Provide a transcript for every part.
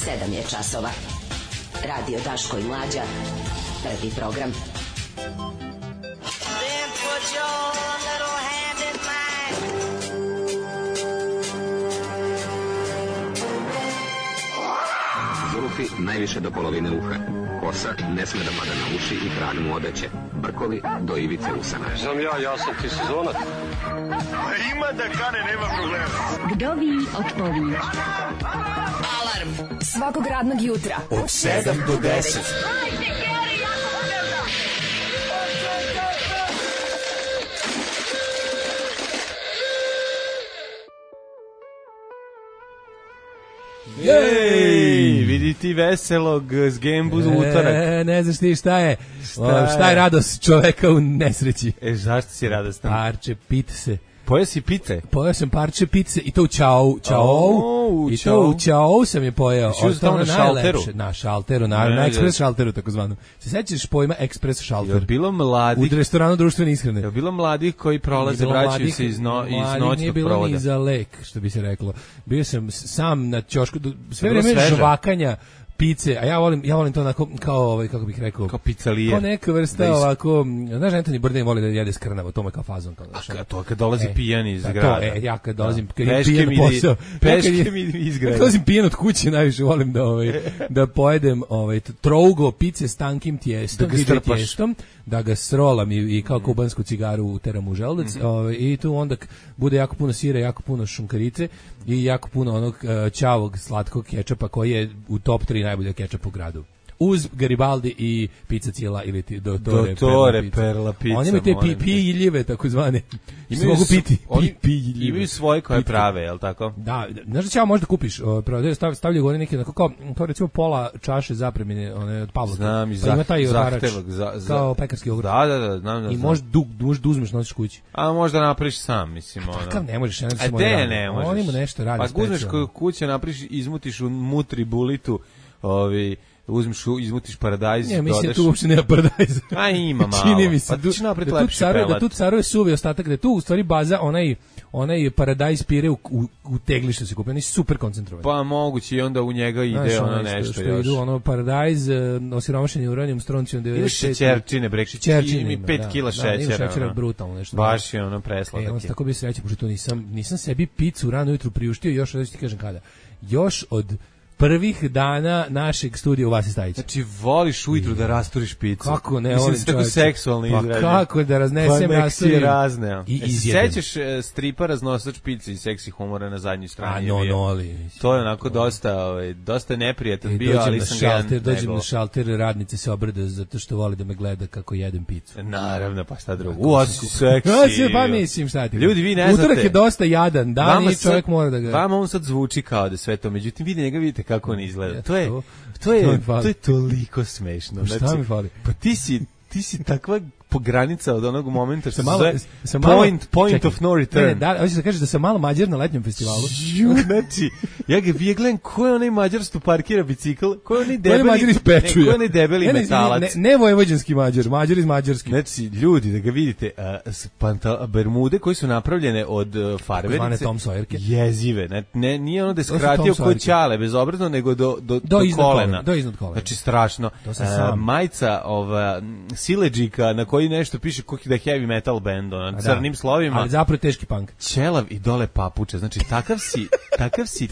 7 je časova. Radio Daško i Mlađa. Prvi program. Then put your little hand in mine. Zulufi najviše do polovine uha. Kosa ne sme da pada na uši i krag mu odeće. Brkovi do ivice usana. Znam ja sam ti sezonac. Ima da kane, nema problema. Vdovi od pović. Alarm svakog radnog jutra Od 7 do 10. Jej, vidi ti veselog zgembu u utorak. Ne znaš ti šta je radost čoveka u nesreći. Zašto si radostan? Parče pizze. Pojeo si pice? Pojeo sam parče pizze i to u Ćao. I to u Ćao sam je pojeo. Što na šalteru? Na šalteru, na ekspres šalteru takozvanom. Se sećaš pojma ekspres šalter? Je bilo mladih? U restoranu društvene ishrane. Je bilo mladih koji prolaze, vraćaju se iz noćnog nije bilo provoda? ni za lek, što bi se reklo. Bio sam sam na ćošku, sve vreme žvakanja pice, a ja volim to onako kao kako bih rekao, kao pizzalije. Kao neka vrsta ovako, znaš, Anthony Bourdain voli da jede skrnavo, to mu je kao fazon. A to kad dolazi pijan iz grada. Ja kad dolazim, kad je pijan na posao. Peške mi iz grada. Kad dolazim pijan od kuće, najviše volim da pojedem trougo pice s tankim tijestom, da ga srolam i kao kubansku cigaru uteram u želudac, i tu onda bude jako puno sira, jako puno šunkarice i jako puno onog ćavog slatkog kečapa koji je u top 3 najbolje kečapa u gradu. Uz Garibaldi i pizza cijela ili Dottore Perla pizza. Oni imaju te pijiljive, takozvane. Mogu piti. Imaju svoje koje prave, je li tako? Da, znaš da ćemo možda kupiš, stavljaju gore neke, kao recimo pola čaše zapremine, one od Pavlaka. Znam, i zahtevak, kao pekarski jogurt. Da, znam. I možda uzmeš, nosiš kući. A možda napraviš sam, mislim. Takav ne možeš, ne možeš. On ima nešto radi. Pa uzmeš kuće, napraviš, izmutiš u mutri bulitu, izmutiš paradajz, dodaš. Mislim da tu uopšte nema paradajza. A ima malo. Čini mi se pa ti će napraviti lepši pelat. Da tu caruje suvi ostatak, da tu u stvari baza onaj paradajz pire u tegli što se kupi, oni su super koncentrovani. Pa moguće i onda u njega ide nešto što još. Idu paradajz, osiromašeni uranijum, stroncijum 95. Imaš šećerčine, i 5 kila šećera. Imaš šećera brutalno nešto. Baš je presladak. On tako bi sreće, pošto nisam sebi picu rano jutro priuštio, još da ti kažem kada. Još od prvih dana našeg studija u Vasi Stajića. Znači, voliš ujutru da rasturiš picu. Kako ne, mislim, tako seksualno izrađen. Pa kako da raznesem, rasturim. Razne. I sećaš stripa raznosač pice i seksi humora na zadnjoj strani? To je onako dosta neprijatan bio, ali sam ga dođem na šalter, radnice se obrade zato što voli da me gleda kako jedem picu. Naravno, pa šta drugo. Osi seksi. Pa mislim, šta ti. Ljudi, vi ne znate. Utorak je dosta jadan dan i čovjek mora da ga... Vama on sad zvuči kao da sve to, međutim, vi njega vidite kako on izgleda. To je toliko smešno. Šta mi fali? Pa ti si takva granica od onog momenta što se point of no return. Da, hoćeš da kažeš da sam malo Mađar na letnjem festivalu. Znači, ja gledam ko je onaj Mađar što parkira bicikl, ko je onaj debeli metalac. Ne vojvođanski Mađar iz Mađarske. Znači, ljudi, da ga vidite, bermude koje su napravljene od farverice, jezive. Nije ono da je skratio kod ćale, bezobrazno, nego do kolena. Do iznad kolena. Znači, strašno. Majica sileđika na koji nešto piše da je heavy metal band, crnim slovima. Ali zapravo teški punk. Ćelav i dole papuče. Znači, takav si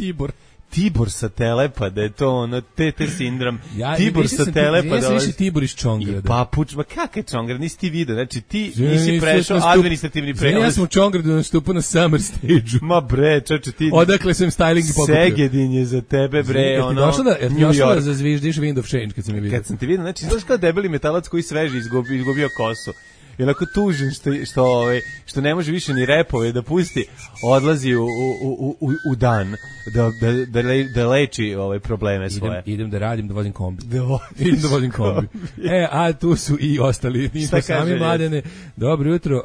Tibor sa Telepa, da je to ono, TT sindrom. Tibor sa Telepa. Ja sam više Tibor iz Čongrada. I papuč, ma kakav Čongrad, nisi ti vidio, znači ti nisi prešao administrativni prelaz. Ja sam u Čongradu nastupao na Summer Stage-u. Ma bre, čoče ti. Odakle sam styling i pokupio. Segedin je za tebe, bre, ono, došla da zazviždiš Wind of Change kad sam je vidio. Kad sam ti vidio, znači, znaš kao debeli metalac koji sveži izgubio kosu. I onako tužen što ne može više ni repove da pusti, odlazi u dan da leči probleme svoje. Idem da radim, da vozim kombi. Idem da vozim kombi. A tu su i ostali. Niste sami Mladene. Dobro jutro.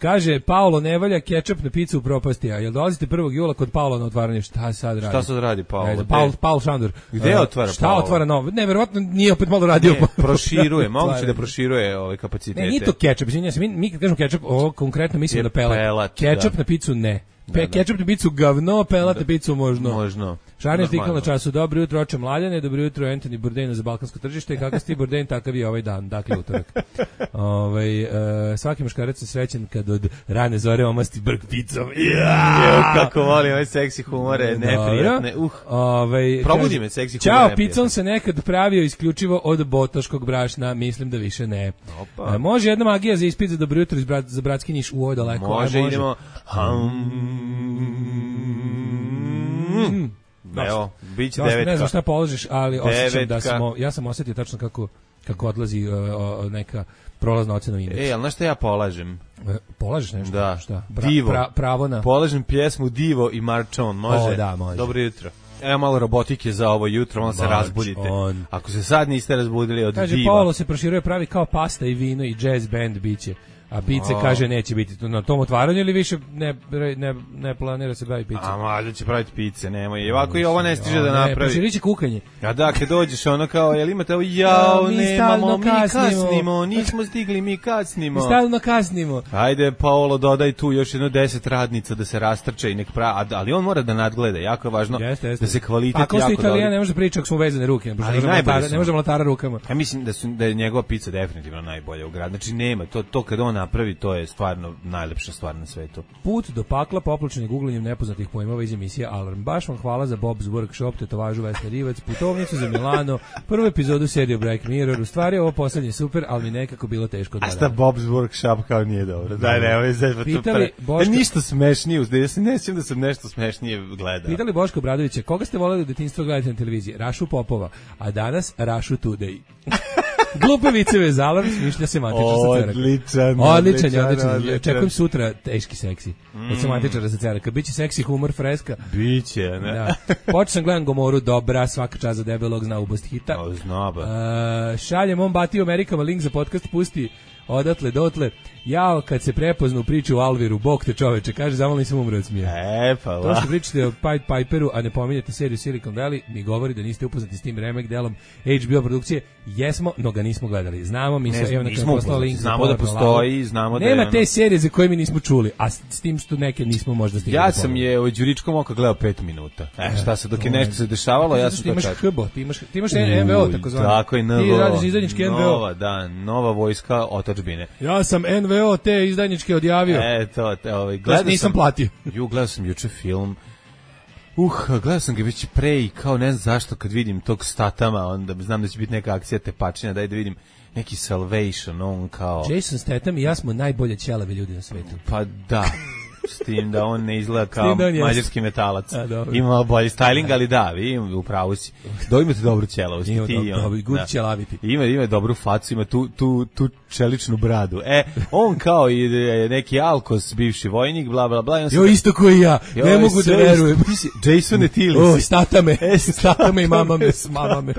Kaže, Paolo ne valja kečap na picu u propasti, a jel dolazite 1. jula kod Paola na otvaranje? Šta sad radi? Šta sad radi Paolo? Paolo Šandor. Gde otvara Paolo? Šta otvara novo? Ne, verovatno nije opet malo radio. Proširuje, moguće da proširuje ove kapacitete. Ne, nije to kečap. Mi kad kažemo kečap, ovo konkretno mislimo na pelat. Kečap na picu ne. Kečap na picu gavno, pelat na picu možno. Šarni artikl na času. Dobro jutro, oče Mlaljane, dobro jutro, Anthony Bourdain za balkansko tržište. Kakav si ti Bourdain, takav je ovaj dan, dakle utorak. Svaki muškarac je srećen kad od rane zore omasti brk picom. Kako volim ove seksi humore, neprijatne. Probudi me seksi humore. Ćao, picom se nekad pravio isključivo od botoškog brašna, mislim da više ne. Može jedna magija za ispit za dobro jutro za bratski Niš u ovo daleko. Može, idemo. Evo, bit će 9. Ne znam šta položiš, ali osjećam da ja sam osjetio tačno kako odlazi neka prolazna ocena u indeksu. Ali znaš šta ja polažem? Polažeš nešto? Da. Šta? Divo. Pravo na... Polažem pjesmu Divo i Marčon, može? Da, može. Dobro jutro. Evo malo robotike za ovo jutro, malo se razbudite. Ako se sad niste razbudili od Kaže, Diva. Paolo se proširuje, pravi kao pasta i vino i jazz band biće. A pice kaže neće biti na tom otvaranju ili više ne planira se baviti pice. A mada će praviti pice, nemoj. I ovako i ovo ne stiže da napravi. Proširiće kukanje. A da, kad dođeš ono kao, jel imate ovo, jao, nemamo, mi kasnimo, nismo stigli, mi kasnimo. Mi stalno kasnimo. Ajde, Paolo, dodaj tu još jedno 10 radnica da se rastrče i nek pravi, ali on mora da nadgleda, jako je važno da se kvalitet jako dobro. Ako ste Italijan, ne može pričati ako smo vezane ruke, ne može mlatara rukama. Ja mislim da je njegova pizza definitivno najbolja u gradu. Znači nema, to kad on napravi, to je stvarno najlepša stvar na svetu. Put do pakla popločen googlanjem nepoznatih pojmova iz emisije Alarm. Baš vam hvala za Bob's Workshop, tetovažu Vesna Rivac, putovnicu za Milano, prvu epizodu serije Break Mirror. U stvari ovo poslednje super, ali mi nekako bilo teško da. A šta Bob's Workshop kao nije dobro? Daj, ne, ovo je ništa smešnije, ja se ne sjećam da sam nešto smešnije gledao. Pitali Boško Obradovića, koga ste voleli u detinjstvu gledati na televiziji? Rašu Popova, a danas Rašu Today. Glupe viceve za Alarm, smišlja semantičar sa Ceraka. Odličan. Čekujem sutra teški seksi. Od semantičara sa Ceraka. Biće seksi humor, freska. Biće, ne? Da. Počeo sam gledam Gomoru, dobra, svaka čast za debelog, zna ubost hita. Zna ba. Šaljem on Bati u Amerikama, link za podcast pusti odatle dotle. Jao, kad se prepoznu priču o Alviru, bog te čoveče, kaže, zamolim sam umre od smija. Pa to što pričate o Pied Piperu, a ne pominjate seriju Silicon Valley, mi govori da niste upoznati s tim remake delom HBO produkcije. Jesmo, no ga nismo gledali. Znamo, mi se, evo na kada poslao link. Znamo da postoji, znamo da je... Nema te serije za koje mi nismo čuli, a s tim što neke nismo možda stigli. Ja sam je u Đuričkom oka gledao 5 minuta. Šta se, dok je nešto se dešavalo, ja sam to čekao. Ti imaš NVO, tako zvano. Tako je, NVO. Ti radiš izdajnički NVO. Nova vojska otadžbine. Ja sam NVO te izdajničke odjavio. Nisam platio. Gledao sam juče film. Gledao sam ga već pre i kao ne znam zašto kad vidim tog Statama, onda znam da će biti neka akcija tepačina, daj da vidim neki Salvation, on kao... Jason Statham i ja smo najbolje ćelavi ljudi na svetu. Pa da, s tim da on ne izgleda kao mađarski metalac. Ima bolji styling, ali da, vi upravo si. Imate dobru ćelavost. Ima dobru facu, ima tu čeličnu bradu. On kao i neki Alkos, bivši vojnik, bla, bla, bla. Isto koji ja, ne mogu da verujem. Jason Etilis. Statame i mamame, s mamame.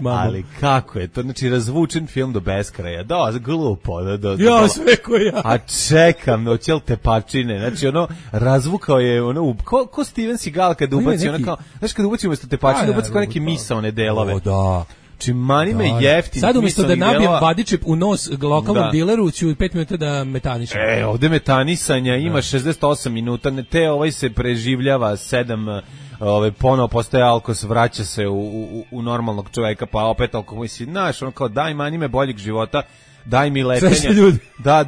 Ali kako je to? Znači, razvučen film do beskraja. Da, glupo. Ja, sve koji ja. A čekam, oćel tepačine. Znači, razvukao je, ko Steven Seagal kada ubaci, znaš, kada ubaci umjesto tepačine, ubaci kao neke misaone delove. O, da. Mani me jeftini. Sad umjesto da nabijem vadičep u nos lokalnom dileru, ću 5 minuta da metanišem. Ovde metanisanja ima 68 minuta, te se preživljava 7, ponovo postaje Alkos, vraća se u normalnog čoveka, pa opet Alkos, znaš, kao daj mani me boljeg života, daj mi letenja.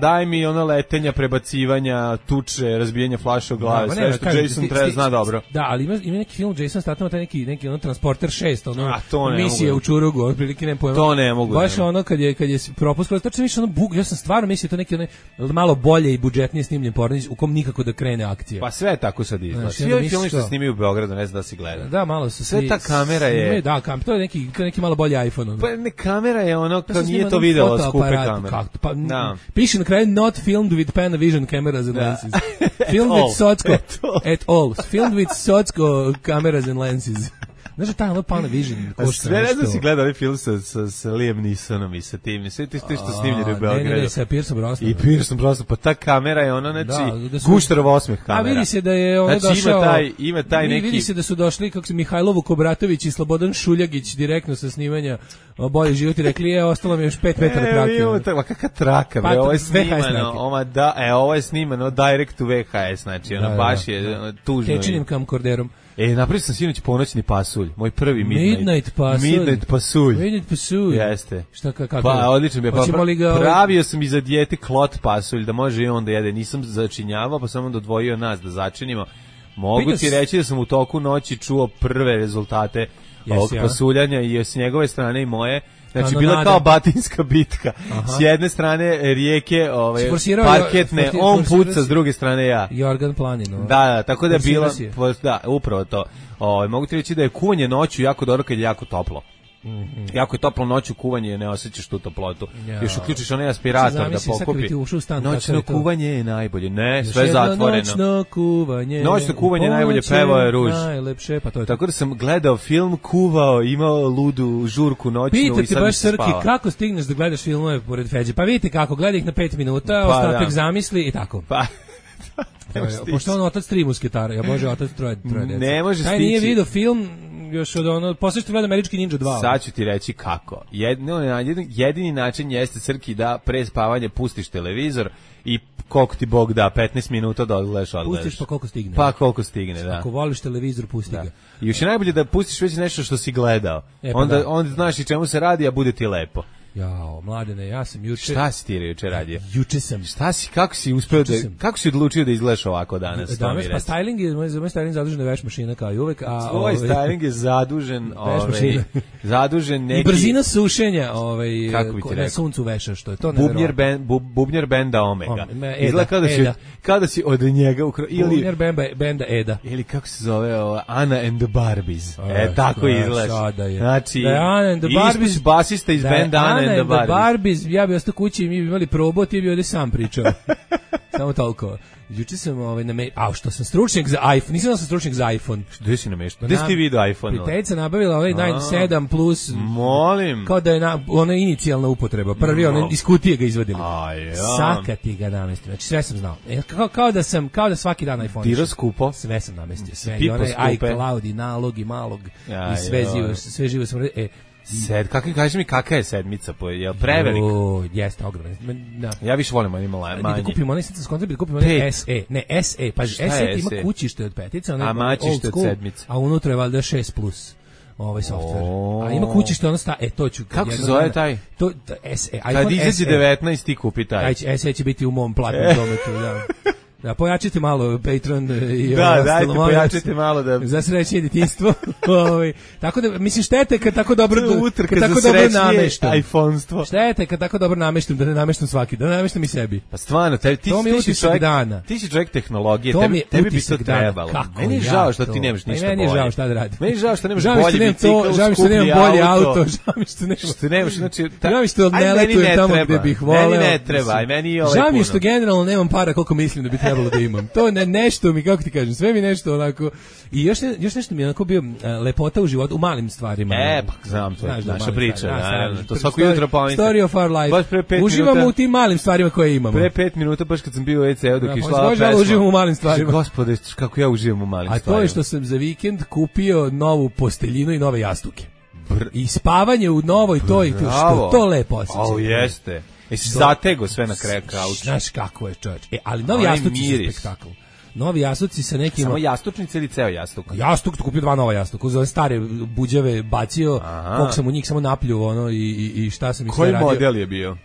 Daj mi letenja, prebacivanja, tuče, razbijanja flaša u glave, sve što Jason treba zna dobro. Da, ali ima neki film Jason Statham, taj neki Transporter 6, misije u Čurugu, otprilike ne pojma. To ne mogu. Baš kad je propuskao, tačno više bug, ja sam stvarno mislio to neki malo bolje i budžetnije snimljen pornić u kom nikako da krene akcija. Pa sve tako sad izgleda. Svi ovi filmi što snimaju u Beogradu, ne znam da si gleda. Da, malo su sve ta kamera je. Da, to je neki malo bolji iPhone. Pa ne, kamera je kao nije to videlo skupe kamere. Piše na kraju not filmed with Panavision cameras and lenses. Filmed with Socko at all. Filmed with Socko cameras and lenses. Znaš da taj Panavision košta sve ne znam si gledao ovaj film sa Liam Neesonom i sa tim, sve ti što snimljeno u Beogradu. Ne, sa Pierceom Brosnanom. I Pierceom Brosnanom, pa ta kamera je Gušterov osmeh kamera. A vidi se da je došao, ima taj neki... Vidi se da su došli, kako se Mihajlovo Kobratović i Slobodan Šuljagić direktno sa snimanja Bolji život i rekli, ostalo mi još 5 metara trake. Pa kakva traka, bre, ovo je snimano, ovo je snimano direct to VHS, znači, baš je tužno. Tečinim kamkorderom. Napravio sam sinoć ponoćni pasulj, moj prvi Midnight pasulj. Midnight pasulj. Jeste. Šta kako? Pa odlično mi je. Pravio sam i za dijete klot pasulj da može i on da jede. Nisam začinjavao, pa sam onda odvojio nas da začinimo. Mogu ti reći da sam u toku noći čuo prve rezultate ovog pasuljanja i s njegove strane i moje. Znači, bila kao batinska bitka. S jedne strane rijeke parketne, on puca, s druge strane ja. Jorgan Planinu. Da, tako da je bila, da, upravo to. Mogu ti reći da je kuvanje noću jako dobro kad je jako toplo. Jako je toplo noću kuvanje, ne osjećaš tu toplotu. Još uključiš onaj aspirator da pokupi. Noćno kuvanje je najbolje. Ne, sve je zatvoreno. Noćno kuvanje je najbolje, pevao je Ruž. Najlepše, pa to je. Tako da sam gledao film, kuvao, imao ludu žurku noćnu i sam Pita ti baš Srki, kako stigneš da gledaš filmove pored Feđe? Pa vidite kako, gledaj ih na 5 minuta, ostatak zamisli i tako. Pa pošto on otac 3 musketara, ja može otac troje dece. Ne može stići. Taj nije vidio film još od ono, posle što gleda Američki Ninja 2. Sad ću ti reći kako. Jedini način jeste, Crki, da pre spavanja pustiš televizor i koliko ti Bog da, 15 minuta da odgledaš. Pustiš pa koliko stigne. Pa koliko stigne, da. Ako voliš televizor, pusti ga. I još je najbolje da pustiš već nešto što si gledao. Onda znaš i čemu se radi, a bude ti lepo. Jao, Mladene, ja sam juče... Šta si ti juče radio? Juče sam... Kako si uspeo kako si odlučio da izgledaš ovako danas? Danas, pa styling je, moj styling zadužen veš mašina kao i uvek, a... Tvoj styling je zadužen, zadužen neki... I brzina sušenja, na suncu veša, što je to nevjerovatno. Bubnjer benda Omega. Izgleda kao da si od njega... Bubnjer benda Eda. Ili kako se zove, Anna and the Barbies. Tako izgledaš. Znači, ispus basista iz benda Anna and the Barbies, ja bi ostao kući i mi bi imali probao, ti bi ovdje sam pričao. Samo toliko. Juče sam što sam stručnjak za iPhone, nisam da sam stručnjak za iPhone. Gde si namešten? Gde si ti vidio iPhone? Prijateljica nabavila ovaj 7 Plus. Molim. Kao da je ona inicijalna upotreba. Prvi iz kutije ga izvadili. Sakati ga namestio. Znači sve sam znao. Kao da svaki dan iPhone. Tiro skupo. Sve sam namestio. Sve. I onaj iCloud i nalog i malog. I sve živo sam... Kaži mi kakva je sedmica, je prevelik? Jeste, ogromno. Ja više volim onaj manje. Da kupimo onaj, sad da kupimo onaj SE. Ne, SE, pa SE ima kućište od petice, a mačište od sedmice. A unutra je valjda 6 plus. Ovaj softver. A ima kućište ono to ću. Kako se zove taj? To SE. Kad izađe 19 ti kupi taj. SE će biti u mom platnom dometu, da. Da, pojačite malo Patreon i dajte, pojačite malo da... Za srećnije djetinjstvo. Tako da, mislim, štete kad tako dobro nameštam. iPhone-stvo. Štete kad tako dobro nameštam, da ne nameštam svaki, da ne nameštam i sebi. Pa stvarno, ti si čovjek tehnologije, tebi bi to trebalo. Meni je žao što ti nemaš ništa bolje. Meni je žao šta da radim. Meni je žao što nemaš bolji bicikl, žao mi što nemam bolji auto, žao mi što nemaš, znači... Žao mi što ne letujem tamo gde bih voleo. Meni ne treba, aj meni i ovaj puno. Žao mi što generalno nemam para koliko mislim da bi trebalo da imam. To nešto mi, kako ti kažem, sve mi nešto onako. I još nešto mi je onako bio lepota u životu, u malim stvarima. Pa znam, to je naša priča, naravno. To svako jutro pominjam. Story of our life. Uživamo u tim malim stvarima koje imamo. Pre 5 minuta, baš kad sam bio u EC-u dok je šla pesma. Uživam u malim stvarima. Gospode, kako ja uživam u malim stvarima. A to je što sam za vikend kupio novu posteljinu i nove jastuke. I spavanje u novoj toj, što to lepo osjećam. Jeste. Jesi zatego sve na kraju kauča. Znaš kako je, čovječ. Ali novi jastuci su spektakl. Novi jastuci sa nekim... Samo jastučnice ili ceo jastuk? Jastuk, tu kupio 2 nova jastuka. Uz ove stare buđave bacio, koliko sam u njih samo napljuo, i šta sam ih sve radio. Koji model je bio?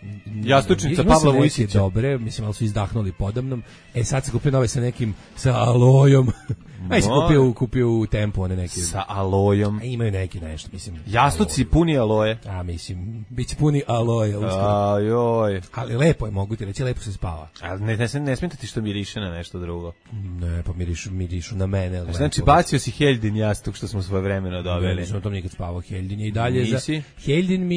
Jastučnica Pavla Vujsića. Dobre, mislim, ali su izdahnuli podamnom. Sad sam kupio nove sa nekim, sa alojom. Aj se kupio u Tempu one neke. Sa alojom. Imaju neki nešto, mislim. Jastuci puni aloje. Mislim, biće puni aloje. Ajoj. Ali lepo je, mogu ti reći, lepo se spava. Ali ne smeta ti što miriše na nešto drugo? Ne, pa mirišu na mene. Znači, bacio si Heldin jastuk što smo svoje vremeno dobili. Nisam o tom nikad spavao. Heldin je i dalje Heldin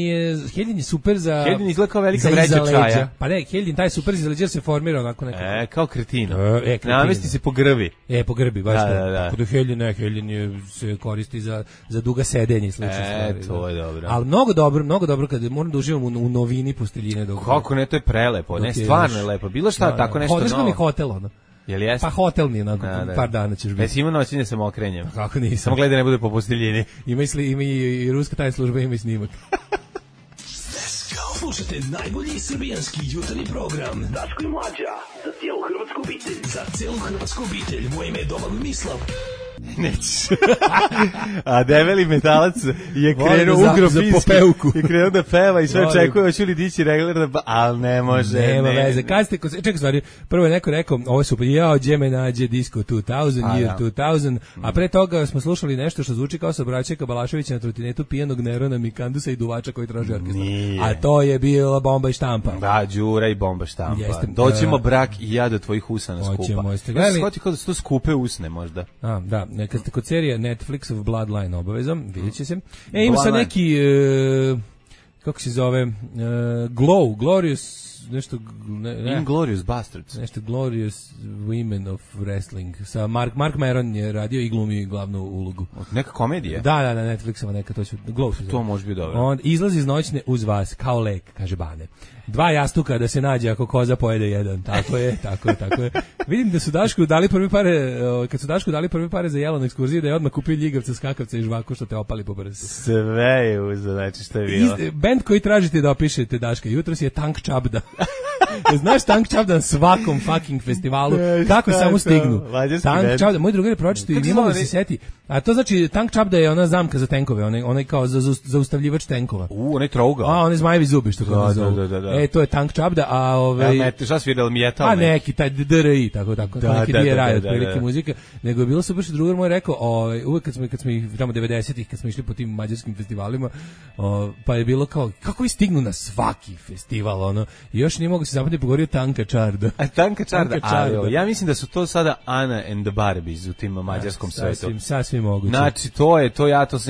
je super za... Heldin izgleda kao velika vreća čaja. Pa ne, Heldin taj super za leđa se formira onako nekako. Kao kretino. Namesti se po grbi. Po grbi, baš to. Kod Heldin se koristi za duga sedenja i slične stvari. To je dobro. Ali mnogo dobro kad moram da uživam u novini posteljine. Kako ne, to je prelepo. Ne, stvarno je lepo. Bilo šta, tako nešto novo. Hodeš mi hotel, ono. Jel jeste? Pa hotel mi je, par dana ćeš biti. Jesi imao noćenje sa mokrenjem? Kako nisam. Samo gledaj ne bude po posteljini. Ima i ruska tajna služba, ima i snimak. Slušajte najbolji srbijanski jutarnji program Daško i Mlađa, za cijelu hrvatsku obitelj. Za cijelu hrvatsku obitelj, moje ime je Domagoj Mislav. Nećeš. A debeli metalac je krenuo ugrofinski i krenuo da peva i sve očekuje, hoće li dići regler, ali ne može. Nema veze. Kad ste, čekaj stvari, prvo je neko rekao, ovo su gdje me nađe Disco 2000, Year 2000, a pre toga smo slušali nešto što zvuči kao Sabraćeka Balaševića na trotinetu pijanog Nerona Mikandusa i duvača koji traži orkestar. A to je bila Bomba i štampa. Da, Đura i Bomba štampa. Doćemo brak i ja do tvojih usana skupa. Hoćemo, jeste gledali? Shvati kao da su to skupe usne možda. Da, kad ste kod serije Netflixov Bloodline obavezom, vidjet će se. Ima sad neki, kako se zove, Glorious, nešto Inglorious Bastards. Nešto Glorious Women of Wrestling. Sa Mark Maron je radio i glumio glavnu ulogu. Neka komedija? Da, Netflixova neka, to će to može biti dobro. On izlazi iz noćne uz vas kao lek, kaže Bane. 2 jastuka da se nađe ako koza pojede jedan. Tako je. Vidim da su Dašku dali prvi pare, kad su Dašku dali prvi pare za jelo na ekskurziji, da je odmah kupio ljigavca, skakavca i žvaku što te opali po brzu. Sve je uzo, znači što je bilo. Band koji tražite da opišete Daška jutros je Tank Čabda. Znaš Tank Čabda na svakom fucking festivalu, kako samo stignu. Tank Čabda, moj drugar je pročitao i nije mogu da se seti. A to znači Tank Čabda je ona zamka za tenkove, onaj kao za zaustavljivač tenkova. Onaj trougao. Onaj zmajevi zubi što ga zovu. To je Tank Čabda, a šta svirali metal? A neki taj DRI, tako neki DRI, otprilike muzika. Nego je bilo super što drugar moj rekao, uvek kad smo tamo 90-ih, kad smo išli po tim mađarskim festivalima, pa je bilo kao, kako vi stignu na svaki festival, ono, i još nije mogu se zapamtiti, pogovorio Tanka Čarda. A Tanka Čarda, ali ja mislim da su to sada Ana and the Barbies u tim mađarskom svetu. Sasvim moguće. Znači,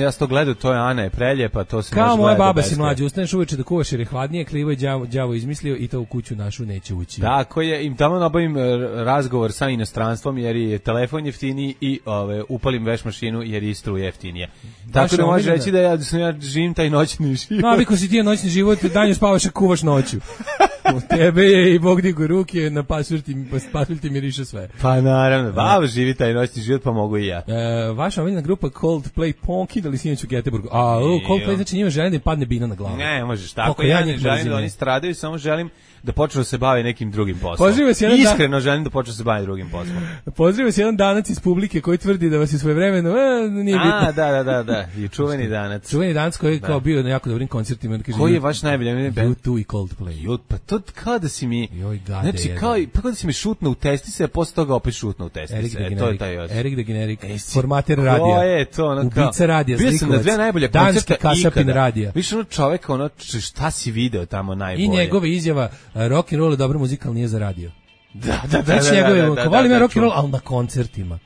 ja sam to gledao, to je Ana je preljepa, to se može gledati. Kao moja baba si mlađa, ustaneš uveče da kuvaš jer je hladnije, krivo je đavo izmislio i to u kuću našu neće ući. Tako je, im tamo nabavim razgovor sa inostranstvom jer je telefon jeftiniji i upalim veš mašinu jer je struja jeftinija. Tako da možeš reći da ja živim taj noćni život. Naviko si ti noćni život, danju spavaš a kuvaš noću. U tebe je i Bog digu ruke, na pasulj ti miriše sve. Pa naravno, baba živi taj noćni život, pa mogu i ja. Vaša omiljena grupa Coldplay ponkidali sinoć u Göteborgu. Coldplay znači njima želim da im padne bina na glavu. Ne, možeš tako, ja ne želim da oni stradaju, samo želim da počnu da se bave nekim drugim poslom. Iskreno želim da počnu da se bave drugim poslom. Pozdravio se jedan danac iz publike koji tvrdi da vas je svojevremeno nije bitno. Da, i čuveni danac. Čuveni danac koji je kao bio na jako dobrim koncertima. Koji je vaš najbolji band? U2 i Coldplay. Pa to kao da si mi, znači kao da si mi šutno u testise, a posle toga opet šutno u testise. To je taj osjećaj. Erik the Generic, formater radija. Ko je to? Ubica radija, bio sam na 2 najbolje koncerta kasapin radija. Više čovek, šta si video tamo najbolje? I njegove izjava, rock and roll je dobra muzika, ali nije za radio. Da. Volim ja rock and roll, ali na koncertima.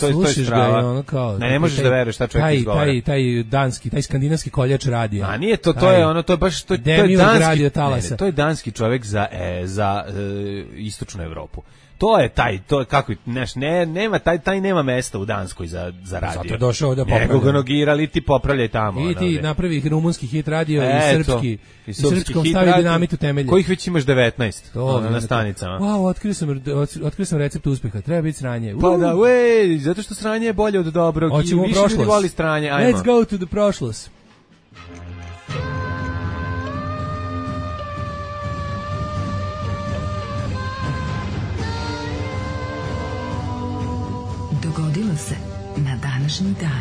To je strava. Ne možeš da veruješ šta čovjek izgovara. Taj danski, taj skandinavski koljač radija. A nije to, to je baš, to je danski čovjek za istočnu Evropu. To je kako nema taj nema mesta u Danskoj za radio. Zato je došao da popravlja. Nego ga nogirali, ti popravljaj tamo. I ti napravi rumunski hit radio i srpski. I srpskom stavi dinamit u temelje. Kojih već imaš 19 na stanicama. Wow, otkrio sam recept uspeha. Treba biti sranje. Pa da, zato što sranje je bolje od dobrog. Hoćemo više ljudi voli sranje. Let's go to the prošlost. Dogodilo se na današnji dan.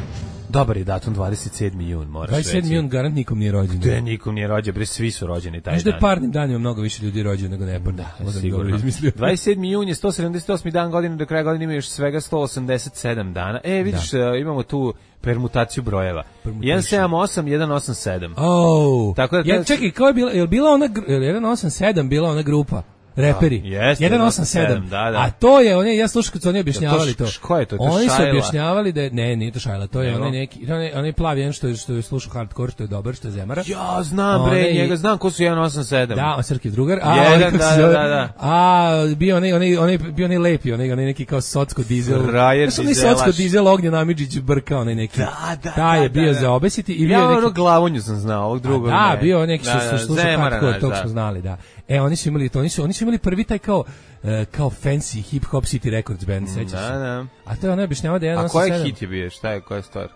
Dobar je datum, 27. jun, moraš reći. 27. jun, garant nikom nije rođen. Gde nikom nije rođen, bre, svi su rođeni taj dan. Možda je parnim danima mnogo više ljudi rođen nego neparnim. Da, sigurno. 27. jun je 178. dan godine, do kraja godine ima još svega 187 dana. Vidiš, imamo tu permutaciju brojeva. 178, 187. Tako da... Čekaj, kao je bila ona... 187 bila ona grupa? Reperi. 187. Da. A to je, ja slušam kad su oni objašnjavali to. Ko je to? Oni su objašnjavali da nije to Šajla, to je onaj plavi jedan što je slušao hardcore, što je dobar, što je Zemara. Ja znam njega, znam ko su 187. Da, on Srki drugar. Da. A bio onaj lepi, onaj neki kao socko dizel. Socko dizel Ognjen Amidžić brka, onaj neki. Taj je bio za obesiti i bio neki. Ja Glavonju sam znao, ovog drugog. Da, bio neki što slušao hardcore, tog smo znali, da. Oni su imali to, oni su imali prvi taj kao fancy hip hop City Records band, sećaš se? Da. A to je ona objašnjava da je 187. A koji hit je bio, šta je, koja stvar?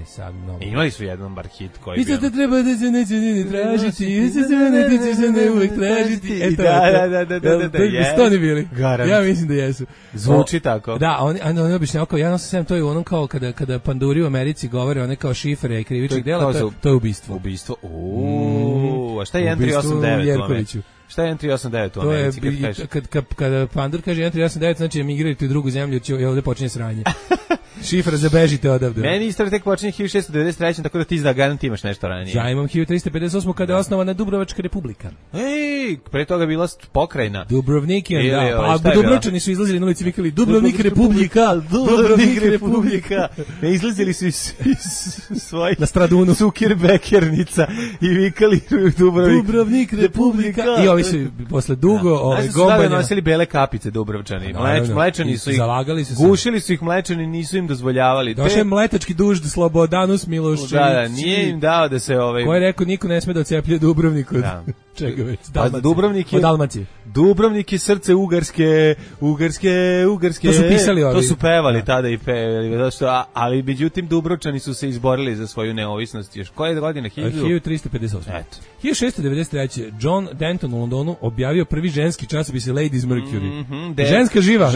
Sad mnogo. Imali su jedan bar hit koji Isto to treba da se neće ni tražiti, isto se ne tiče se ne uvek tražiti. Eto, da, jesu oni bili? Garant. Ja mislim da jesu. Zvuči tako. Da, oni obično kao, ja sam to je ono kao kada panduri u Americi govore, one kao šifre i krivičnih dela, to je ubistvo. Ubistvo, a šta je 1389 u Americi? Šta je 1389 u Americi? Kada pandur kaže 1389, znači emigrirati u drugu zemlju, i ovde počinje sranje. Šifra za bežite odavde. Meni istraga tek počinje 1693, tako da ti za garant imaš nešto ranije. Ja imam 1358 kada je osnovana Dubrovačka republika. Ej, pre toga je bila pokrajina. Dubrovnikijan, da. Pa Dubrovčani su izlazili na ulici, vikali Dubrovnik republika, Dubrovnik republika. Ne izlazili su iz svojih na Stradunu Zuckerbekernica i vikali Dubrovnik republika. I ovi su posle dugo gombanja nosili bele kapice Dubrovčani. Mlečani su ih zalagali su, gušili su ih mlečani, nisu im dozvoljavali. Došao je mletački dužd Slobodanus Milošević. Da, nije im dao da se Ko je rekao niko ne sme da oceplje Dubrovnik od čega već? Dubrovnik je srce Ugarske. To su pisali ovi. To su pevali tada i pevali. Ali međutim Dubrovčani su se izborili za svoju neovisnost. Još koje godine? 1358. Eto. 1693. John Denton u Londonu objavio prvi ženski časopis Ladies Mercury. Ženska živa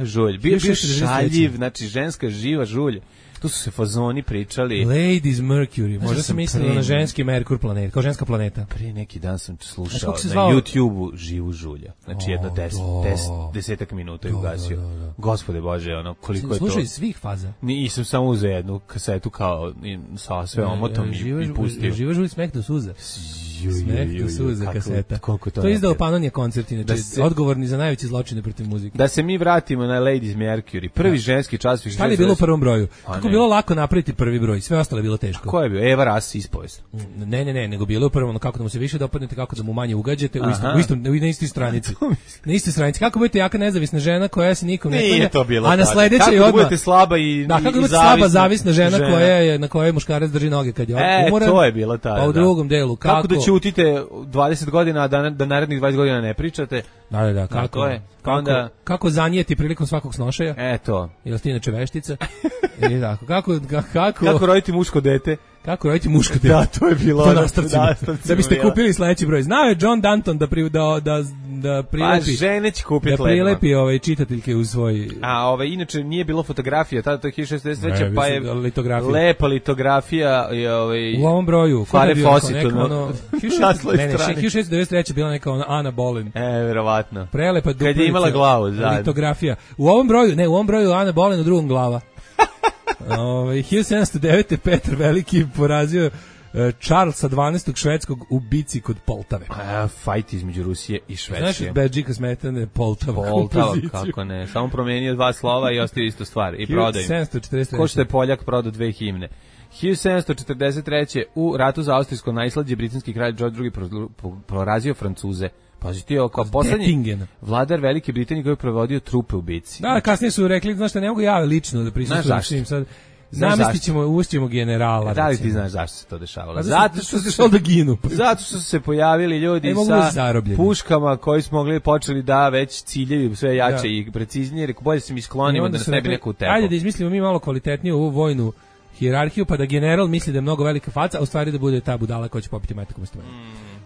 žulj. Bio šaljiv, znači ženska živa žulj. Tu su se fazoni pričali. Ladies Mercury, možda sam mislila na ženski Merkur planet, kao ženska planeta. Prije neki dan sam slušao na YouTube-u Živu žulja. Znači jedno 10 minuta je ugasio. Gospode Bože, ono, koliko je to. Slušaj svih faza. Nisam samo uzeo jednu kasetu kao sa sve omotom i pustio. Živa žulj, smeh do suza. Smeh do suza kaseta. To je izdao Panonija koncert, inače odgovorni za najveće zločine protiv muzike. Da se mi vratimo na Ladies Mercury, prvi ženski časopis. Šta li je bilo u prvom broju? Kako bilo lako napraviti prvi broj, sve ostalo je bilo teško. Ko je bio? Eva Ras ispovest. Ne, nego bilo je prvo kako da mu se više dopadnete, kako da mu manje ugađate na istoj stranici. Na istoj stranici. Kako budete jaka nezavisna žena koja se nikom ne klanja, a na sledećoj odmah. Kako budete slaba i kako budete slaba zavisna žena na kojoj muškarac drži noge kad je umoran. To je bilo tada. Pa u drugom delu kako da ćutite 20 godina, a da narednih 20 godina ne pričate. Da, kako zanijeti prilikom svakog snošaja. Eto. Jel ti inače veštica? I tako, kako roditi muško dete? Kako roditi muško dete? Da, to je bilo. Da biste kupili sledeći broj. Znao je John Danton da prilepi. Pa žene će kupiti da prilepi čitateljke u svoj. A inače nije bilo fotografija, tada to je 1663, pa je litografija. Lepa litografija i u ovom broju. Fare Fositu. 1693 bila neka Ana Boleyn. Verovatno. Prelepa kad je imala glavu litografija. U ovom broju Ana Boleyn, u drugom glava. 1709. Petar Veliki porazio Charlesa 12. švedskog u bici kod Poltave. Fajt između Rusije i Švedske. Znaš, Bedžika Smetane, Poltava, kako ne. Samo promenio 2 slova i ostavio istu stvar. I prodao im. 1743. Ko što je Poljak prodao 2 himne. 1743. u ratu za austrijsko najslađe britanski kralj George II. Porazio Francuze. Pazi ti, kao poslednji vladar Velike Britanije koji je provodio trupe u bici. Da, kasnije su rekli, znaš šta, ne mogu ja lično da prisustvujem s njim sad. Ušćemo generala. Da li ti znaš zašto se to dešavalo? Zato što se šao da ginu. Zato što su se pojavili ljudi sa puškama koji smo mogli počeli da već ciljevi sve jače i preciznije. Rekao, bolje se mi sklonimo da nas ne bi neko utepao. Ajde da izmislimo mi malo kvalitetniju ovu vojnu hijerarhiju, pa da general misli da je mnogo velika faca, a u stvari da bude ta budala koja će popiti majtakom stvore.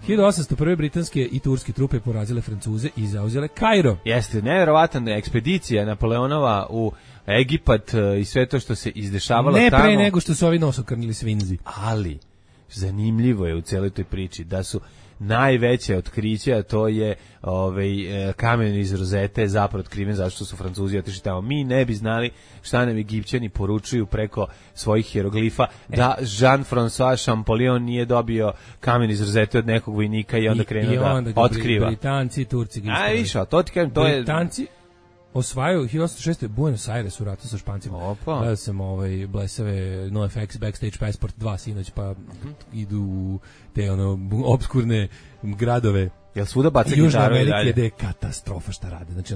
1801. britanske i turske trupe porazile Francuze i zauzele Kairo. Jeste, nevjerovatna ekspedicija Napoleonova u Egipat i sve to što se izdešavalo tamo. Ne pre nego što su ovi nosokrnili svinzi. Ali, zanimljivo je u celoj toj priči da su najveće otkriće, a to je kamen iz rozete zapravo otkriven zašto su Francuzi otišli tamo. Mi ne bi znali šta nam Egipćani poručuju preko svojih hieroglifa, da Jean-François Champollion nije dobio kamen iz rozete od nekog vojnika i onda krenuo da otkriva. Britanci i Turci ga ispravili. Išao, to ti kažem, to je... Britanci osvajaju 1806. Buenos Aires u ratu sa Špancima. Gledao sam blesave NoFX Backstage Passport 2 sinoć, pa idu u te obskurne gradove Jel svuda baca Južna gitaru i Amerika dalje? je da je katastrofa šta rade. Znači,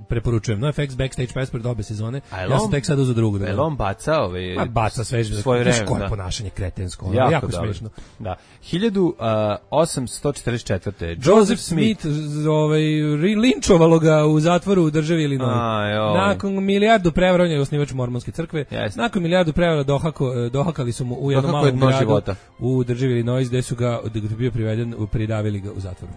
preporučujem. NoFX Backstage Pass pred obe sezone. Ja sam tek sad uzeo drugu. Je on baca baca sve svoje vreme, koje ponašanje kretensko. Jako smiješno. Da. 1844. Joseph Smith linčovalo ga u zatvoru u državi Illinois. Nakon milijardu prevara, on je osnivač mormonske crkve. Nakon milijardu prevara dohakali su mu u jednom malom gradu u državi Illinois, gde su ga, gde je bio priveden, pridavili ga u zatvoru.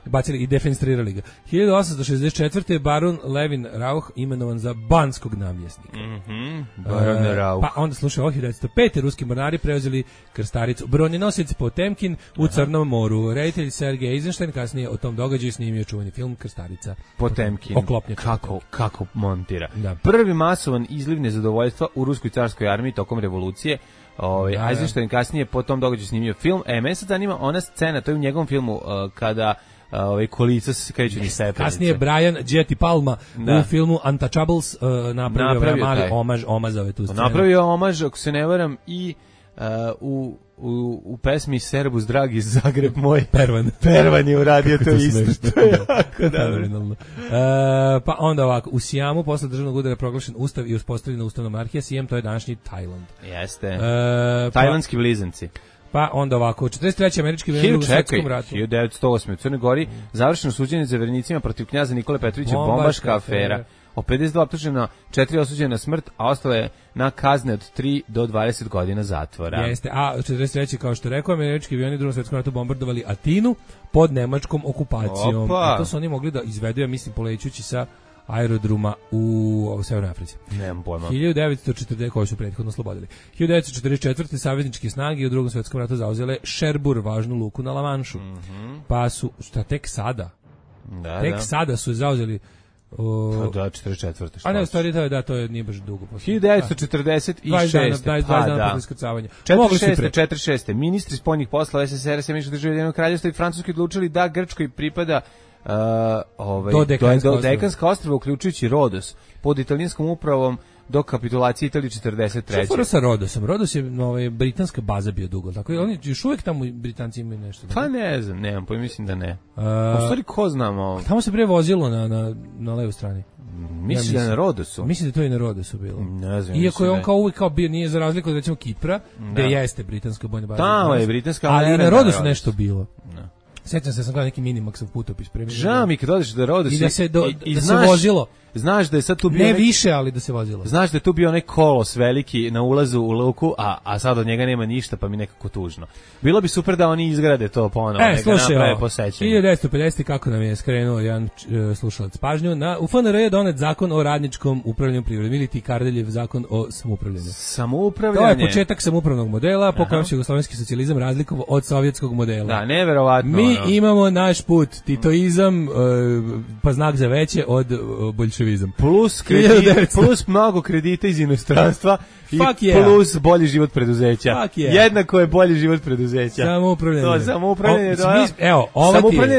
Bacili i defenstrirali ga. 1864. baron Levin Rauch imenovan za banskog namjesnika. Baron Rauch. Pa onda slušaj, 1905. ruski mornari preuzeli krstaricu. Bronjenosic Potemkin u Crnom moru. Reditelj Sergej Eisenstein kasnije o tom događaju snimio čuveni film Krstarica. Potemkin. Kako montira. Da. Prvi masovan izliv nezadovoljstva u ruskoj carskoj armiji tokom revolucije. Eisenstein kasnije po tom događaju snimio film. Mene sad zanima ona scena, to je u njegovom filmu kada kolica se kreću ni stepenice. Kasnije Brian Jetty Palma u filmu Untouchables napravio mali omazove tu scenu. Napravio omaž, ako se ne varam, i u pesmi Serbus dragi iz Zagreb moj. Pervan je uradio to isto. To je jako dobro. Pa onda ovako, u Sijamu posle državnog udara proglašen ustav i uspostavljena ustavna monarhija. Sijam, to je današnji Tajland. Jeste. Tajlandski blizanci. Pa onda ovako, 43. američki vojnik u Svetskom ratu. 1908. u Crnoj Gori završeno suđenje za vernicima protiv knjaza Nikole Petrovića, bombaška afera. O 52 optužena, 4 osuđena na smrt, a ostalo je na kazne od 3 do 20 godina zatvora. Jeste, a 43. kao što rekao, američki avioni u Drugom svetskom ratu bombardovali Atinu pod nemačkom okupacijom. Opa. I to su oni mogli da izvedu, ja mislim, polećući sa aerodroma u Severnoj Africi. Nemam pojma. 1940, koji su prethodno oslobodili. 1944. savezničke snage u Drugom svetskom ratu zauzele Šerbur, važnu luku na Lamanšu. Pa su, šta tek sada? Sada su zauzeli Da, 44. A ne, u stvari to je nije baš dugo. 1946. 20 dana posle iskrcavanja. 46. Ministri spoljnih poslova SSR, Sjedinjenih Država, Ujedinjenog Kraljevstva i Francuske odlučili da Grčkoj pripada do Dekanska ostrva, uključujući Rodos, pod italijanskom upravom do kapitulacije Italije 43. Što je sa Rodosom? Rodos je britanska baza bio dugo, tako oni još uvijek tamo Britanci imaju nešto. Pa ne znam, nemam pojma, mislim da ne. U stvari ko znam ovo? Tamo se prije vozilo na levoj strani. Mislim da je na Rodosu. Mislim da je to i na Rodosu bilo. Ne znam. Iako je on kao uvijek bio, nije za razliku od recimo Kipra, gde jeste britanska bojna baza. Tamo je britanska, ali i na Rodosu nešto bilo. Sjećam se, sam gledao neki Minimaxov putopis. Žao mi kad odeš da Rodos i da se vozilo. Znaš da je sad tu bio ne više, ali da se vozilo. Znaš da je tu bio onaj kolos veliki na ulazu u luku, a sad od njega nema ništa, pa mi nekako tužno. Bilo bi super da oni izgrade to ponovo, neka naprave posećanje. 1950. kako nam je skrenuo jedan slušalac pažnju, u FNR je donet zakon o radničkom upravljanju privredom, ili ti Kardeljev zakon o samoupravljanju. Samoupravljanje. To je početak samoupravnog modela, po kojem se jugoslovenski socijalizam razlikovao od sovjetskog modela. Da, neverovatno. Mi imamo naš put, titoizam, pa znak za veće od bolševizam. Plus mnogo kredita iz inostranstva i plus bolji život preduzeća. Jednako je bolji život preduzeća. Samoupravljanje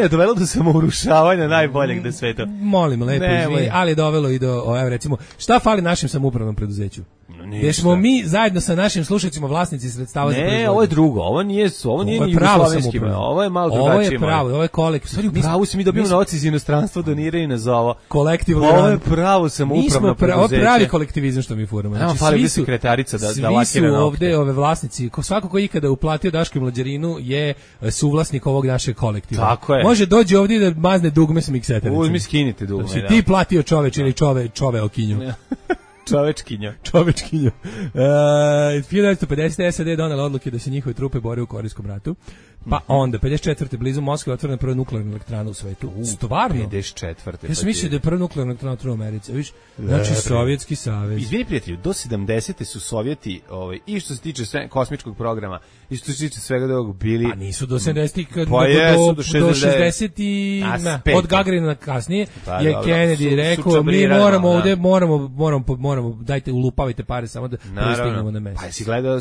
je dovelo do samourušavanja najboljeg na svetu. Molim, lepo izvini, ali je dovelo i do, evo recimo, šta fali našem samoupravnom preduzeću? Gdje smo mi zajedno sa našim slušateljima vlasnici sredstava za proizvodnju. Ne, ovo je drugo, ovo nije ni jugoslovenski, ovo je malo drugačije. Ovo je pravo, ovo je kolektiv. Stvari, u pravu se mi dobijemo novac iz inostranstva, doniraju nas za ovo. Kolektivno. Ovo je pravo samoupravno preduzeće. Ovo je pravi kolektivizam što mi furamo. Znači, fali sekretarica da lakira nokte. Svi su ovde ove vlasnici, svako ko ikada uplatio Daško i Mlađarinu je suvlasnik ovog našeg kolektiva. Tako je. Može dođe ovdje da mazne dugme s mikseta. Uzmi, skinite dugme, da. Ti platio čoveč ili čove okinju. Čovečkinjo. 1950. SAD je donela odluke da se njihove trupe bore u Korejskom ratu. Pa onda, 54. blizu Moskve otvorena prva nuklearna elektrana u svetu. Stvarno? 54. Ja sam mislio da je prva nuklearna elektrana u Americi. Viš? Znači, Sovjetski savez. Izvini prijatelju, do 70. su Sovjeti, i što se tiče kosmičkog programa, i što se tiče svega da bili... A nisu do 70. Do 60. i... Od Gagarina kasnije je Kennedy rekao, mi moramo moramo, dajte ulupavajte pare samo da pristignemo na mesec. Pa jesi gledao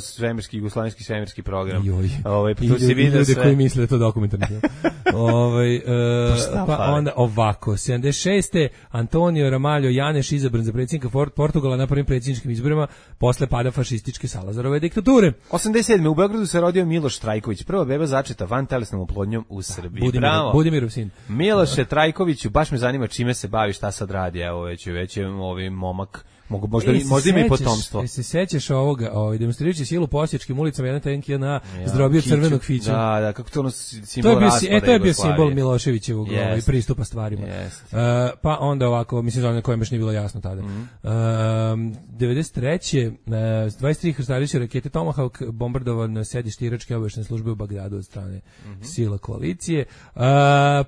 jugoslovenski svemirski program? Joj. Pa tu si vidio ljudi sve. koji misle da je to dokumentarni film. Pa onda ovako, 76. Antonio Ramalho Janeš izabran za predsjednika Portugala na prvim predsjedničkim izborima posle pada fašističke Salazarove diktature. 87. u Beogradu se rodio Miloš Trajković, prva beba začeta vantelesnom oplodnjom u Srbiji. Bravo. Budimirov sin. Miloše Trajkoviću, baš me zanima čime se bavi, šta sad radi, evo već je ovi momak. Možda ima i potomstvo. Se sećaš ovoga, demonstrirajući silu po osječkim ulicama, jedan tank je na zdrobio crvenog fića. Da, kako to ono simbol raspada. To je bio simbol Miloševićevog pristupa stvarima. Pa onda ovako, mislim, za koje baš nije bilo jasno tada. 93. 23 krstariće rakete Tomahawk bombardovan sedište iračke obavještajne službe u Bagdadu od strane sila koalicije.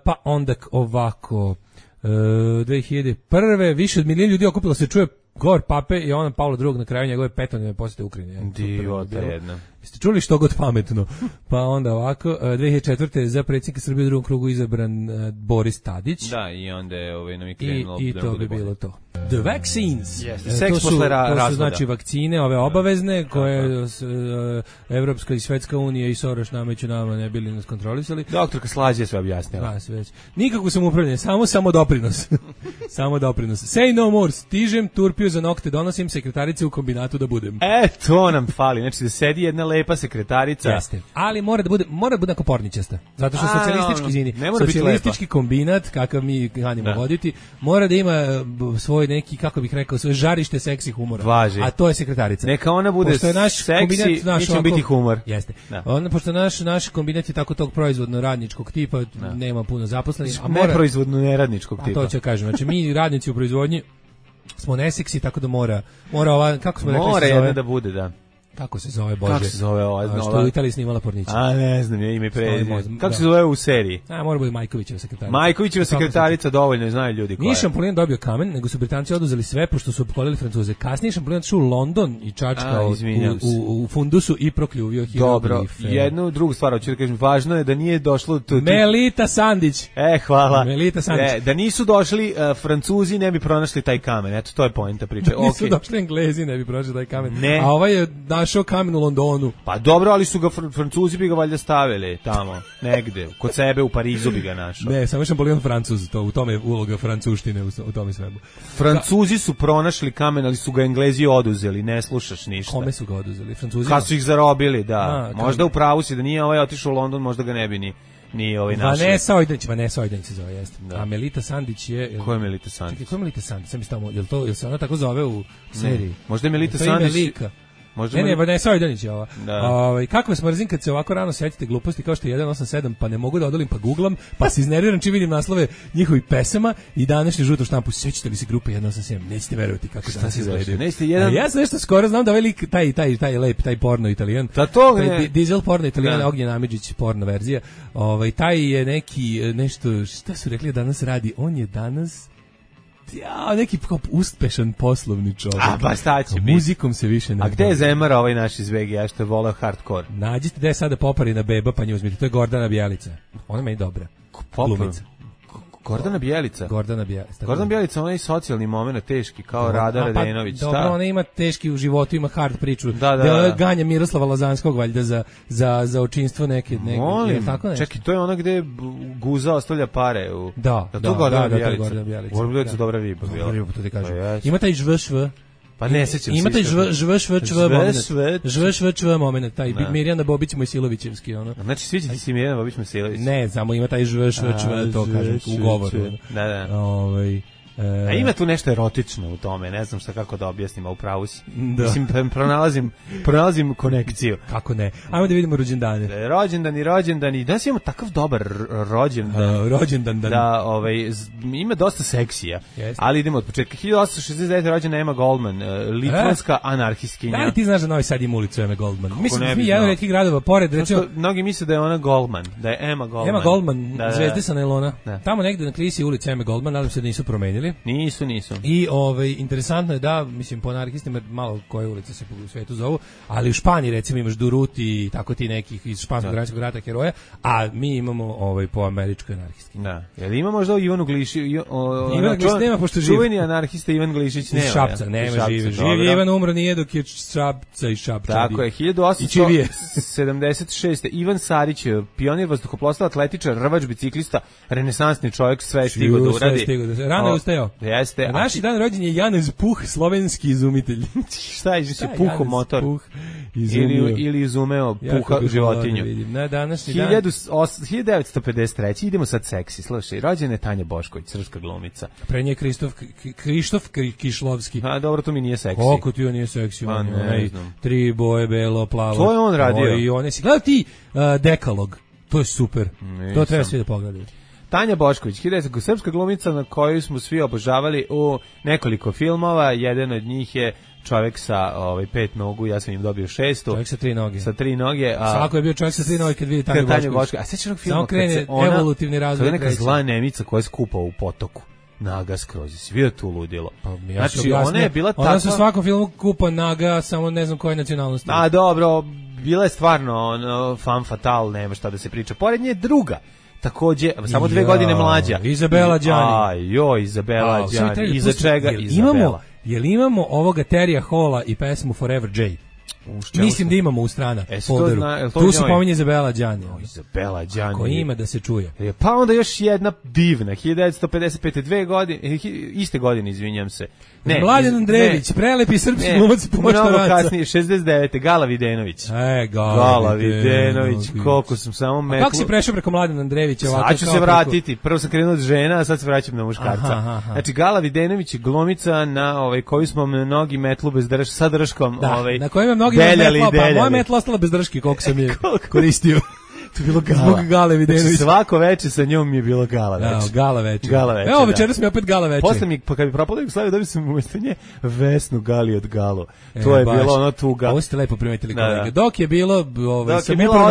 Pa onda ovako, 2001. više od milion ljudi okupilo se čuje govor pape i ona Pavla II na kraju njegove petodnevne posjete Ukrajini. Divota jedna. Jeste čuli što god pametno? Pa onda ovako, 2004. za predsjednika Srbije u drugom krugu izabran Boris Tadić. Da, i onda je nam je krenulo. I to bi bilo to. The vaccines. Seks posle razvoda. To su znači vakcine, ove obavezne, koje Evropska i Svetska unija i Soros nameću nama ne bili nas kontrolisali. Doktorka Slađe sve objasnila. Da, sve već. Nikako sam upravljanje, samo doprinos. Samo doprinos. Say no more, stižem, turpiju za nokte, donosim sekretarice u kombinatu da budem. To nam fali, znači da sedi jedna lepa sekretarica. Jeste. Ali mora da bude ako porničasta. Zato što socijalistički kombinat, kakav mi kanimo voditi, mora da ima svoj neki, kako bih rekao, svoje žarište seksi humora. Važi. A to je sekretarica. Neka ona bude seksi, mi ćemo biti humor. Jeste. Pošto naš kombinat je tako tog proizvodno radničkog tipa, nema puno zaposlenih. Neproizvodno neradničkog tipa. A to ću kažem. Znači mi radnici u proizvodnji smo neseksi, tako da mora ova, kako smo rekli, mora jedna da bude, da. Kako se zove, Bože? Kako se zove ova? Što u Italiji snimala pornića. A ne znam, je ime prezime. Kako se zove u seriji? Mora bude Majkovićeva sekretarica. Majkovićeva sekretarica, dovoljno, znaju ljudi koja je. Nije Šampolin dobio kamen, nego su Britanci oduzeli sve, pošto su opkolili Francuze. Kasnije Šampolin otišao u London i čačkao u fundusu i prokljuvio Dobro, jednu drugu stvar, hoću da kažem, važno je da nije došlo... Melita Sandić. Hvala. Melita Sandić. Da nisu došli Francuzi, ne bi pronašli taj kamen. Eto, to je poenta priče. Da nisu došli Englezi, ne bi pronašli taj kamen. A ovaj je našao kamen u Londonu. Pa dobro, ali su ga Francuzi bi ga valjda stavili tamo, negde, kod sebe u Parizu bi ga našao. Ne, samo Šampolion Francuz, u tome je uloga francuštine u tome svemu. Francuzi su pronašli kamen, ali su ga Englezi oduzeli, ne slušaš ništa. Kome su ga oduzeli? Francuzima? Kad su ih zarobili, da. Možda u pravu si, da nije ovaj otišao u London, možda ga ne bi ni ovaj našli. Vanessa Ojdanić se zove, jeste. Da. A Melita Sandić je... Ko je Melita Sandić? Čekaj, ko je Melita Sandić? Sam isto, jel se ona tako zove u seriji? Možda je Melita Sandić... Ne, Vanessa Ojdanić je ova. Kako vas mrzim kad se ovako rano setite gluposti kao što je 187, pa ne mogu da odolim, pa googlam, pa se iznerviram čim vidim naslove njihovih pesama i današnju žutu štampu. Sećate li se grupe 187? Nećete verovati kako danas izgledaju. Ja sam nešto skoro znam da ovaj lik, taj lep, taj porno Italijan, Diesel porno Italijan, Ognjen Amidžić porno verzija, taj je neki, nešto, šta su rekli danas radi, on je danas... neki uspešan poslovni čovjek. A pa šta će biti? Muzikom se više ne... A gde je Zemara ovaj naš iz VGA što je voleo hardcore? Nađite da je sada Poparina beba pa nju uzmite. To je Gordana Bjelica. Ona je meni dobra. Glumica. Gordana Bjelica? Gordana Bjelica. Gordana Bjelica, ona je socijalni moment teški, kao Rada Radenović. Dobro, ona ima teški u životu, ima hard priču. Da ganja Miroslava Lazanskog, valjda, za očinstvo neke. Molim, čekaj, to je ona gde Guza ostavlja pare. Da, to je Gordana Bjelica. Gordana Bjelica dobra riba. Dobra riba, to ti kažem. Ima taj žvšv. Pa ne sećam se. Ima taj žvšv moment, taj Mirjana Bobić Mojsilovićevski, ono. Znači sviđa ti se Mirjana Bobić Mojsilović? Ne, samo ima taj žvšv, to kažem, u govoru. Da. A ima tu nešto erotično u tome, ne znam šta kako da objasnim, a upravo si. Mislim, pronalazim konekciju. Kako ne? Ajmo da vidimo rođendane. Rođendani. Danas imamo takav dobar rođendan. Da, ima dosta seksija. Ali idemo od početka. 1869. rođena Emma Goldman, litvanska anarhistkinja. Da li ti znaš da Novi Sad ima ulicu Emma Goldman? Mislim, mi jedan od retkih gradova, pored, recimo... Mnogi misle da je ona Goldman, da je Emma Goldman. Emma Goldman, zvezde sa nailona. Tamo negde na Krisi ulica Emma Goldman, nadam se da nisu promenili. bili. Nisu. I interesantno je da, mislim, po anarhistima malo koje ulice se u svetu zovu, ali u Španiji recimo imaš Duruti i tako ti nekih iz španskog građanskog rata heroja, a mi imamo po američkoj anarhisti. Da. Jel ima možda Ivanu Glišić? Ivan Glišić nema, pošto živ. Čuveni anarhista Ivan Glišić nema. Iz Šapca, nema živi. Živi Ivan umro nije dok je Šapca i Šapca. Tako je, 1876. Ivan Sarić, pionir vazduhoplovstva, atletičar, rvač, biciklista, renesansni čovjek, sve stigo da uradi. Rano je ustajao. Jeste. Naši dan rođen je Janez Puh, slovenski izumitelj. Šta je puho motor? Ili izumeo puha životinju. Na današnji dan 1953. Idemo sad seksi. Slušaj, rođena je Tanja Bošković, srpska glumica. Pre nje Krištof Kišlovski. A dobro, to mi nije seksi. Kako ti on nije seksi? Ne znam. 3 boje, belo, plavo. To je on radio. I one si gledao ti Dekalog. To je super. To treba svi da pogledaju. Tanja Bošković, srpska glumica na koju smo svi obožavali u nekoliko filmova. Jedan od njih je čovjek sa 5 nogu, ja sam im dobio 6. Čovjek sa 3 noge. Sa 3 noge. Svako je bio čovjek sa 3 noge kad vidi Tanju Bošković. A sećaš onog filma samo krene evolutivni razvoj. Kada neka zla Nemica koja je skupa u potoku. Naga skroz. Si vidio tu ludilo? Ja znači, ona je bila takva... Ona su u svakom filmu kupa naga, samo ne znam koje nacionalnosti. A dobro, bila je stvarno femme fatale, nema šta da se priča. Pored nje druga. Takođe, samo 2 godine mlađa. Izabela Đani. Izabela Đani. Iza čega Izabela? Jel imamo ovoga Terija Hola i pesmu Forever J? Mislim da imamo u strana folderu. Tu se pominje Izabela Đani. Izabela Đani. Ako ima da se čuje. Pa onda još jedna divna, 1955. iste godine, izvinjam se. Mladen Andrejević, prelepi srpski glumac Poštaraca. Mnogo kasnije, 69. Gala Videnović. Gala Videnović, koliko sam samo metlo. Kako si prešao preko Mladena Andrejevića? Sad ću se vratiti. Prvo sam krenuo od žena, a sad se vraćam na muškarca. Znači, Gala Videnović je glumica na koju smo mnogi metlu bez sa drškom. Na kojoj ima mnogi metla, pa moja metla ostala bez drške, koliko sam je koristio. To je bilo Gala. Gale Videnović. Znači, svako veče sa njom mi je bilo Gala veče. Gala veče. Evo, večeras mi je opet Gala veče. Posle mi, pa kad bi propalo Jugoslaviju, dobio sam umjesto nje Vesnu Gali od Galo. To je bilo ono tuga. Ovo ste lepo primetili, kolega. Dok je bilo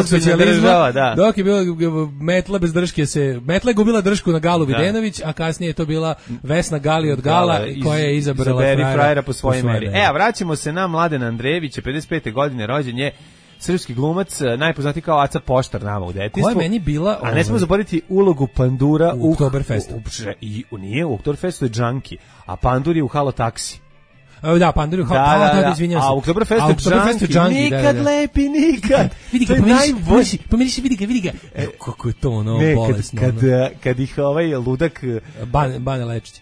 socijalizma, dok je bilo metla bez drške metla je gubila dršku na Galu Videnović, a kasnije je to bila Vesna Gali od Gala, koja je izabrala frajera po svojoj meri. Vraćamo se na Mladena Andrejevića, 55. godine rođen je. Srpski glumac, najpoznatiji kao Aca Poštar nama u detinjstvu. Koja je meni bila... A ne smemo zaboraviti ulogu Pandura u Oktoberfestu. Nije, u Oktoberfestu je Džanki, a Pandur je u Halo Taksi. Da, Pandur je u Halo Taksi, izvinjam se. A u Oktoberfestu Džanki, nikad lepi, nikad. Vidi ga, vidi ga. Kako je to ono bolesno. Kad ih ludak... Bane Lečić.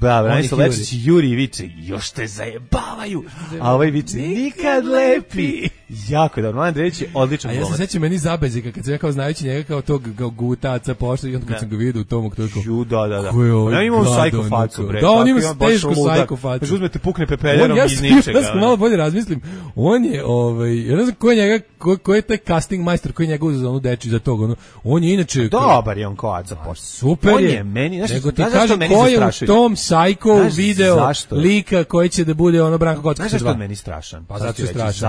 Bane Lečić i Juri viče, još te zajebavaju. A ovaj viče, nikad lepi. Jako dobro, Mladen Andrejević je odličan glumac. Ja se sećam meni zabezika kad sam ja kao znajući njega kao tog gutaca Pošta i onda kad sam ga vidio u tomu to je kao. Da. Ja imam psycho facu, bre. Da, on ima tešku psycho facu. Znači uzmete pukne pepeljerom iz ničega. Ja malo bolje razmislim. On je ja ne znam ko je njega, ko je taj casting majstor koji njega uzeo za onu deči za tog, ono. On je inače dobar je on kao Aca Pošta. Super on je meni, nego ti kaže ko je u tom psycho video lika koji će da bude ono Branko Kocka. Znaš zašto je meni strašan? Pa zato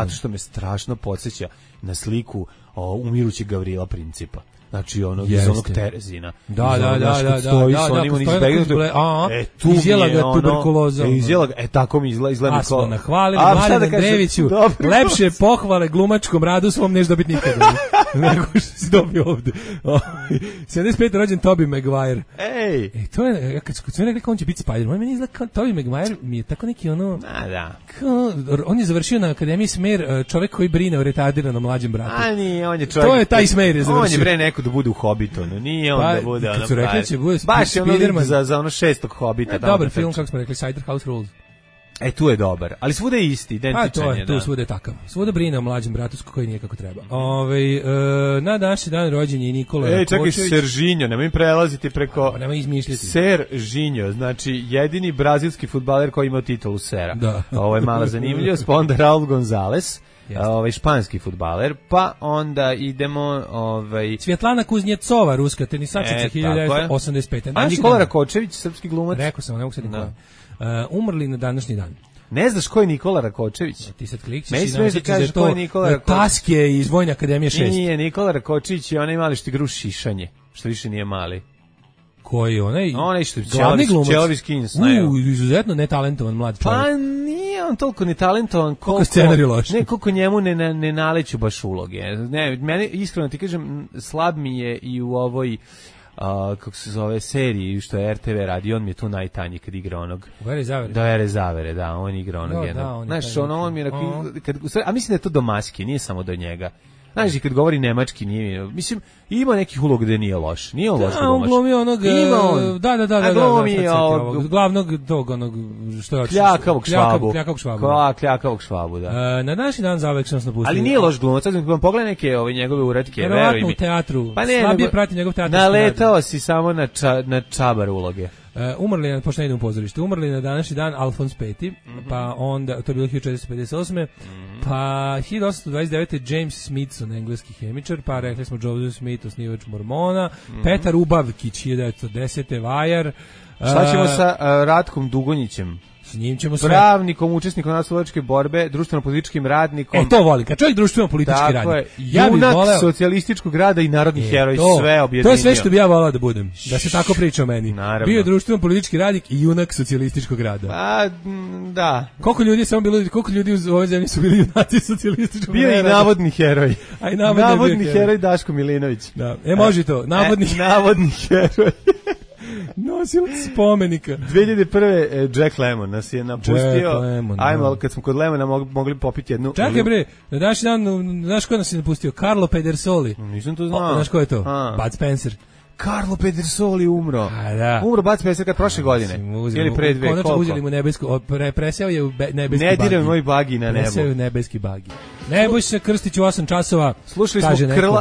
što me strašno podsjeća na sliku umirućeg Gavrila Principa. Znači onog iz onog Terezina. Da. Stoji s onim tu izjela ga tuberkuloza. Tako mi izgleda. A smo nahvalili Mladenu Andrejeviću. Lepše pohvale glumačkom radu svom neš dobiti nikada. Nego što si dobio ovde. 75. rođen Tobey Maguire. To je, kad sam rekao on će biti Spider-Man, meni izgleda kao Tobey Maguire mi je tako neki ono... Da. On je završio na Akademiji Smer, čovek koji brine o retardiranom mlađem bratu. A nije, on je čovjek... To je taj Smer je završio. On je bre neko da bude u Hobbitonu, nije on da bude ono... Kad su rekli će bude baš je ono za ono 6. Hobbita. Dobar film, kako smo rekli, Cider House Rules. Tu je dobar, ali svuda je isti, identičan je. Tu svuda je takav. Svuda brine o mlađem bratu koji nije kako treba. Na današnji dan rođen je Nikola Rakočević. Čekaj, Serginho, nemoj prelaziti preko... Nemoj izmišljati. Serginho, znači jedini brazilski fudbaler koji ima titulu Sera. Ovo je mala zanimljivost, pa onda Raul Gonzalez, španski fudbaler, pa onda idemo... Svjetlana Kuznjecova, ruska tenisačica, 1985. A Nikola Rakočević, srpski glumac? Rekao sam, ne mogu se Nikola. Umrli na današnji dan. Ne znaš ko je Nikola Rakočević? Ti sad klikćeš i naći da je to Taske iz Vojne akademije 6. Nije, Nikola Rakočević je onaj mali što igra u šišanje, što više nije mali. Koji onaj što glavni glumac, Čelavi Skins, izuzetno netalentovan mlad čovjek. Pa nije on toliko netalentovan koliko scenarij loš. Ne, koliko njemu ne naleću baš uloge. Ne, mene iskreno ti kažem, slab mi je i u ovoj kako se zove seriji što je RTV radi, on mi je tu najtanji kad igra onog Vere Zavere, da, on igra onog jednog. Znaš, on mi je a mislim da je to do maske, nije samo do njega. Znaš, i kad govori nemački nije, mislim, ima nekih uloga gde nije loš. Nije on loš glumač. On glumi onog, da, glavnog tog, onog, što je otišao. Kljakavog švabu, da. Na današnji dan zauvek sam napustio. Ali nije loš glumac, sad vam pogledaj neke njegove uratke, veruj mi. Verovatno u teatru, slabije prati njegov teatru. Naletao si samo na čabar uloge. Umrli, pošto ne idem u pozorište, umrli na današnji dan Alfons V, pa onda, to je bilo 1458. Pa 1829. James Smithson, engleski hemičar, pa rekli smo Joseph Smith, osnivač Mormona, Petar Ubavkić, 1910. vajar. Šta ćemo sa Ratkom Dugonjićem? S njim ćemo sve. Pravnikom, učesnikom nasledičke borbe, društveno-političkim radnikom. To voli, kad čovjek društveno-politički radnik. Junak socijalističkog rada i narodni heroj, sve objedinio. To je sve što bi ja volao da budem, da se tako priča o meni. Naravno. Bio društveno-politički radnik i junak socijalističkog rada. Da. Koliko ljudi u ovoj zemlji su bili junaci socijalističkog rada? Bio i navodni heroj. A i navodni heroj Daško Milinović. Da. Može to, navodni heroj. Nosilac spomenika. 2001. Jack Lemmon nas je napustio. Ajmo, kad smo kod Lemmona mogli popiti jednu. Čekaj bre, na današnji dan, znaš ko nas je napustio? Carlo Pedersoli. Nisam to znao. Znaš ko je to? Bud Spencer. Carlo Pedersoli umro. Umro Bud Spencer kad prošle godine. Ili pre dve, koliko? Uzeli mu nebesku, preseo je u nebeski bagi. Ne diraj moj bagi na nebu. Preseo je u nebeski bagi. Nebojša Krstić u 8 časova.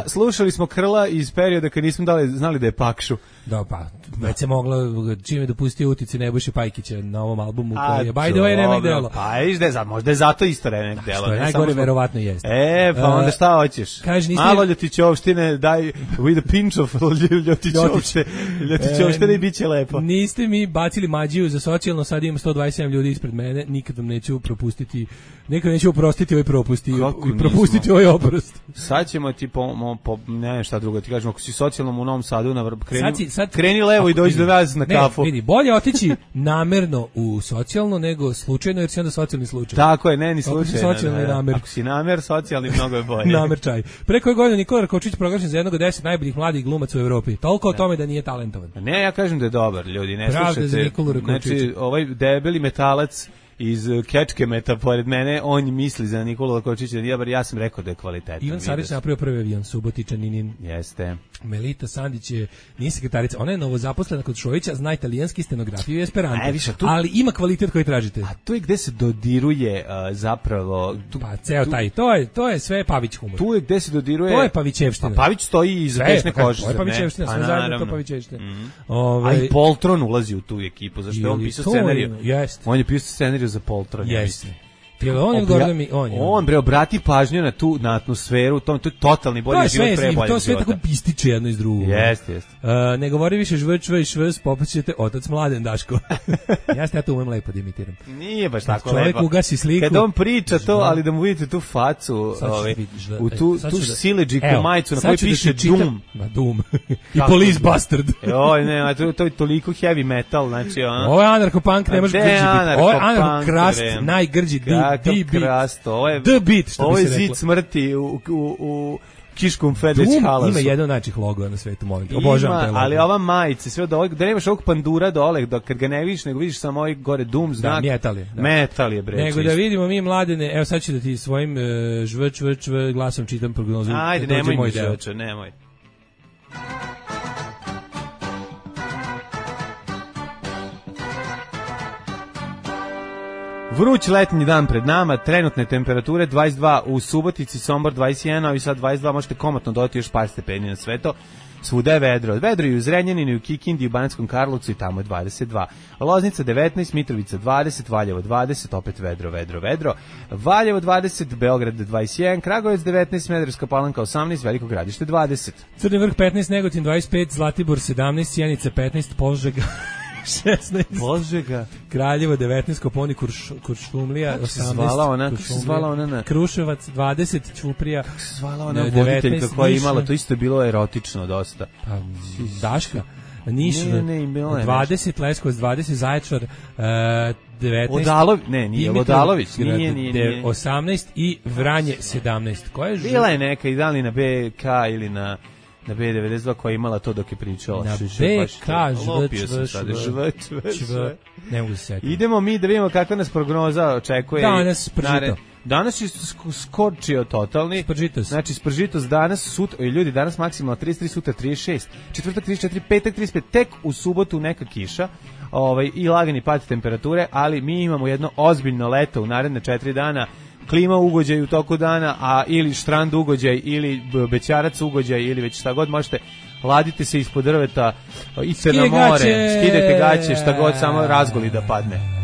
Slušali smo Krla iz perioda kad nismo znali da je Pakšu. Da, pa, već se moglo, čim je dopustio utice Nebojše Pajkića na ovom albumu koji je by the way remek delo. Pa, možda je zato isto remek delo. Što je najgore, verovatno jeste. Pa onda šta hoćeš? Malo Ljotićovštine, daj with a pinch of Ljotićovštine i bit će lepo. Niste mi bacili mađiju za socijalno, sad imam 127 ljudi ispred mene, nikad vam neću propustiti, nekad neću oprostiti ovaj propust i propustiti ovaj oprost. Sad ćemo ti ne šta drugo, ti kažemo, ako si socijalnom u Novom Sadu, kreni levo i dođi do nas na kafu. Vidi, bolje otići namerno u socijalno nego slučajno, jer si onda socijalni slučaj. Tako je, ne ni slučajno. Ako si namer, socijalni mnogo je bolje. Namer čaj. Pre koje godine Nikola Rakočić proglašen za jednog od 10 najboljih mladih glumaca u Evropi. Toliko o tome da nije talentovan. Ne, ja kažem da je dobar, ljudi, ne slušajte. Znači, ovaj debeli metalac iz Kečkemeta pored mene, on misli za Nikolu Rakočića, ja sam rekao da je kvalitetan. Ivan Sarić napravio prvi avion, Subotičaninin. Jeste. Melita Sandić nije sekretarica, ona je novozaposlena kod Šojića, zna italijanski, stenografiju i esperanto, ali ima kvalitet koji tražite. A to je gde se dodiruje zapravo... Pa ceo taj, to je sve Pavić humor. Tu je gde se dodiruje... To je Pavićevština. Pa Pavić stoji iza Pešne kožice. To je Pavićevština, sve zajedno to Pavićevština. A i Poltron ulazi u tu ekipu, zašto je on pisao scenariju. On je pisao scenariju za Poltron. Jeste. On bre, obrati pažnju na atmosferu, to je totalni bolji život pre boljeg života. To sve tako ističe jedno iz drugog. Jeste. Ne govori više žvrčva i švs, popaćete otac Mladen Daško. Ja to umem lepo da imitiram. Nije baš tako lepo. Čovjek ugasi sliku. Kad on priča to, ali da mu vidite tu facu, u tu sileđiku majicu na kojoj piše Doom. Doom. I Police Bastard. Ne, to je toliko heavy metal, znači ono. Ovo je anarcho-punk, ne može grđi biti. Ovo je anarcho-krast, najgrđi The Beat, što bi se reklo. Ovo je zid smrti u Kiškom Fedeć halasu. Ima jedan od najčih logova na svetu, molim te. Obožavam taj logo. Ali ova majica, sve od ovog, da nemaš ovog pandura dole, kad ga ne vidiš, nego vidiš samo ovaj gore Doom znak. Metal je, bre. Nego da vidimo mi mladene, evo sad ću da ti svojim žvrč glasom čitam prognozu. Ajde, nemoj mi žvrča, nemoj. Vruć letnji dan pred nama, trenutne temperature 22 u Subotici, Sombor 21, a i sad 22, možete komotno dodati još par stepeni na sve to. Svuda je vedro. Vedro i u Zrenjaninu, i u Kikindi, u Banatskom Karlovcu i tamo je 22. Loznica 19, Mitrovica 20, Valjevo 20, opet vedro. Valjevo 20, Beograd 21, Kragujevac 19, Smederevska Palanka 18, Veliko Gradište 20. Crni Vrh 15, Negotin 25, Zlatibor 17, Sjenica 15, Požega 16. Požega. Kraljevo 19, Koponik, Kuršumlija 18. Zvala ona Kruševac 20, Ćuprija. Kako se zvala ona voditeljka koja je imala, to isto je bilo erotično dosta. Daška. Niš 20, Leskovac 20, Zaječar 19. Nije Odalović, nije. 18 i Vranje 17. Koja je bila je neka i da li na BK ili na B92 koja je imala to dok je pričala. Na BK ne mogu se setiti. Idemo mi da vidimo kakva nas prognoza očekuje. Danas pržito. Danas je skočio totalni. Spržitos. Znači spržitos danas, sutra, ljudi, danas maksimalno 33, sutra 36, četvrtak 34, petak 35, tek u subotu neka kiša. I lagani pad temperature, ali mi imamo jedno ozbiljno leto u naredne 4 dana. Klima ugođaj u toku dana, ili štrand ugođaj, ili bećarac ugođaj, ili već šta god možete. Ladite se ispod drveta, idite na more, skidajte gaće, šta god, samo razgoli da padne.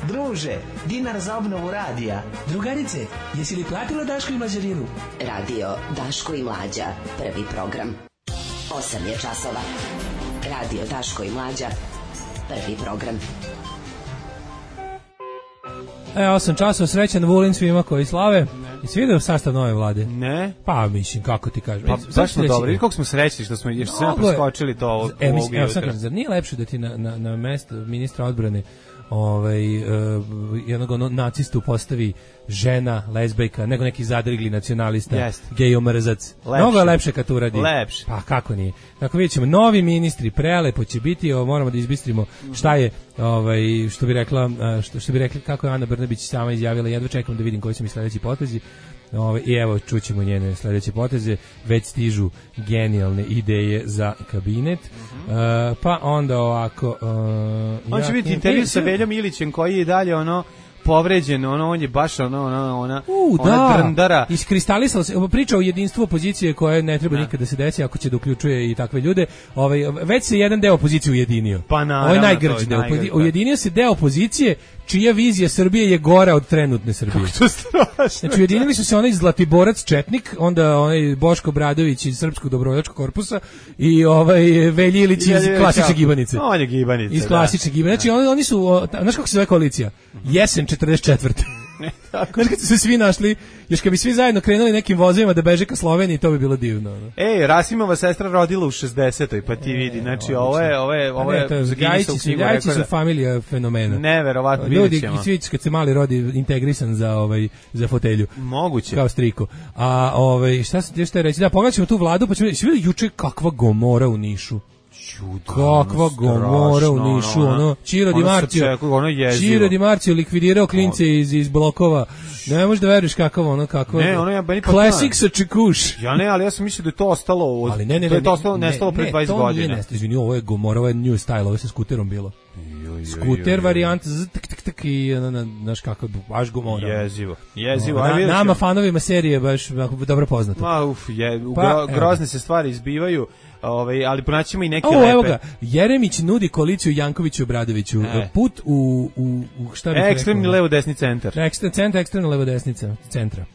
Druže, dinar za obnovu radija. Drugarice, jesi li platila Daško i Mlađarinu? Radio Daško i Mlađa, prvi program. 8 je časova. Radio Daško i Mlađa, prvi program. 8 časova, srećan Vulin svima koji slave. I svi vidio sastav nove vlade? Ne. Pa mislim, kako ti kažem. Pa baš smo dobri, kako smo srećni što smo još sve preskočili to ovog jutra. Zar nije lepše da ti na mesto ministra odbrane jednog nacistu postavi žena, lezbejka, nego neki zadrigli nacionalista, gejomrzac. Mnogo je lepše kad to uradi. Lepše. Pa kako nije. Dakle, vidjet ćemo, novi ministri, prelepo će biti, moramo da izbistrimo šta je, što bi rekli, kako je Ana Brnabić sama izjavila, jedva čekam da vidim koji su mi sledeći potezi. I evo, čućemo njene sledeće poteze, već stižu genijalne ideje za kabinet. Pa onda ovako... on će biti intervju sa Veljom Ilićem koji je dalje povređen, on je baš ona drndara. Iskristalisala se, priča o jedinstvu opozicije koje ne treba nikad da se desi ako će da uključuje i takve ljude. Već se jedan deo opozicije ujedinio. Pa naravno. Ovo je najgrđi deo. Ujedinio se deo opozicije čija vizija Srbije je gora od trenutne Srbije. Kako to strašno. Znači, ujedinili su se onaj Zlatiborac Četnik, onda onaj Boško Bradović iz Srpskog dobrovoljačkog korpusa i Velji Ilić iz klasične gibanice. On je gibanica. Iz klasične gibanice. Znači, oni su, znaš kako se zove koalicija? Jesen 44. Znaš kad su se svi našli, još kad bi svi zajedno krenuli nekim vozovima da beže ka Sloveniji, to bi bilo divno. Rasimova sestra rodila u 60-oj, pa ti vidi, znači ovo je Gajići su familija fenomena. Neverovatno, vidjet ćemo. Ljudi, svi kad se mali rodi integrisan za fotelju. Moguće. Kao striko. A šta sam ti što reći? Da, pogledat ćemo tu vladu, pa ćemo reći, vidi juče kakva gomora u Nišu. Kakva gomora u Nišu, Ciro Di Marcio likvidirao klince iz blokova. Ne možeš da veruješ kakva. Classic sa Čekuš. Ali ja sam mislio da je to ostalo, to je to nestalo pre 20 godina. To nije nestalo, izvini, ovo je gomora, ovo je new style, ovo je sa skuterom bilo. Skuter varijant i znaš kako, baš gomora. Jezivo. Nama fanovima serije baš dobro poznato. Grozne se stvari izbivaju. Ali pronaćemo i neke lepe. Evo ga, Jeremić nudi koaliciju Jankoviću i Obradoviću. Put u šta bih rekao? Ekstremni levo-desni centar. Ekstremno levo-desnica centra.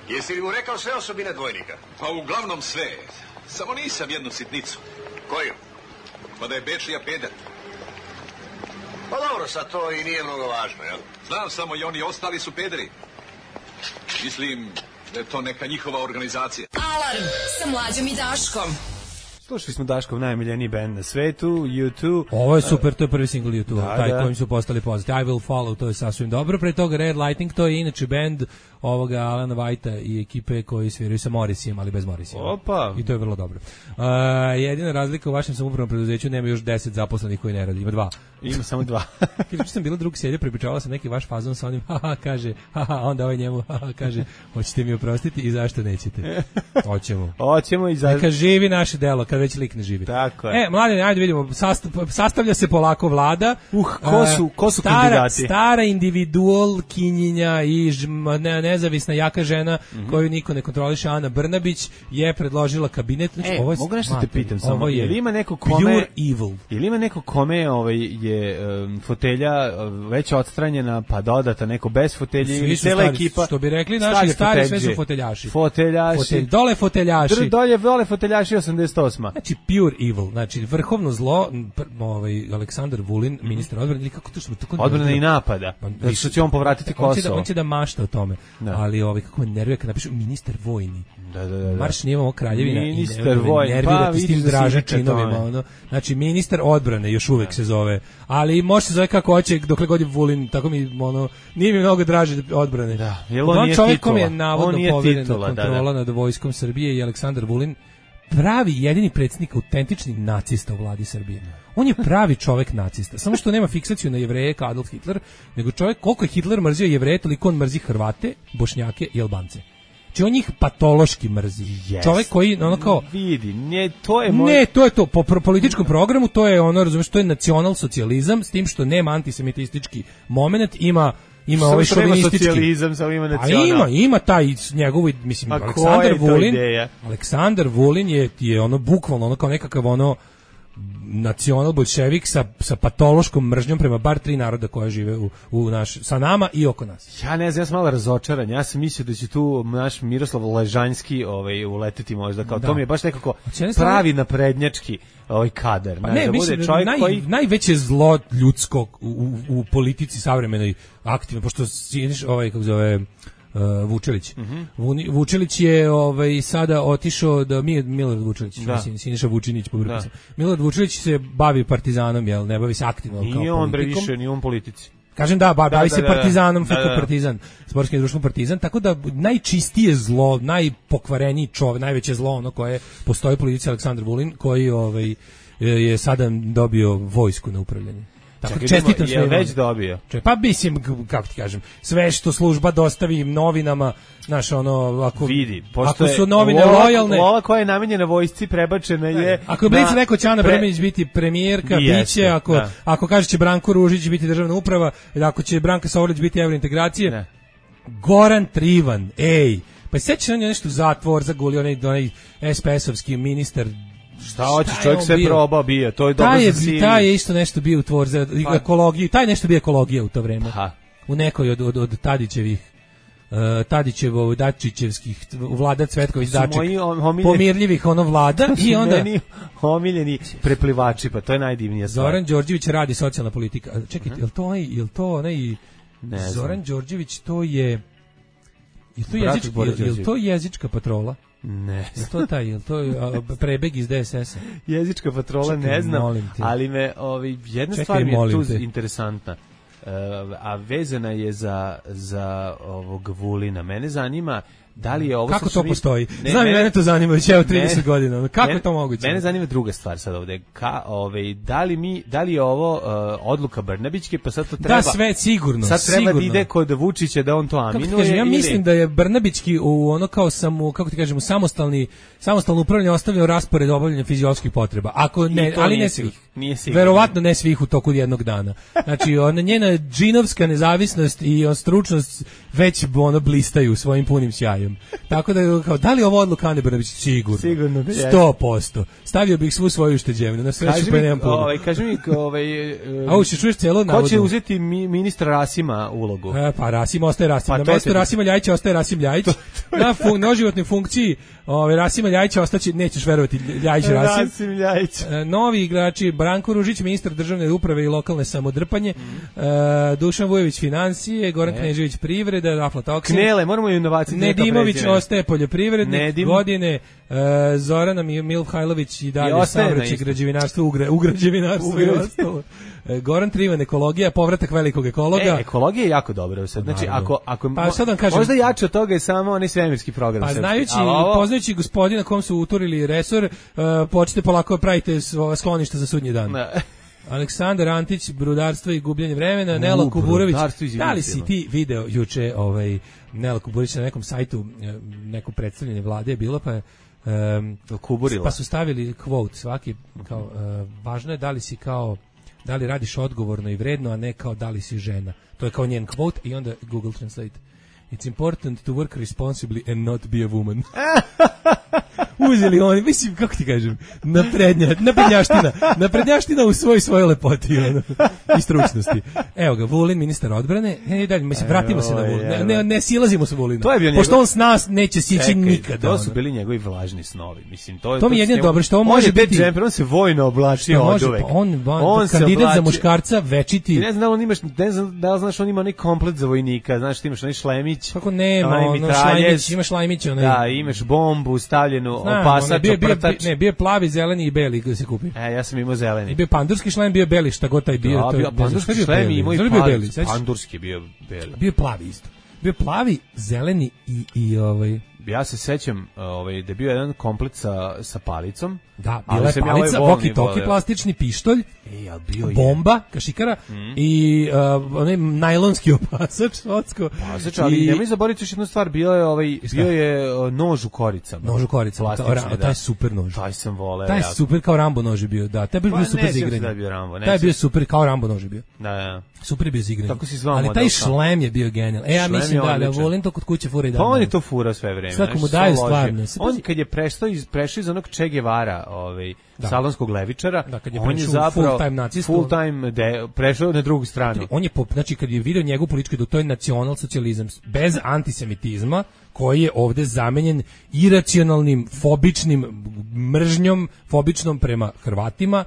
Jesi li mu rekao sve osobine dvojnika? Pa uglavnom sve. Samo nisam jednu sitnicu. Koju? Pa da je Bečija peder. Pa dobro, sad to i nije mnogo važno, jel? Znam, samo i oni ostali su pederi. Mislim da je to neka njihova organizacija. Alarm sa Mlađom i Daškom. Slušali smo Daškov najmiljeniji band na svetu, U2. Ovo je super, to je prvi single U2, taj kojim su postali poznati. I Will Follow, to je sasvim dobro. Pre toga Red Lighting, to je inače band ovoga Alana Whitea i ekipe koji sviraju sa Morrisijem, ali bez Morrisija. Opa! I to je vrlo dobro. Jedina razlika u vašem samoupravnom preduzeću, nema još 10 zaposlenih koji ne radi, ima 2. Ima samo 2. Kaže, sam bila drug sjedje, prepričavala sam neki vaš fazon sa onim, kaže, onda ovaj njemu, kaže, hoćete mi oprostiti i zašto nećete? Hoćemo. Neka živi naše delo, kad već lik ne živi. Tako je. Mladine, ajde vidimo, sastavlja se polako vlada. Ko su kandidati? Stara individual kinjinja i nezavisna jaka žena koju niko ne kontroliše, Ana Brnabić je predložila kabinet. Mogu nešto te pitam samo, je li ima neko kome pure evil? Je li ima neko kome je fotelja već odstranjena pa dodata neko bez fotelje ili cela ekipa? Što bi rekli naši stari, sve su foteljaši. Dole foteljaši. Dole foteljaši 88. Znači pure evil, znači vrhovno zlo, Aleksandar Vulin, ministar odbrane, ili kako to što odbrane i napada. Zato što će on povratiti Kosovo. On će da mašta o tome. ali kako me nervira kad napišu ministar vojni. Da. Marš nije kraljevina ministar vojni, nervirati s tim draža činovima, ono. Znači ministar odbrane još uvek se zove, ali može se zove kako hoće dokle god je Vulin, tako mi ono nije mi mnogo draže odbrane. Da, jel on nije čovjek titula. Kom je navodno poveren kontrola da. nad vojskom Srbije i Aleksandar Vulin, pravi jedini predsjednik autentični nacista u vladi Srbije. On je pravi čovjek nacista. Samo što nema fiksaciju na Jevreje kao Adolf Hitler, nego čovjek koliko je Hitler mrzio Jevreje, toliko on mrzi Hrvate, Bošnjake i Albance. Znači on njih patološki mrzi. Yes. Čovjek koji ono kao vidi, to je to po političkom programu, to je ono, razumiješ, to je nacionalsocijalizam s tim što nema antisemitistički momenat, ima ovaj šovinistički socijalizam, samo ima nacional. A ima taj njegovi, mislim, Aleksandar Vulin je ono bukvalno ono kao nekakav ono nacional bolševik sa patološkom mržnjom prema bar 3 naroda koja žive sa nama i oko nas. Ja ne znam, ja sam malo razočaran. Ja sam mislio da će tu naš Miroslav Ležanjski uleteti možda, kao to mi je baš nekako pravi naprednjački kadar. Pa ne, mislim, najveće zlo ljudsko u politici savremenoj aktivno, pošto siniš kako zove Vučelić. Vučelić je sada otišao da Milorad Vučelić, mislim Siniša Vučinić pobrkao sam. Milorad Vučelić se bavi partizanom, jel, ne bavi se aktivno kao politikom. Nije on politici. Kažem bavi se partizanom, Partizan, sportskim društvom Partizan, tako da najčistije zlo, najpokvareniji čovjek, najveće zlo ono koje postoji u politici Aleksandar Vulin, koji je sada dobio vojsku na upravljanje. Tako čestitam sve. Je već dobio. Pa mislim, kako ti kažem, sve što služba dostavi novinama, znaš, ono, ako su novine lojalne, ova koja je namenjena vojsci prebačena je. Ako je Blic rekao će Ana Brnabić biti premijerka, biće, ako kaže će Branko Ružić biti državna uprava, ako će Branka Sovrlić biti evrointegracije, Goran Trivan, pa sećaš on je nešto zatvor zagulio onaj SPS-ovski ministar. Šta hoćeš, čovjek sve probao bio, to je dobro za sili. Taj je isto nešto bio u tvor za ekologiju, taj nešto bio ekologija u to vreme. U nekoj od Tadićevo, Dačićevskih vlada Cvetković Daček, pomirljivih vlada i onda omiljeni preplivači, pa to je najdivnija stvar. Zoran Đorđević radi socijalna politika. Čekaj, jel to onaj Zoran Đorđević, to je to jezička patrola? Ne. Je to prebeg iz DSS-a? Jezička patrola, ne znam, ali me jedna stvar mi je tu interesantna, a vezana je za ovog Vulina. Mene zanima da li je ovo... Kako to postoji? Znam i mene to zanima već 30 godina. Kako je to moguće? Mene zanima druga stvar sad ovde. Da li je ovo odluka Brnabićke, pa sad to treba... Da, sve sigurno. Sad treba da ide kod Vučića da on to aminuje. Ja mislim da je Brnabićki u ono kao kako ti kažemo, samostalno upravljanje ostavljeno raspored obavljanja fizioloških potreba. Ako ne, ali ne svih. Verovatno ne svih u toku jednog dana. Znači, njena džinovska nezavisnost i stručnost već blistaju svojim punim sjajem. Tako da, da li ovo odluka Ane Brnabić? Sigurno. 100%. Stavio bih svu svoju ušteđevinu. Na sreću pa nemam puno. Kaži mi, a uče, čuješ celo navodno. Ko će uzeti ministra Rasima ulogu? Pa Rasim ostaje Rasim. Na mjestu Rasima Ljajića ostaje Rasim Ljajić. Na životnoj funkciji Rasima Ljajića ostaće, nećeš verovati, Ljajić Rasim. Rasim Ljajić. Novi igrači, Branko Ružić, ministar državne uprave i lokalne samodrpanje, Dušan Vujović financije, Goran Knežević privreda, aflatoksin. Knele, moramo inovacije. Nedimović ostaje poljoprivrednik, godine, Zorana Milhajlović i dalje saobraćaj, građevinarstvo, u građevinarstvu i ostalo. Goran Trivan, ekologija, povratak velikog ekologa. Ekologija je jako dobra. Znači, ako možda jače od toga je samo onaj svemirski program. Pa poznajući gospodina kom su uturili resor, počnite polako pravite skloništa za sudnji dan. Aleksandar Antić, brudarstvo i gubljenje vremena, Nela Kuburović. Da li si ti video juče Nela Kuburović na nekom sajtu, neko predstavljanje vlade je bilo, pa su stavili quote svaki, kao, važno je da li radiš odgovorno i vredno, a ne kao da li si žena. To je kao njen quote i onda Google Translate. It's important to work responsibly and not be a woman. uzeli oni, mislim, kako ti kažem, naprednjaština u svojoj lepoti ono, i stručnosti. Evo ga, Vulin, ministar odbrane, dalje, mislim, vratimo se na Vulina, ne silazimo sa Vulina, pošto on s nas neće sići nikada. To su bili njegovi vlažni snovi, mislim, to mi je jedino dobro, što on može biti... Džemper, on se vojno oblačio od uvek. On kandidat za muškarca, večiti... Ne znam da li znaš, on ima onaj komplet za vojnika, znaš, ti imaš onaj šlemić. Kako nema, imaš šlemić, da, imaš bombu stavljenu, opasač, oprtač. Ne, bio plavi, zeleni i beli koji se kupi. Ja sam imao zeleni. I bio pandurski šlem, bio beli, šta god taj bio. Da, pandurski šlem imao i pandurski bio beli. Bio plavi isto. Bio plavi, zeleni i ovaj... Ja se sećam da je bio jedan komplet sa palicom. Da, bila je palica, walkie-talkie, plastični pištolj, bomba, kašikara i onaj najlonski opasač, opasač, ali nemoj zaboraviti još jednu stvar, bio je nož u koricama. Nož u koricama, taj je super nož. Taj sam voleo. Taj je super, kao Rambo nož je bio, da. Taj je bio super za igranje. Taj je bio super, kao Rambo nož je bio. Da. Super je bio za igranje. Ali taj šlem je bio genijalan. Ja mislim da volim to kod kuće fura i dan. Pa on je to fura sve vreme. Svako mu daju stvarno. On kad je prešao iz onog Che Guevara, salonskog levičara, on je zapravo full time prešao na drugu stranu. On je, znači, kad je video njegovu političku, to je nacionalsocijalizam bez antisemitizma, koji je ovde zamenjen iracionalnim, fobičnim mržnjom, fobičnom prema Hrvatima,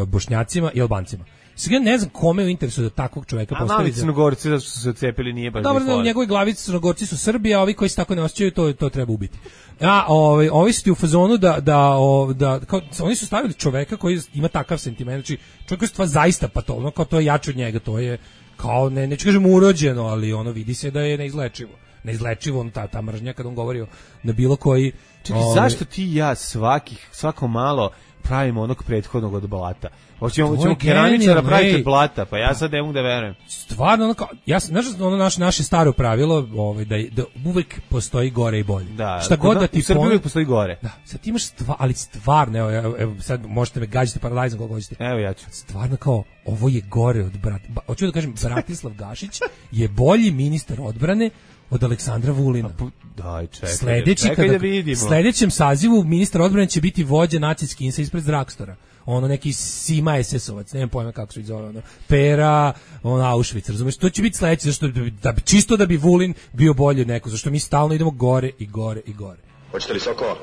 Bošnjacima i Albancima. Sve ne znam kome je u interesu da takvog čoveka postavi. A Crnogorci zašto su se odcepili nije baš. Dobro, u njegovoj glavici Crnogorci su Srbi, a ovi koji se tako ne osjećaju to treba ubiti. A ovi su ti u fazonu da kao, oni su stavili čoveka koji ima takav sentiment, znači čovjek je stvar zaista patologno, kao to je jače od njega, to je kao neću kažem urođeno, ali ono vidi se da je neizlečivo on ta mržnja kad on govori na bilo koji. Čekaj, zašto ti i ja svako malo pravimo onog prethodnog od blata? Hoćemo keramičara praviti od blata, pa ja sad ne mogu da verujem. Stvarno, znaš naše staro pravilo, da uvek postoji gore i bolje. Da, šta god da ti u Srbiji uvek postoji gore. Da, sad ti imaš ali stvarno, evo sad možete me gađati paralajzom kako hoćete. Evo ja ću. Stvarno kao, ovo je gore od hoću da kažem, Bratislav Gašić je bolji ministar odbrane od Aleksandra Vulina. Daj, čekaj da vidimo. Sledećem sazivu ministar odbrane će biti vođa naciskinsa ispred Drakstora. Ono neki Sima SS-ovac, nemam pojma kako se ih zove, Pera, Auschwitz, razumeš? To će biti sledeće, zašto čisto da bi Vulin bio bolji od neko, zašto mi stalno idemo gore i gore i gore. Hoćete li sokova?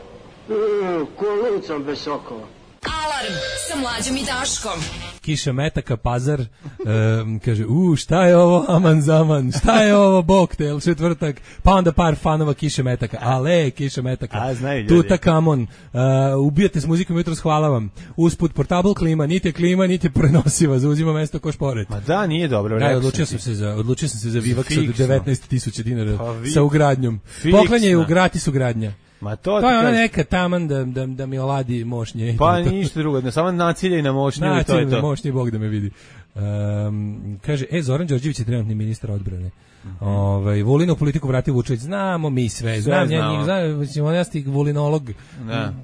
Kolicom bez sokova. Alarm sa Mlađom i Daškom. Kiša metaka, Pazar, kaže, šta je ovo, aman zaman, šta je ovo, boktel, četvrtak, pa onda par fanova Kiše metaka, ale, Kiša metaka, Tutakamon, ubijate s muzikom jutros, hvala vam, usput portable klima, niti je prenosiva, zauzima mesto ko šporet. Ma da, nije dobro. Da, odlučio sam se za Vivax od 19.000 dinara sa ugradnjom. Poklanjaju gratis ugradnja. Ma to je ona neka taman da mi oladi mošnje. Pa ništa drugo, samo naciljaj na mošnju i to je to. Naciljaj na mošnje i Bog da me vidi. Kaže, Zoran Đorđević je trenutni ministar odbrane. Vulinu politiku vratio Vučević, znamo mi sve. Znam, ja sam vulinolog,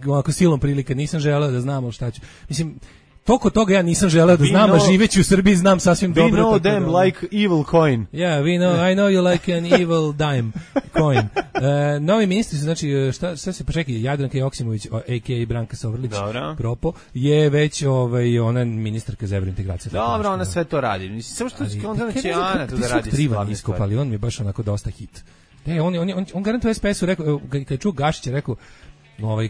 ovako silom prilika, nisam želeo da znamo šta ću. Mislim, toliko toga ja nisam želeo da znam, a živeći u Srbiji znam sasvim dobro. We know them like evil coin. Yeah, I know you like an evil dime coin. Novi ministri su, znači, šta se počekaj, Jadranka Joksimović, a.k.a. Branka Sovrlić, propo, je već ona ministarka za evrointegraciju. Dobro, ona sve to radi. Samo što će Ana to da radi glavne stvari. Ali on mi je baš onako dosta hit. On garantuje SPS-u, rekao, kad je čuo Gašića, rekao,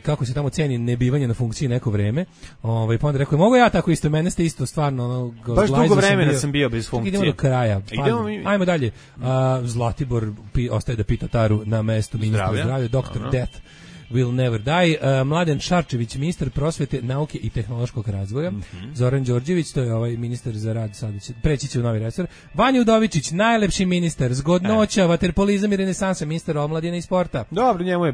kako se tamo ceni nebivanje na funkciji neko vreme, pa onda rekao, mogu ja tako isto, mene ste isto stvarno baš dugo vremena sam bio bez funkcije. Idemo do kraja, ajmo dalje. Zlatibor ostaje da pita Taru na mestu ministra zdravlja, Dr. Death will never die. Mladen Šarčević, ministar prosvete, nauke i tehnološkog razvoja. Zoran Đorđević, to je ministar za rad, sada će preći će u novi resor. Vanja Udovičić, najlepši ministar, zgodnoća, vaterpolizam i renesansa, ministar omladine i sporta. Dobro, njemu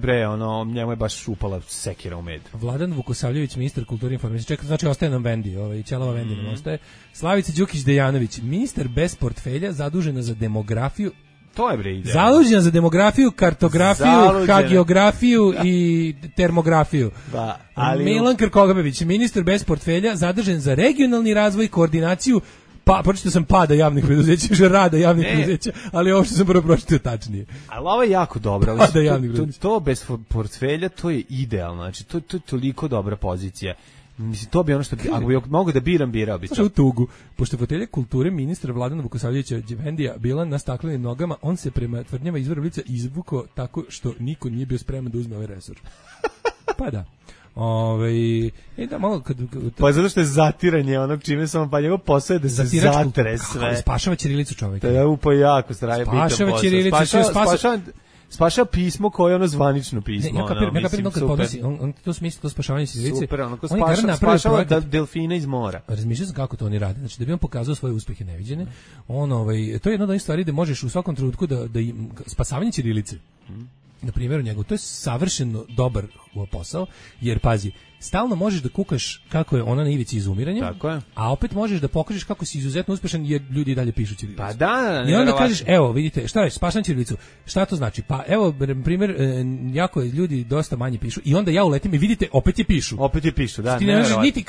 je baš upala sekira u med. Vladan Vukosavljević, ministar kulture i informisije. Znači ostaje nam Vendi, Ćelava Vendi nam ostaje. Slavica Đukić Dejanović, ministar bez portfelja, zadužena za demografiju. To je bre ideja. Zadužena za demografiju, kartografiju, hagiografiju i termografiju. Da, ali Milan Krkobabić, ministar bez portfelja, zadužen za regionalni razvoj i koordinaciju Pa pročitao sam pada javnih preduzeća, že rada javnih preduzeća, ali ovo što sam prvo pročitao tačnije. Ali ovo je jako dobro. Pada javnih preduzeća. To bez portfelja, to je idealno. Znači, to je toliko dobra pozicija. Mislim, to bi ono što bi, ako bi mogu da birao bi to. Znaš u tugu, pošto fotelja kulture ministra Vladana Vukosavljevića Đevendija bila na staklenim nogama, on se prema tvrdnjama izvora lica izvukao tako što niko nije bio spreman da uzme ovaj resor. Pa da. Da malo pa zato što je zatiranje onog čime samo pa njegov posao je da se zatre sve. Spašava ćirilicu čovjeka. To je upo jako straje bitan posao. Spašava ćirilicu, spašava pismo koje je ono zvanično pismo. Ja kapiram kad podnosi, on to smisli, to spašavanje ćirilice. Super, ono ko spašava delfina iz mora. Razmišljao sam kako to oni rade. Znači da bi on pokazao svoje uspehe neviđene, to je jedna od onih stvari da možeš u svakom trenutku da spasavanje ćirilice. Na primjer, njegov, to je savršeno dobar posao, jer pazi, stalno možeš da kukaš kako je ona na ivici izumiranja, a opet možeš da pokažeš kako si izuzetno uspešan jer ljudi dalje pišu ćirilicu. Pa da, i onda kažeš, evo, vidite, šta reći, spašam ćirilicu. Šta to znači? Pa evo, na primjer, jako ljudi dosta manje pišu i onda ja uletim i vidite, opet je pišu. Opet je pišu, da. Ti ne možeš niti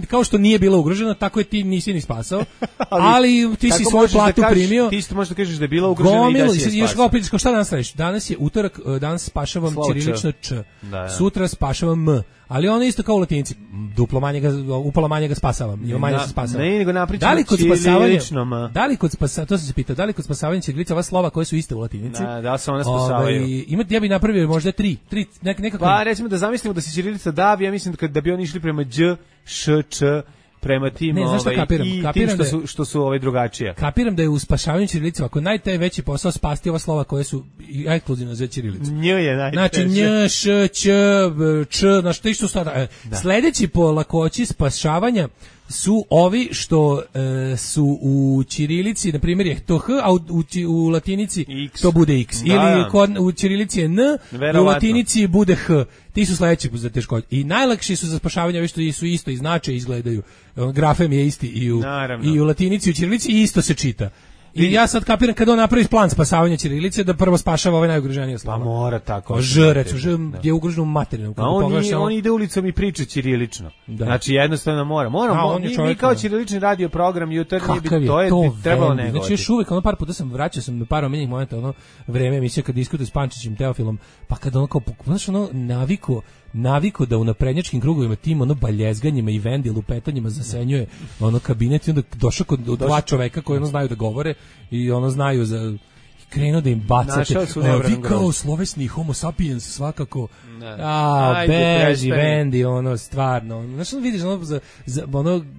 kao što nije bilo ugroženo, tako je ti nisi ni spasao, ali ti si svoju platu primio. Ti isto možeš da kažeš da je bila ugrožena i da si je spasao. Još ga opet, šta danas radiš? Danas je utorak, danas spašavam ćirilično Č. Sutra spašavam M. Ali ono isto kao u latinici, upola manje ga spasavam, ili manje se spasavam. Ne, nego napričamo ćirilično. Da li kod spasavanja, to sam se pitao, da li kod spasavanja ćirilice ova slova koje su iste u latinici? Da se one spasavaju. Ja bih napravio možda tri nekako. Pa recimo da zamislimo da se ćirilica davi, ja mislim da bi oni išli prema Đ, Š, Č, prema tim, kapiram što su drugačije. Kapiram da je u spašavanju ćirilice ako najveći posao spasti ova slova koje su ekskluzivno za ćirilicu. Nj je najteže. Znači nj, š, ć, č, znači to isto sada. Sledeći po lakoći spašavanja su ovi što su u ćirilici, na primjer je to h, a u latinici X. to bude x. Ili u ćirilici je n, u latinici bude h. Ti su sledeći za teškoće. I najlakši su za spašavanje, ovi što su isto i znače izgledaju. Grafem je isti i u latinici i u ćirilici i isto se čita. I ja sad kapiram kad on napravi plan spasavanja ćirilice da prvo spašava ove najugroženije slova. Pa mora tako. Ž, recimo, Ž je ugroženo u materinu. On ide ulicom i priča ćirilično. Znači jednostavno mora. Mi kao ćirilični radio program jutarnji to je trebalo negovati. Znači još uvijek, par puta sam vraćao sam par omenjenih momenta, vreme emisije kad diskutuje s Pančićem Teofilom, pa kad ono kao, znaš, naviko da u naprednjačkim krugovima tim baljezganjima i vendi lupetanjima zasenjuje kabinet i onda došao kod dva čoveka koji znaju da govore i znaju za krenuo da im bacate. Vi kao slovesni homo sapiens svakako. Beži, vendi, stvarno. Znaš, vidiš,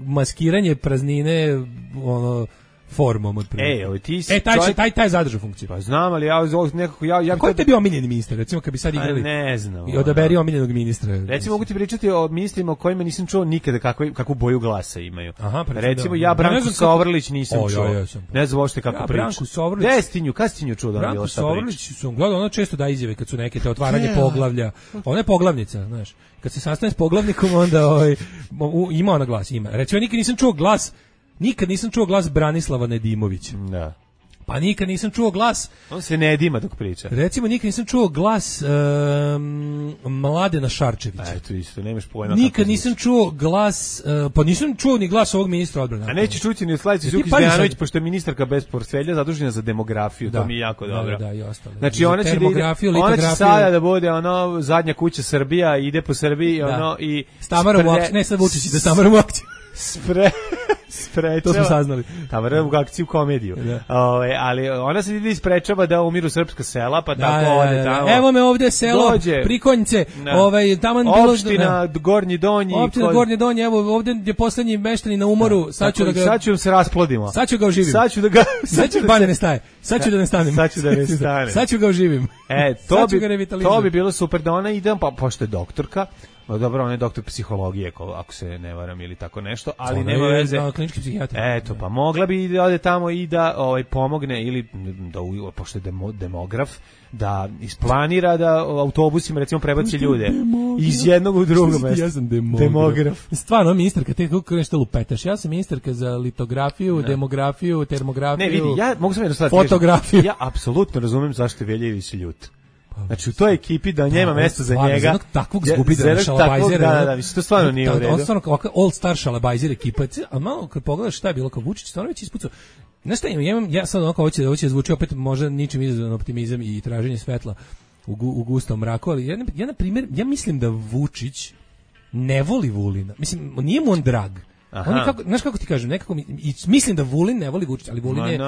maskiranje praznine, formom otprilike. Taj zadržao funkciju. Pa znam, ali ja nekako Ko je te bio omiljeni ministar? Recimo kad bi sad igrali. Ne znam. I odaberi omiljenog ministra. Recimo mogu ti pričati o ministrima o kojima nisam čuo nikada kakvu boju glasa imaju. Aha, recimo ja Branku Sovrlić nisam čuo. Ne znam uopšte kako priča. Branku Sovrlić. Kastinju čuo da bilo šta priča. Branku Sovrlić sam gledao, ona često da izjave kad su neke te otvaranje poglavlja. Ona je poglavnica, znaš. Kad se sastane s poglavnikom onda ima ona glas, ima. Recimo nikad nisam čuo glas Branislava Nedimovića. Da. Pa nikad nisam čuo glas... On se ne dima dok priča. Recimo, nikad nisam čuo glas Mladena Šarčevića. Eto isto, nemaš pojma. Nikad nisam čuo glas... pa nisam čuo ni glas ovog ministra odbrane. A nećeš čuti ni od Slavice Đukić Dejanović, pošto je ministarka bez portfelja zadužena za demografiju. To mi je jako dobro. Da, i ostalo. Znači, ona će sada da bude zadnja kuća Srbija, ide po Srbiji i... Stamarom u akciju. Ne, sad Vučić da Stamarom u akciju. Sprečava. To smo saznali. Tamo u akciju komediju. Ali ona se ide isprečava da umiru srpska sela, pa tako ode tamo. Evo me ovde selo, Prikonjice, tamo opština Gornji Donji. Opština Gornji Donji, evo ovde je poslednji meštani na umoru, sad ću se rasplodimo. Sad ću ga oživim. Sad ću da ne staje. Sad ću da ne stanem. Sad ću ga oživim. To bi bilo super da ona ide, pa pošto je doktorka. Dobro, on je doktor psihologije, ako se ne varam ili tako nešto, ali nema veze. Klinički psihijatar. Eto, pa mogla bi da ode tamo i da pomogne ili da pošto je demograf, da isplanira da autobusima recimo prebaci ljude iz jednog u drugog mesta. Ja sam demograf. Stvarno, ministarka, te kako nešto lupetaš. Ja sam ministarka za litografiju, demografiju, termografiju. Ne, vidi, ja mogu sam jedno stvar. Fotografiju. Ja apsolutno razumem zašto je Veljević ljut. Znači u toj ekipi da nema mesta za njega. Za takvog zgubidra šalabajzera. Da, mislim, to stvarno nije u redu. On stvarno ovakav all star šalabajzer ekipa. A malo kad pogledaš šta je bilo kao Vučić, stvarno već ispucao. Znaš šta, ja sad onako hoće zvuči opet možda ničim izazvan optimizam i traženje svetla u gustom mraku, ali ja na primjer, ja mislim da Vučić ne voli Vulina. Mislim, nije mu on drag. On je kako, znaš kako ti kažem, nekako mislim da Vulin ne voli Vučić, ali Vulin je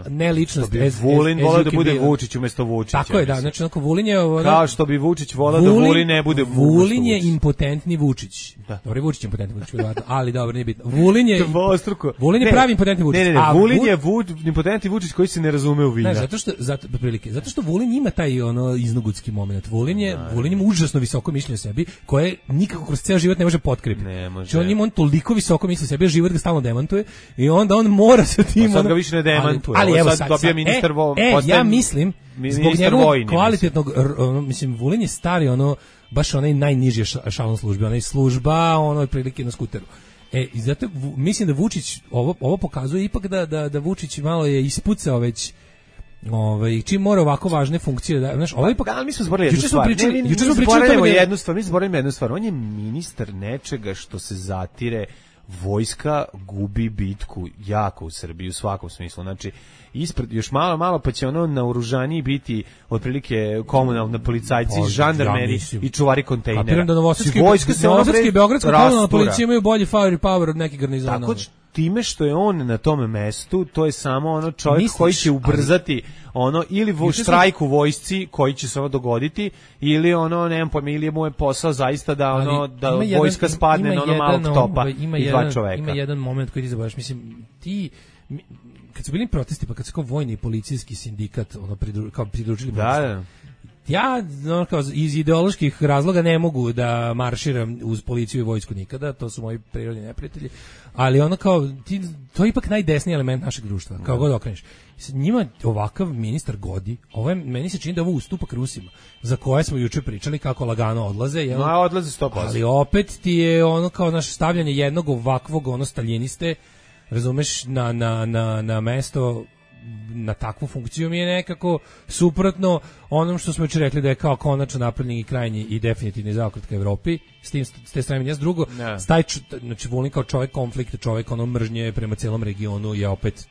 ne ličnost. Vulin voleo da bude Vučić umjesto Vučića. Tako je, da, znači onako Vulin je... Kao što bi Vučić voleo da Vulin ne bude Vučić. Vulin je impotentni Vučić. Da. Dobro, Vučić je impotentni Vučić, ali dobro, nije bitno. Vulin je pravi impotentni Vučić. Ne, Vulin je impotentni Vučić koji se ne razume u vina. Ne, zato što Vulin ima taj ono iznogutski moment. Vulin ima užasno visoko mišljenje o sebi, koje nikako kroz ceo život ne može potkrepiti. Znači on ima toliko visoko mišljenje o sebi, život ga stalno demantuje i onda on mora sa tim... Sad ga više ne demantuje. Ali evo sad dobija ministar... ja mislim, zbog njegovog kvalitetnog... Mislim, Vulin je stari, baš onaj najniži šalon službe, onaj služba, prilike na skuteru. I zato mislim da Vučić, ovo pokazuje ipak da Vučić malo je ispucao već čim mora ovako važne funkcije da, znaš, ali mi smo zborili jednu stvar. Juče smo pričali jednu stvar. On je ministar nečega što se zatire. Vojska gubi bitku jako u Srbiji u svakom smislu. Znači, ispred još malo pa će naoružaniji biti otprilike komunalni policajci, žandarmeri i čuvari kontejnera. Kapiram da novosadski i beogradska komunalna policija imaju bolji firepower od nekih garnizona. Tako time što je on na tom mestu, to je samo čovjek koji će ubrzati ili štrajk u vojsci koji će se dogoditi, ili nemam pojma, ili mu je posao zaista da vojska spadne na malog topa i dva čoveka. Ima jedan moment koji ti zaboraš, mislim, kad su bili protesti, pa kad se kao vojni i policijski sindikat pridružili ja iz ideoloških razloga ne mogu da marširam uz policiju i vojsku nikada, to su moji prirodni neprijatelji, ali to je ipak najdesniji element našeg društva, kao god okreneš. Njima ovakav ministar godi, meni se čini da ovo ustupak Rusima, za koje smo juče pričali kako lagano odlaze. Odlaze 100%. Ali opet ti je kao naše stavljanje jednog ovakvog staljiniste, razumeš, na mesto, na takvu funkciju mi je nekako suprotno onom što smo već rekli da je kao konačno napravljen i krajnji i definitivni zaokret ka Evropi, s te strane s drugo, znači Vulin kao čovjek konflikta, čovjek mržnje prema celom regionu je opet,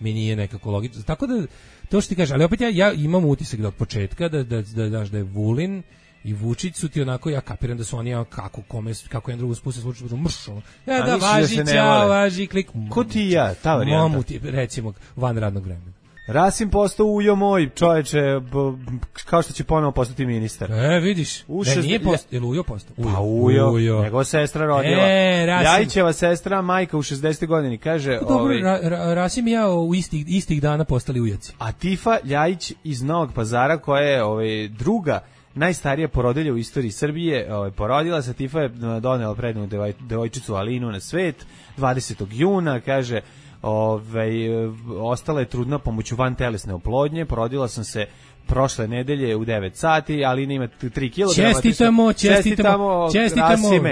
mi nije nekako logično. Tako da, to što ti kažeš, ali opet ja imam utisak da od početka da je Vulin i Vučić su ti onako, ja kapiram da su oni kako jedan drugo spuste slučaj važi, klik. Ko ti i ja, ta varijanta? Mamuti, recimo, van radnog vremena. Rasim postao ujo moj, čoveče, kao što će ponovo postati ministar. Vidiš, nije postao, je li ujo postao? Pa ujo, njegova sestra rodila. Ljajićeva sestra, majka u 60. godini, kaže... Dobro, Rasim i ja u istih dana postali ujaci. A Tifa Ljajić iz Novog Pazara, koja je druga najstarija porodilja u istoriji Srbije, porodila se, Tifa je donela prednu devojčicu Alinu na svet 20. juna, kaže, ostala je trudna pomoću vantelesne oplodnje, porodila sam se prošle nedelje u 9 sati, Alina ima 3 kg. Čestitamo,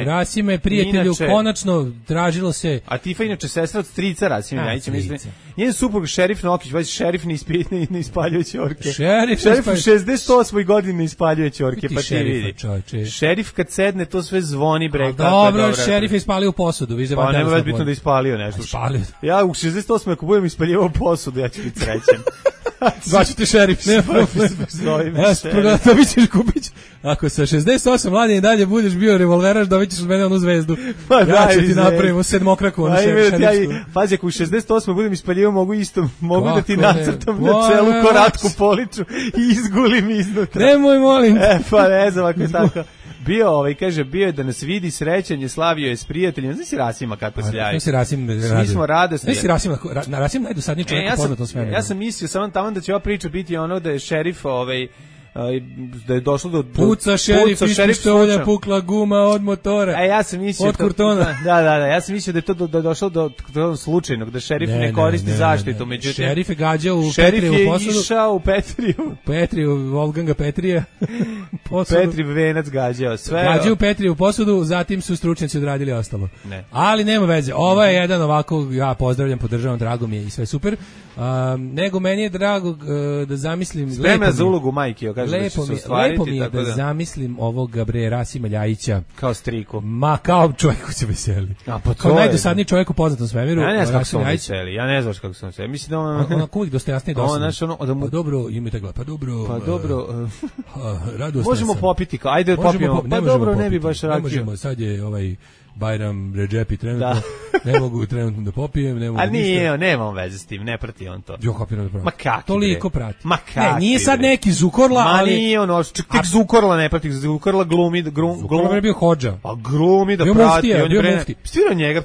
Rasime, prijatelju, konačno tražilo se... A Tifa inače sestra od strica Rasime Ljajića, mislim. Njen suprug Šerif Nokić, šerif ne ispaljuje ćorke. Šerif u 68. godini ne ispaljuje ćorke, pa ti vidi. Šerif kad sedne, to sve zvoni, bre. Dobro, šerif je ispalio posudu. Pa nema već bitno da ispalio nešto. Ja u 68. ako budem ispaljivao posudu, ja ću biti srećen. Zvaću šerif, ne problem. Dobit ćeš Kupić. Ako sa 68 mladine dalje budeš bio revolveraš, dobit ćeš od mene onu zvezdu. Ja ću ti napravim sedmokraku. Pazi, ako u 68 budem ispaljivao, mogu da ti nacrtam na celu koratku poliču i izgulim iznutra. Nemoj, molim. Pa ne znam ako je tako. Bio je da nas vidi, srećan je, slavio je s prijateljima. Znaš si Rasima kako se ljaje? Svi smo radosni. Rasim najdosadniji čovjek u poznatom svemiru. Ja sam mislio samo tamo da će ova priča biti da je šerif da je došlo do puca šerif iz pištolja, pukla guma od motora. Ja sam mislio od kurtona. Da, ja sam mislio da je to došlo do slučajnog, da šerif ne koristi zaštitu, međutim šerif je gađao u Petriju u posadu. Šerif je išao u Petriju. Wolfganga Petrija. posudu. Petriv venac gađao sve. Gađaju Petrivu posudu, zatim su stručnjaci odradili ostalo. Ne. Ali nema veze. Ovo je jedan ovako, ja pozdravljam, podržavam, drago mi je i sve super. Nego meni je drago da zamislim... Spremna za ulogu majke, kaže da će se ostvariti. Lepo mi je da zamislim ovog Rasima Ljajića. Kao striku. Ma, kao čovjek koji se veseli. A pa kao najdosadniji čovjek u poznatom svemiru. Ja ne znam kako se veseli. Ja ne znam kako se veseli. Mislim da on uvijek dostojansniji dosadno. Pa dobro, imajte gleda. Pa dobro. Možemo popiti. Ajde popijemo. Pa dobro, ne bi baš rakio. Ne možemo, sad je Bajram Redžepi trenutno, ne mogu trenutno da popijem, ne mogu ništa. A nije, nema on veze s tim, ne prati on to. Jo, kapiram da prati. Ma kaki toliko prati. Ma kaki ne, nije sad neki Zukorla, ali... Ma nije ono, tek Zukorla ne prati, Zukorla glumi... Zukorla je bio hođa. Pa glumi da prati. Bio mufti. Svirao njega,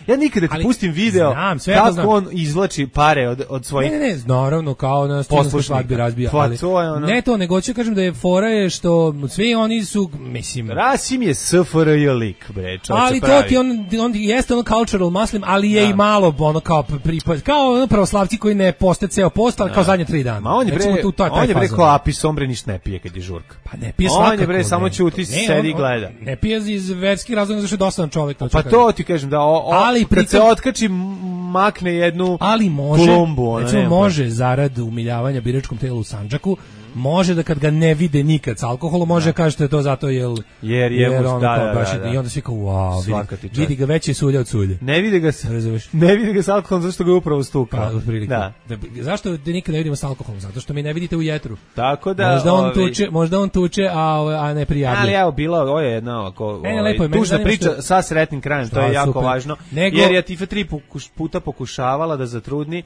ja nikada ti pustim video kako on izvlači pare od svojih... Ne, naravno, kao na studentskoj svadbi razbija, ali... Ne to, nego ću kažem da je fora je što svi oni su, mislim... Rasim je SFRJ lik, bre, ali to ti on jeste ono cultural muslim, ali je i malo ono kao ono pravoslavci koji ne poste ceo post, ali kao zadnje 3 dana. Ma on je bre kao Apis ombre ništa ne pije kad je žurka. Pa ne pije svakako. On je bre samo ćuti, sedi i gleda. Ne pije iz verskih razloga zato što je dosadan čovjek. Pa to ti kažem da kad se otkači makne jednu klumbu. Recimo može zarad umiljavanja biračkom telu u Sandžaku, može da kad ga ne vide nikad s alkoholom, može kaže da je to zato jer on baš i onda svi kao wow, vidi ga veće sulja od sulje. Ne vidi ga s alkoholom zato što ga upravo stuka. Pa, zašto da nikad ne vidimo s alkoholom? Zato što mi ne vidite u jetru. Tako da možda on tuče, a ne prijavljuje. Ali evo ovo je jedna ovako tužna priča sa sretnim krajem, to je jako važno. Jer je Tifa 3 puta pokušavala da zatrudni,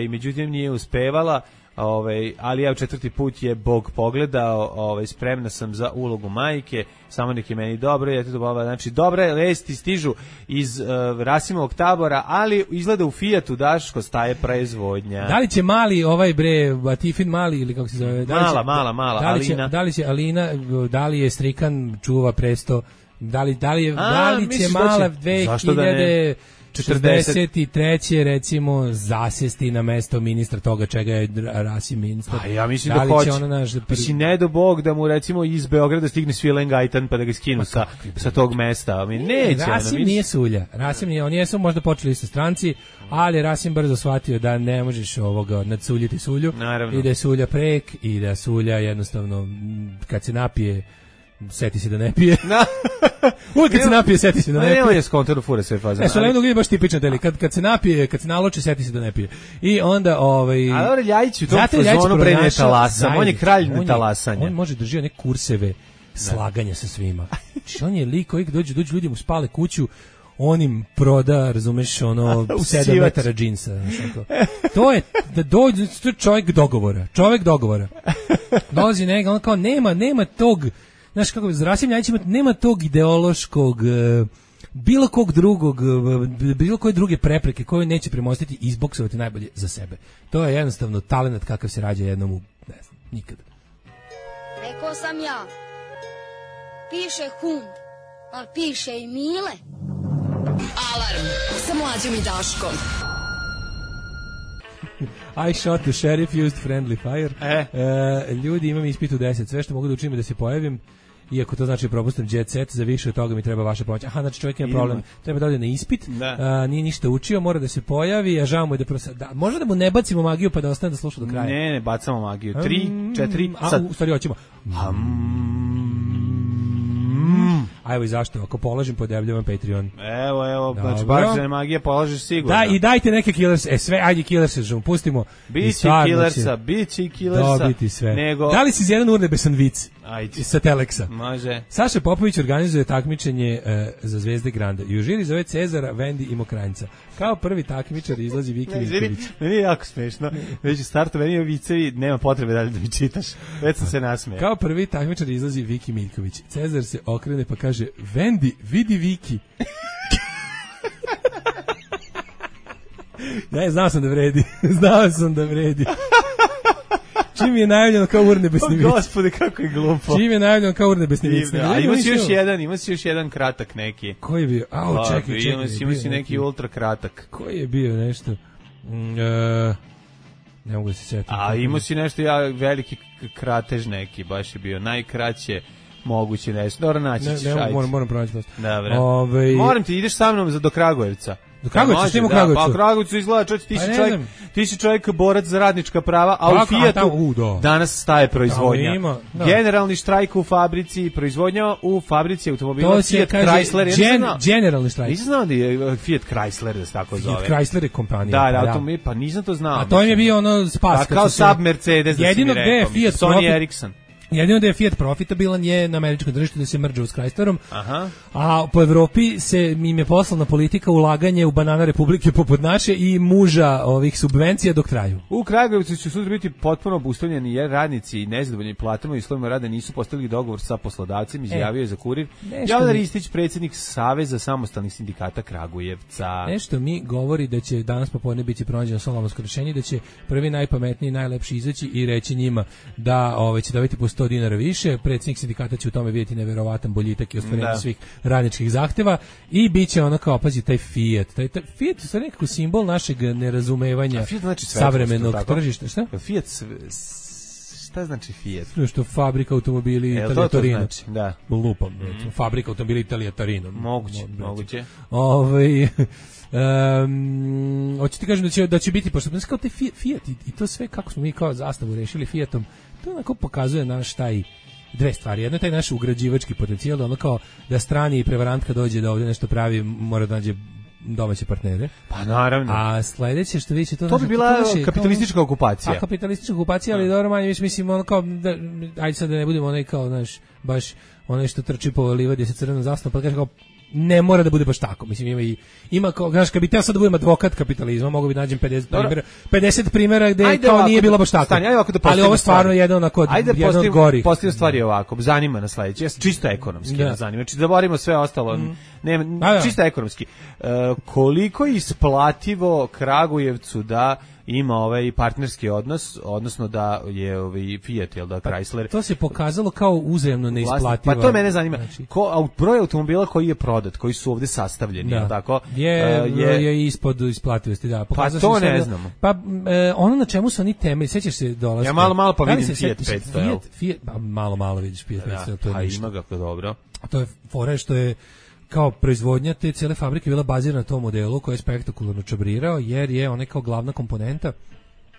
međutim nije uspevala. Ali evo 4. put je Bog pogledao, spremna sam za ulogu majke, samo nek je meni dobro, znači dobre vesti stižu iz Rasimovog tabora, ali izgleda u Fijatu, Daško, staje proizvodnja. Da li će mali Batifin mali ili kako se zove? Mala Alina. Da li će Alina, da li je Strikan čuva presto, da li će mala 2043. recimo zasesti na mesto ministra toga čega je Rasim ministar. A ja mislim da hoće. Mislim, ne do Bog da mu recimo iz Beograda stigne Svilen Gajtan pa da ga skinu sa tog mesta. Neće. Rasim nije sulja. Rasim nije, oni jesu možda počeli isto stranci, ali Rasim brzo shvatio da ne možeš nadsuljiti sulju. Naravno. I da je sulja prek i da sulja jednostavno kad se napije seti se da ne pije. Uvijek kad se napije, seti se da ne pije. Nema je skontor fura sve faze. Solemno je baš tipičan deli. Kad se napije, kad se naloči, seti se da ne pije. I onda A dobro, Ljajić u tom fazonu pre ne talasa. On je kralj netalasanja. On može držati neke kurseve slaganja sa svima. Znači, on je lik koji dođu ljudi mu spale kuću, on im proda, razumeš, 7 metara džinsa. To je čovjek dogovora. Dolazi njega, on kao nema tog, znaš kako, Rasim Ljajić nema tog ideološkog, bilo koje druge prepreke koje neće premostiti i izboksovati najbolje za sebe. To je jednostavno talenat kakav se rađa jednom ne znam, nikad. Rekao sam ja, piše Hund, ali piše i Mile. Alarm sa Mlađom i Daškom. I shot the sheriff, used friendly fire. Ljudi, imam ispit u 10. Sve što mogu da učinim da se pojavim, iako to znači propustim jet set, za više od toga mi treba vaša pomoć. Aha, znači čovjek ima problem, treba da ode na ispit, nije ništa učio, mora da se pojavi, a žao mu je da možda da mu ne bacimo magiju pa da ostane da sluša do kraja. Ne, bacamo magiju. 3, 4, sad. U stvari hoćemo. A evo i zašto, ako položim, podebljam Patreon. Evo, znači baš da magija polažeš sigurno. Da, i dajte neke killers, sve, ajde killerse, pustimo. Biće killersa. Dobiti sve. Da li si iz jedan urnebesan vic? Ajde. Sa Teleksa. Može. Saša Popović organizuje takmičenje za Zvezde Granda. I u žiri zove Cezara, Vendi i Mokranjca. Kao prvi takmičar izlazi Viki Miljković. Meni je jako smešno. Već u startu meni je vicevi, nema potrebe dalje da mi čitaš. Već sam se nasmejao. Kao prvi takmičar izlazi Viki Miljković. Cezar se okrene pa kaže: Vendi, vidi Viki. Ne, znao sam da vredi. Čim je najavljeno kao urnebesni vic. Gospode, kako je glupo. Čim je najavljeno kao urnebesni vic. A ima si još jedan kratak neki. Koji je bio? Čekaj. Ima si neki ultra kratak. Koji je bio nešto? Ne mogu da se setiti. A imao si nešto veliki kratež neki, baš je bio najkraće moguće nešto. Dobro, naći ćeš. Moram pronaći posto. Dobre. Moram ti, ideš sa mnom do Kragujevca. Do Kragujevca, što ima u Kragujevcu? Pa Kragujevcu izgleda, ti si čovjek borac za radnička prava, a u Fijatu danas staje proizvodnja. Generalni štrajk u fabrici, proizvodnja u fabrici automobila Fiat Chrysler. Generalni štrajk. Nisam znao da je Fiat Chrysler da se tako zove. Fiat Chrysler je kompanija. Da, pa nisam to znao. A to im je bio ono spas. Kao Saab Mercedes, da si mi rekao. Sony Ericsson. Jedino da je Fiat profitabilan je na američkom tržištu da se mrđe s Chryslerom, aha. A po Evropi im je poslana politika ulaganje u banana republike poput naše i muža ovih subvencija dok traju. U Kragujevcu će sutra biti potpuno obustavljeni jer radnici i nezadovoljni platama i uslovima rada nisu postigli dogovor sa poslodavcem, izjavio je za Kurir Jovan Ristić, predsjednik Saveza samostalnih sindikata Kragujevca. Nešto mi govori da će danas popodne biti pronađeno solomonsko rješenje, da će prvi najpametniji, najlepši izaći i reći njima da će dobiti po 100 dinara više, predsjednik sindikata će u tome vidjeti neverovatan boljitak i ostvarenje svih radničkih zahteva i bit će ono kao, pazi, taj Fiat. Taj Fiat je nekako simbol našeg nerazumevanja savremenog tržišta. Šta? Fiat, šta znači Fiat? Što fabrika automobili Italija Torino. Znači, da. Lupam, fabrika automobili Italija Torino. Moguće. Hoću ti kažem da će biti, pošto kao taj Fiat i to sve kako smo mi kao zastavu rešili Fiatom, to onako pokazuje naš taj dve stvari. Jedno je taj naš ugrađivački potencijal, da ono kao da strani i prevarantka dođe da ovdje nešto pravi, mora da nađe domaće partnere. Pa naravno. A sledeće što vi će to bi bila kapitalistička okupacija. A kapitalistička okupacija, ali dobro manje, mislim ono kao ajde sad da ne budemo onaj kao baš onaj što trči po livadi sa crvenom zastavom, pa kaže kao ne mora da bude baš tako. Mislim ima kao, znaš, kad bi teo sad da budem advokat kapitalizma, mogu bi nađem 50 primjera gde kao nije bilo baš tako. Ali ovo stvarno je jedan od gori. Postavljamo stvari ovako, zanima nas sledeće, čisto ekonomski nas zanima. Znači da borimo sve ostalo, čisto ekonomski. Koliko je isplativo Kragujevcu da ima ovaj partnerski odnos, odnosno da je ovaj Fiat, jel da, Chrysler. To se pokazalo kao uzajamno neisplativo. Pa to mene zanima. Broj automobila koji je prodat, koji su ovdje sastavljeni, jel tako? Je ispod isplativosti, da. Pa to ne znamo. Pa ono na čemu su oni temelji, sećaš se dolaska. Ja malo pa vidim Fiat 500. Fiat, malo vidiš Fiat 500, to je ništa. Ima ga dobro. A to je fora što je kao proizvodnja te cijele fabrike bila bazirana na tom modelu koji je spektakularno čabrirao, jer je ona kao glavna komponenta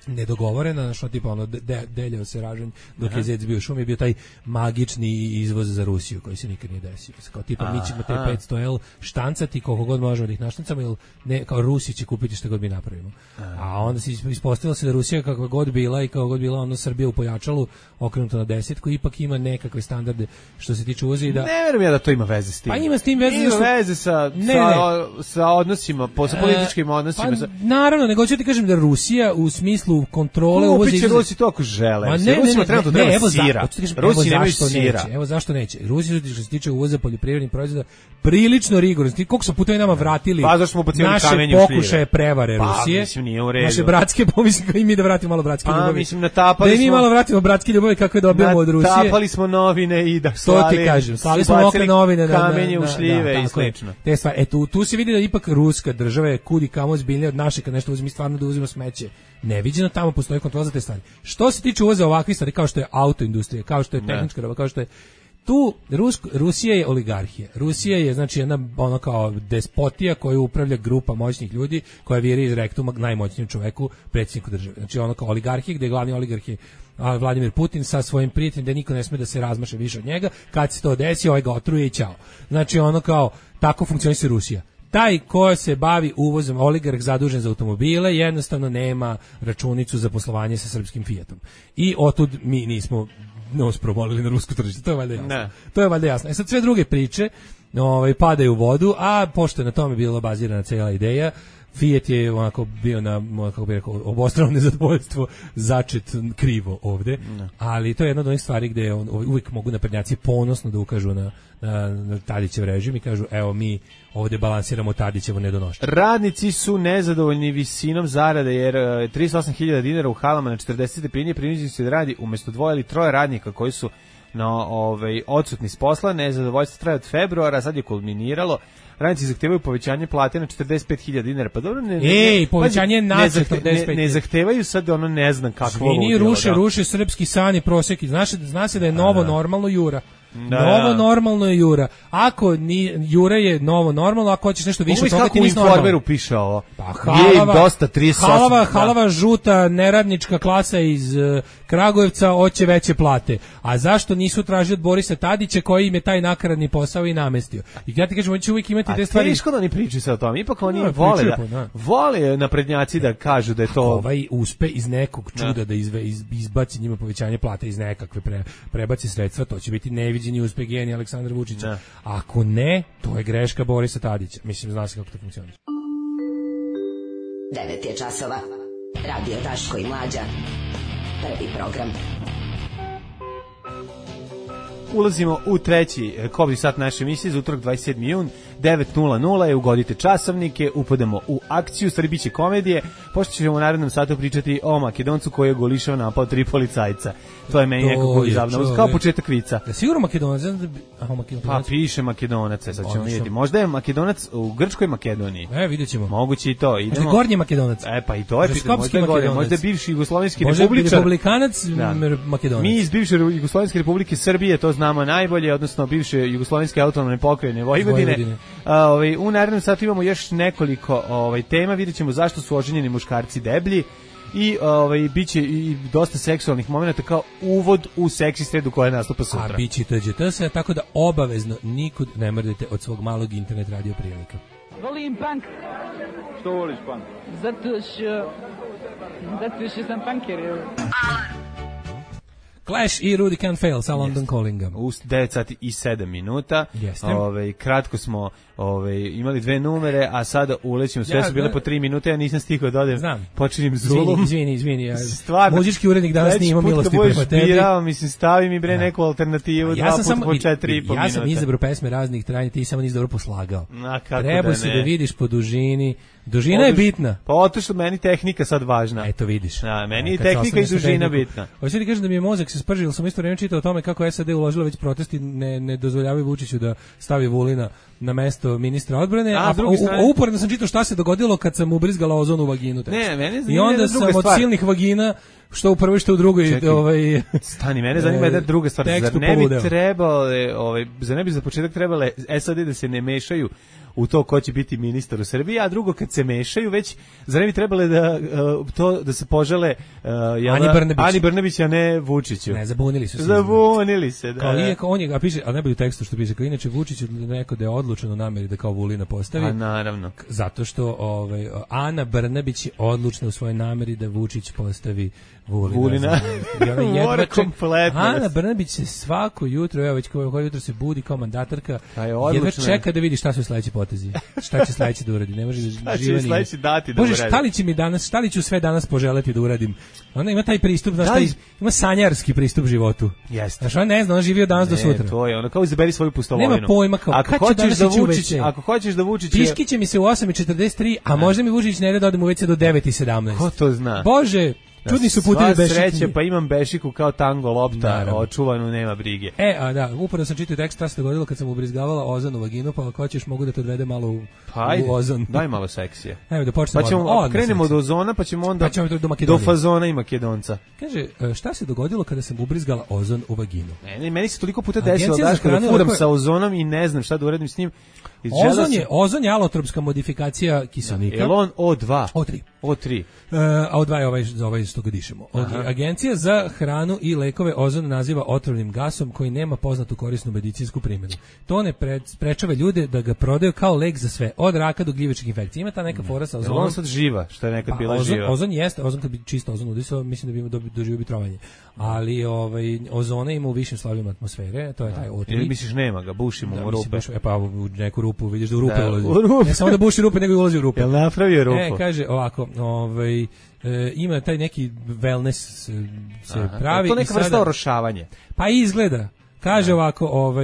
nedogovorena, što tipa ono deljao se ražanj dok je zec bio šum, je bio taj magični izvoz za Rusiju koji se nikad nije desio. Kao tipa mi ćemo te 500L štancati koliko god možemo da ih naštancamo, ili ne, kao Rusi će kupiti što god mi napravimo. A onda se ispostavilo se da Rusija kakva god bila i kao god bila ono Srbija u pojačalu okrenuto na 10, ipak ima nekakve standarde što se tiče uvoza i da... Ne verujem ja da to ima veze s tim. Pa ima s tim veze. Ima veze sa odnosima, sa političkim odnosima. Pa, naravno, nego ću ti kažem da Rusija u smislu kontrole uvoza. Kupit će Rusi to ako žele. Rusima trenutno treba sira. Rusi nemaju sira. Evo zašto neće. Rusi što se tiče uvoza poljoprivrednih proizvoda prilično rigorozno. Koliko su puta nama vratili naše pokušaje prevare Rusije. Mislim, nije u redu. Naše bratske, mislim i mi da vratimo malo bratske ljubavi. Mislim, natapali smo. Da mi malo vratimo bratske ljubavi kakve dobijamo od Rusije. Natapali smo novine i da slali. To ti kažem. Slali smo okne novine. Kamenje u šljive i slično. Te stvari. Tu se vidi da ipak ruska država je kudi kamo zbiljnija od naše kad nešto uzmi stvarno da uzima smeće. Neviđeno, tamo postoji kontrola za te stvari. Što se tiče uvoza ovakvih stvari, kao što je autoindustrija, kao što je tehnička roba, kao što je tu Rusija je oligarhija. Rusija je znači jedna ono kao despotija koju upravlja grupa moćnih ljudi koja viri iz rektuma najmoćnijem čoveku, predsjedniku države. Znači ono kao oligarhija gdje je glavni oligarh je Vladimir Putin sa svojim prijateljem, da niko ne sme da se razmaše više od njega. Kad se to desi, ovaj ga otruje i ćao. Znači ono kao tako funkcioniše Rusija. Taj ko se bavi uvozom, oligarh zadužen za automobile, jednostavno nema računicu za poslovanje sa srpskim Fiatom. I otud mi nismo nos promolili na rusko tržište, to je valjda jasno. Ne. To je valjda jasno. Sad sve druge priče padaju u vodu, a pošto je na tome bila bazirana cijela ideja, Fiat je onako bio na, kako bih rekao, obostrano nezadovoljstvo začet krivo ovde, ali to je jedna od onih stvari gde uvijek mogu naprednjaci ponosno da ukažu na Tadićev režim i kažu evo mi ovdje balansiramo Tadićevo nedonošće. Radnici su nezadovoljni visinom zarade jer 38.000 dinara u halama na 40 stepeni prinuđeni su da radi umjesto 2 ili 3 radnika koji su odsutni s posla, nezadovoljstvo traje od februara, sad je kulminiralo. Radnici zahtevaju povećanje plate na 45.000 dinara. Pa dobro, povećanje na 45.000. Ne zahtevaju sad ne znam kakvo ludilo. Ruše srpski san i prosjek. Zna se da je novo normalno Jura. Novo normalno je Jura. Ako Jura je novo normalno, ako hoćeš nešto više od toga ti nisi normalno. U Informeru piše ovo. Pa halava žuta neradnička klasa iz Kragujevca hoće veće plate. A zašto nisu tražili od Borisa Tadića koji im je taj nakaradni posao i namestio? I ja ti kažem, on će uvijek imati te stvari. A teško da oni pričaju se o tome. Ipak oni vole naprednjaci da kažu da je to... Ovaj uspe iz nekog čuda da izbaci njima povećanje plate iz nekakve prebaci sredstva, to će biti neviđeni uspeh genija Aleksandra Vučića. Ako ne, to je greška Borisa Tadića. Mislim, zna se kako to funkcioniše. 9 je časova. Radio Daško i Mlađa. Prvi program. Ulazimo u treći kobni sat naše emisije za utorak 27. jun, 9:00 je, ugodite časovnike, upadamo u akciju, stvari biće komedije, pošto ćemo u narednom satu pričati o Makedoncu koji je golišao napao 3 policajca. To je meni nekako izavno, kao početak vica. Da sigurno Makedonac? Pa piše Makedonac, sad ćemo vidjeti. Možda je Makedonac u Grčkoj Makedoniji. Vidjet ćemo. Moguće i to. Idemo. Gornji Makedonac. Pa i to je pitanje, možda je bivši jugoslovenski republičar. Možda je republikanac Makedonac. Mi iz bivše Jugoslovenske republike Srbije to znamo najbolje, odnosno bivše Jugoslovenske autonomne pokrajine Vojvodine. U narednom satu imamo još nekoliko tema, vidjet ćemo zašto su oženjeni muškarci deblji i biće i dosta seksualnih momenata kao uvod u seksi sredu koja nastupa sutra. A biće TGTS, tako da obavezno nikud ne mrdete od svog malog internet radio prijemnika. Volim punk. Što voliš punk? Zato što sam punker. Clash i Rudy Can't Fail sa London Callinga. U 9 sati i 7 minuta. Kratko smo imali 2 numere, a sada ulećemo. Sve su bile po 3 minute, ja nisam stigao da odem. Počinjem Zulum. Izvini. Muzički urednik danas nije imao milosti prema tebi. Mislim, stavi mi bre neku alternativu, 2 puta po 4,5 minuta. Ja sam izabrao pesme raznih trajanja, ti samo nisi dobro poslagao. Treba se da vidiš po dužini. Dužina je bitna. Pa otišlo meni tehnika sad važna. Eto vidiš. Meni je tehnika i dužina bitna. Hoćeš ti kažem da mi je mozak se spržio, sam isto vreme čitao o tome kako SAD uložila već protesti ne dozvoljavaju Vučiću da stavi Vulina na mesto ministra odbrane, a uporedno sam čitao šta se dogodilo kad sam ubrizgala ozon u vaginu. I onda sam od silnih vagina što u prvoj, što u drugoj Stani, mene zanima jedna druga stvar. Zar ne bi trebalo, zar ne bi za početak trebale SAD da se ne mešaju u to ko će biti ministar u Srbiji, a drugo kad se mešaju već, zar ne bi trebale da se požele Ani Brnabić, a ne Vučiću. Ne, zabunili su se. Zabunili se, da. Kao iako on je, a piše, a ne bi u tekstu što piše, kao inače Vučić neko da je odlučen u nameri da kao Vulina postavi. A naravno. Zato što Ana Brnabić je odlučna u svojoj nameri da Vučić postavi Vulina. Mora kompletno. Ana Brnabić se svako jutro, evo već koje jutro se budi kao mandatarka, jedva čeka da vidi šta su sledeći potezi. Šta će sledeći da uradi? Ne može da živi. Šta će sledeći dati da uradi? Bože, šta li ću sve danas poželeti da uradim? Ona ima taj pristup, ima sanjarski pristup životu. Jeste. Znaš, ona ne zna, ona živi od danas do sutra. To je, ona kao izaberi svoju pustolovinu. Nema pojma kao, ako hoćeš da Vučić... Piški će mi se u 8:43, a možda mi Vučić ne da odem u WC do 9:17. Ko to zna? Bože, čudni su putevi Bešiku. Sva sreće, pa imam Bešiku kao tango lopta, očuvanu, nema brige. Upravo sam čitao tekst, šta se dogodilo kad sam ubrizgavala ozon u vaginu, pa ako hoćeš mogu da te odvede malo u ozon. Daj malo seksije. Evo da počnemo. Pa ćemo, krenemo od ozona, pa ćemo onda do fazona i Makedonca. Kaže, šta se dogodilo kada sam ubrizgala ozon u vaginu? Meni se toliko puta desilo da furam sa ozonom i ne znam šta da uradim s njim. Ozon je alotropska modifikacija kiselnika. Je on O2? O3. A O2 je ovaj što ga dišemo. Agencija za hranu i lekove ozon naziva otrovnim gasom koji nema poznatu korisnu medicinsku primjenu. To ne sprečava ljude da ga prodaju kao lek za sve, od raka do gljivičkih infekcija. Ima ta neka fora sa ozonom. On sad živa, što je nekad bila živa. Ozon jeste, ozon kad bi čisto ozon udisao, mislim da bi doživio bi trovanje. Ali ozona ima u višim slojevima atmosfere, to je taj O3. Ili misliš nema ga, bušimo u rupe. Pa u neku rupu, vidiš da u rupe ulazi. Ne samo da buši rupe, nego i ulazi u rupe. Jel napravio rupu? Kaže ovako, ima taj neki wellness se pravi. To neka vrsta orošavanje. Pa izgleda. Kaže ovako,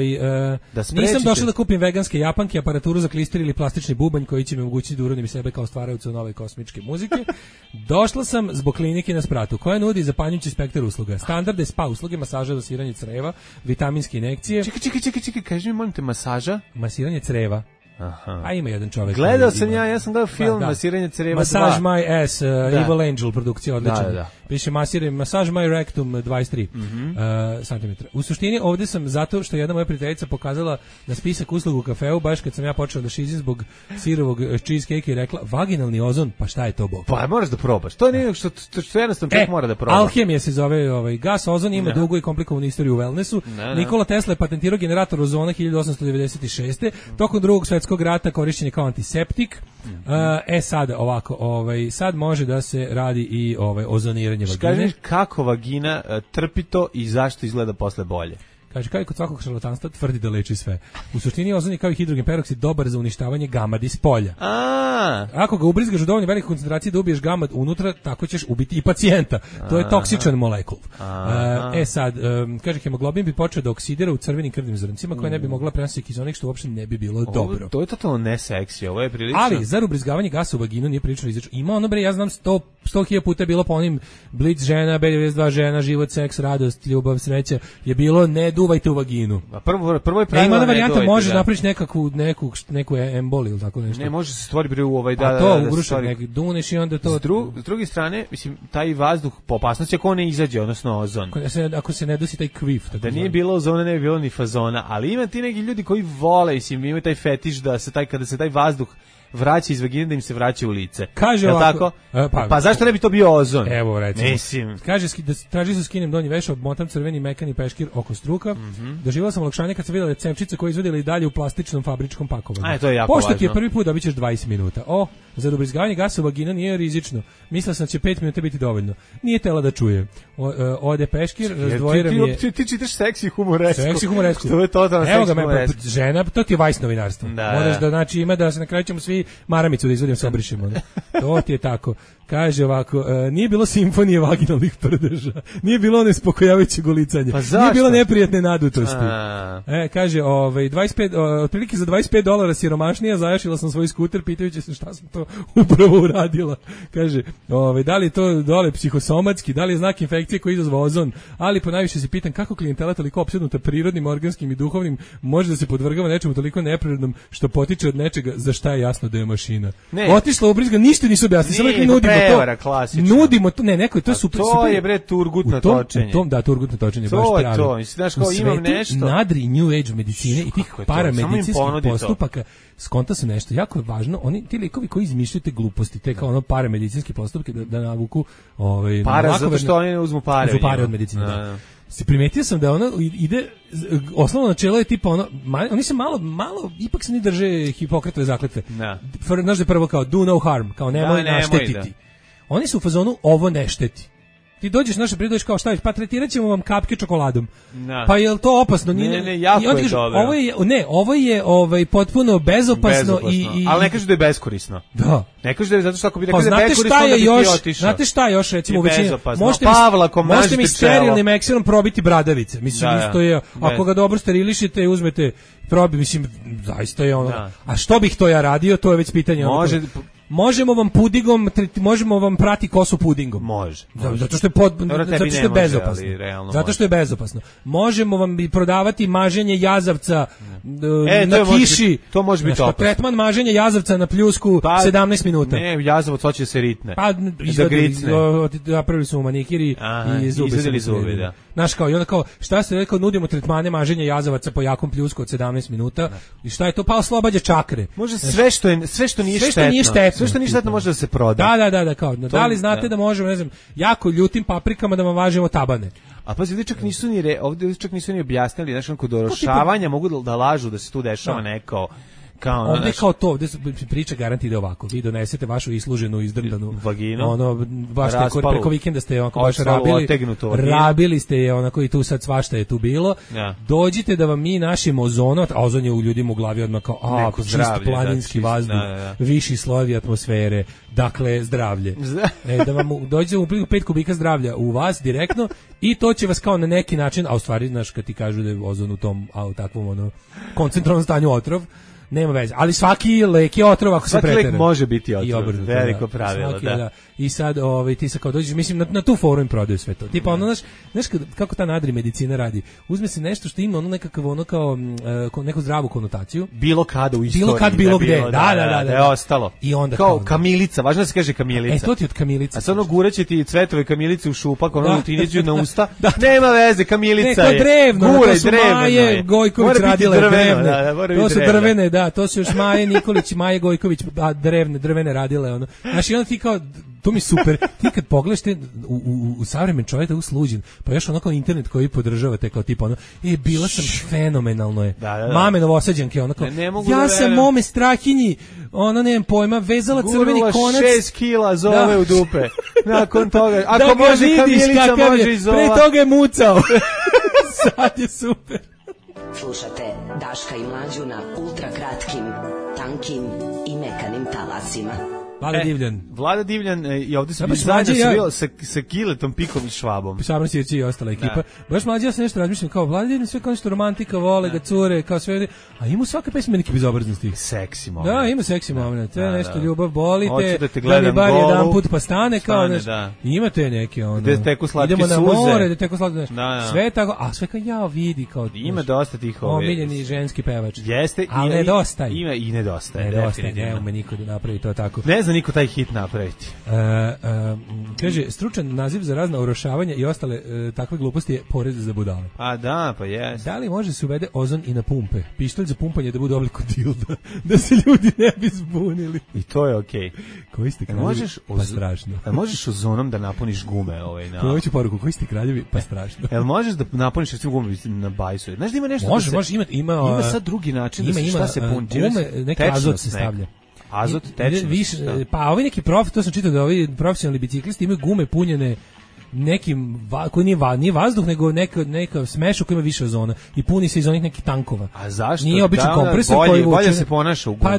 nisam došao da kupim veganske japanke, aparaturu za klister ili plastični bubanj koji će mi omogućiti da urodim sebe kao stvaraoca nove kosmičke muzike. Došla sam zbog klinike na Spratu, koja nudi zapanjujući spektar usluga. Standardne spa usluge, masaža, dosiranje creva, vitaminske injekcije. Čekaj, kaži mi, molim te, masaža? Masiranje creva. Aha. A ima jedan čovjek. Gledao sam ja sam gledao film Masiranje creva 2. Massage My Ass, Evil Angel produkcija, odličan. Da. Piše Massage My Rectum 23 cm. U suštini ovdje sam zato što jedna moja prijateljica pokazala na spisak usluga u kafeu, baš kad sam ja počeo da šizim zbog sirovog cheesecake i rekla, vaginalni ozon, pa šta je to bog? Pa moraš da probaš. To nije što jednostavno čovjek mora da proba. Alhemija se zove gas ozon, ima dugu i komplikovanu istoriju u wellnessu. Nikola Tesla je patentirao generator ozona 1896. Tokom Drugog svjetskog rata korišćen je kao antiseptik. Sad ovako, sad može da se radi i ozoniranje vagine. Kaži kako vagina trpi to i zašto izgleda posle bolje. Kaže, kao i kod svakog šarlatanstva, tvrdi da leči sve. U suštini ozon je kao i hidrogen peroksid dobar za uništavanje gamadi s polja. Ako ga ubrizgaš u dovoljno velike koncentracije da ubiješ gamad unutra, tako ćeš ubiti i pacijenta. To je toksičan molekul. Sad, kaže, hemoglobin bi počeo da oksidira u crvenim krvnim zrncima koje ne bi mogla prenositi kiseonik, što uopšte ne bi bilo dobro. To je totalno neseksi, ovo je prilično. Ali, zar ubrizgavanje gasa u vaginu nije prilično izračno? Ima ono, ja znam 100.000 puta je bilo po onim Blic žena, B92 žena, život, seks, radost, ljubav, sreća, je bilo ne duvajte u vaginu. A prvo je pravilno. Ima varijanta, može napraviš neku emboliju ili tako nešto. Ne, može se stvori bre u to ugrušak neki duneš i onda to. S druge strane, mislim, taj vazduh po opasnosti ako on ne izađe, odnosno ozon. Ako se ne dosi taj kvif. Da nije bilo ozona, ne bi bilo ni fazona, ali ima ti neki ljudi koji vole, mislim, imaju taj fetiš da se kada se taj vazduh vraća iz vagine da im se vraća u lice. Kaže ovako, tako? Pa zašto ne bi to bio ozon? Evo recimo. Mislim. Kaže da traži se skinem donji veš, obmotam crveni mekani peškir oko struka. Doživjela sam olakšanje kad sam videla cepčice koje izvodila i dalje u plastičnom fabričkom pakovanju. To je jako pošto važno. ti je prvi put dobićeš 20 minuta. Za ubrizgavanje gasa u vaginu nije rizično. Mislila sam da će 5 minuta biti dovoljno. Nije tela da čuje. Ode peškir, razdvojira mi je. Ti čitaš seksi humoresku. Seksi humoresku. To je totalno seksi humoresku. Žena, to ti je Vice novinarstvo. Moraš da, znači, ima da se na kraju ćemo svi maramicu da izvodimo, se obrišemo. To ti je tako. Kaže ovako, nije bilo simfonije vaginalnih prdeža, nije bilo nespokojavajuće golicanje, nije bilo neprijatne nadutosti. Kaže, otprilike za $25 siromašnija zajašila sam svoj skuter pitajući se šta sam to upravo uradila. Kaže, da li je to dole psihosomatski, da li je znak infekcije koji izazva ozon, ali ponajviše se pitam kako klijentela toliko opsednuta prirodnim, organskim i duhovnim može da se podvrgava nečemu toliko neprirodnom što potiče od nečega za šta je jasno da je mašina. Otišla ubrizga, ništa nisu objasnili, samo rekli nudimo prevara, klasično. Nudimo to, neko, to je super. To je bre turgutno točenje. Turgutno točenje, baš pravi. To je to, znaš kao imam nešto. Nadri New Age medicine i tih paramedicinskih postupaka, skonta se nešto jako je važno, oni ti likovi koji izmišljaju te gluposti, te kao ono paramedicinske postupke da navuku para zato što oni uzmu pare. Uzmu pare od medicine, da. Se primetio sam da ono ide, osnovno načelo je tipa ono, oni se malo, ipak se ne drže Hipokratove zakletve. Znaš da je prvo kao do no harm, kao nemoj naštetiti. Oni su u fazonu ovo ne šteti. Ti dođeš naše pridođeš kao šta, pa tretirat ćemo vam kapke čokoladom. Pa je li to opasno? Ne, jako je dobro. Ovo je potpuno bezopasno i... Ali ne kažu da je beskorisno. Da. Ne kažu da je zato što ako bi rekao da je beskorisno, onda bi ti otišao. Znate šta je još, recimo, u većini? Možete mi sterilnim ekserom probiti bradavice. Mislim, isto je, ako ga dobro sterilišite i uzmete probi, mislim, zaista je ono. A što bih to ja radio, to je već pitanje. Možemo vam pudingom, možemo vam prati kosu pudingom. Može. Zato što je bezopasno. Zato što je bezopasno. Možemo vam prodavati maženje jazavca na kiši. To može biti opasno. Tretman maženja jazavca na pljusku 17 minuta. Ne, jazavac hoće se ritne. Pa napravili su manikiri i izadili zube, da. Znaš kao, i onda kao, šta se rekao, nudimo tretmane maženja jazavaca po jakom pljusku od 17 minuta. I šta je to? Pa oslobađa čakre. Može sve što nije štetno. Sve što nije štetno može da se proda. Da, kao. Da li znate da možemo, ne znam, jako ljutim paprikama da vam važemo tabane? A pazi, ovdje čak nisu ni objasnili, znači kod orošavanja mogu da lažu da se tu dešava neko Kao ovde kao to, ovde priča garanti ide ovako. Vi donesete vašu isluženu, izdrdanu vaginu, baš preko vikenda ste onako baš rabili ste je onako i tu sad svašta je tu bilo. Dođite da vam mi našim ozonom, a ozon je u ljudima u glavi odmah kao čist planinski vazduh, viši slojevi atmosfere, dakle zdravlje. Da vam dođe u 5 kubika zdravlja u vas direktno i to će vas kao na neki način, a u stvari znaš kad ti kažu da je ozon u tom takvom koncentrovanom stanju otrov, nema veze, ali svaki lek je otrov ako se pretera. Svaki lek može biti otrov, veliko pravilo, da. I sad ti sad kao dođeš, mislim, na tu foru im prodaju sve to. Tipa ono, znaš kako ta nadri medicina radi? Uzme se nešto što ima ono nekakav, ono kao neku zdravu konotaciju. Bilo kada u istoriji. Bilo kad, bilo gde. Da je ostalo. I onda kao kamilica, važno da se kaže kamilica. To ti od kamilice. A sad ono guraće ti cvetove kamilice u šupak, ono ti niđu na usta. Nema veze, kamilica je. Drevno, to su Maje Gojković radile drevne. To su drvene, da, to su još Maje Nikolić i Maje Gojković, drvene radile, ono. Znaš, i onda ti kao, to mi super, ti kad pogledaš te u savremen čovjek da usluđen, pa još onako internet koji podržavate kao tipa ono, bila sam fenomenalno je. Mame Novosađanke, ono kao, ja sam mome strahinji, ono nemam pojma, vezala crveni konac. 6 kila zove u dupe. Nakon toga, ako može kamilica, može i zova. Pre toga je mucao. Sad je super. Slušate Daška i Mlađu na ultrakratkim, tankim i mekanim talasima. Vlada Divljan i ovdje se bio sa Giletom, Pikom i Švabom. Sabran Sirci i ostala ekipa. Baš Mlađa, ja sam nešto razmišljam, kao Vlada Divljan sve kao nešto romantika, vole ga cure, kao sve, a ima svaka pesma neki bezobraznosti. Seksi moment. Da, ima seksi moment. To je nešto ljubav bolite, da mi bar jedan put pa stane, kao nešto. Imate neke ono. Gde teku slatke suze. Idemo na more, gde teku slatke suze. Sve tako, a sve kao ja vidi kao. Ima dosta tih omiljeni ženski pevač. Jeste, ali nedostaje. Ima i nedostaje. Nema me niko da napravi to tako. Niko taj hit napraviti. Kaže, stručan naziv za razna orošavanja i ostale takve gluposti je porez za budale. A da, pa jes. Da li može se uvede ozon i na pumpe? Pištolj za pumpanje da bude oblik od dilda, da se ljudi ne bi zbunili. I to je okej. Koji ste kraljevi, pa strašno. Možeš ozonom da napuniš gume? Hoću poruku, koji ste kraljevi, pa strašno. Jel možeš da napuniš recimo gume na bajsu? Znaš da ima nešto? Može, ima sad drugi način da se šta se puni. Gume, neki azot se stavlja. Azot, tečnost. Pa ovi neki to sam čitao da ovi profesionalni biciklisti imaju gume punjene nekim, koji nije vazduh, nego neka smešak koji ima više ozona i puni se iz onih nekih tankova. A zašto? Nije običan kompresor koji vuče. Bolje se ponaša u gumi. Pa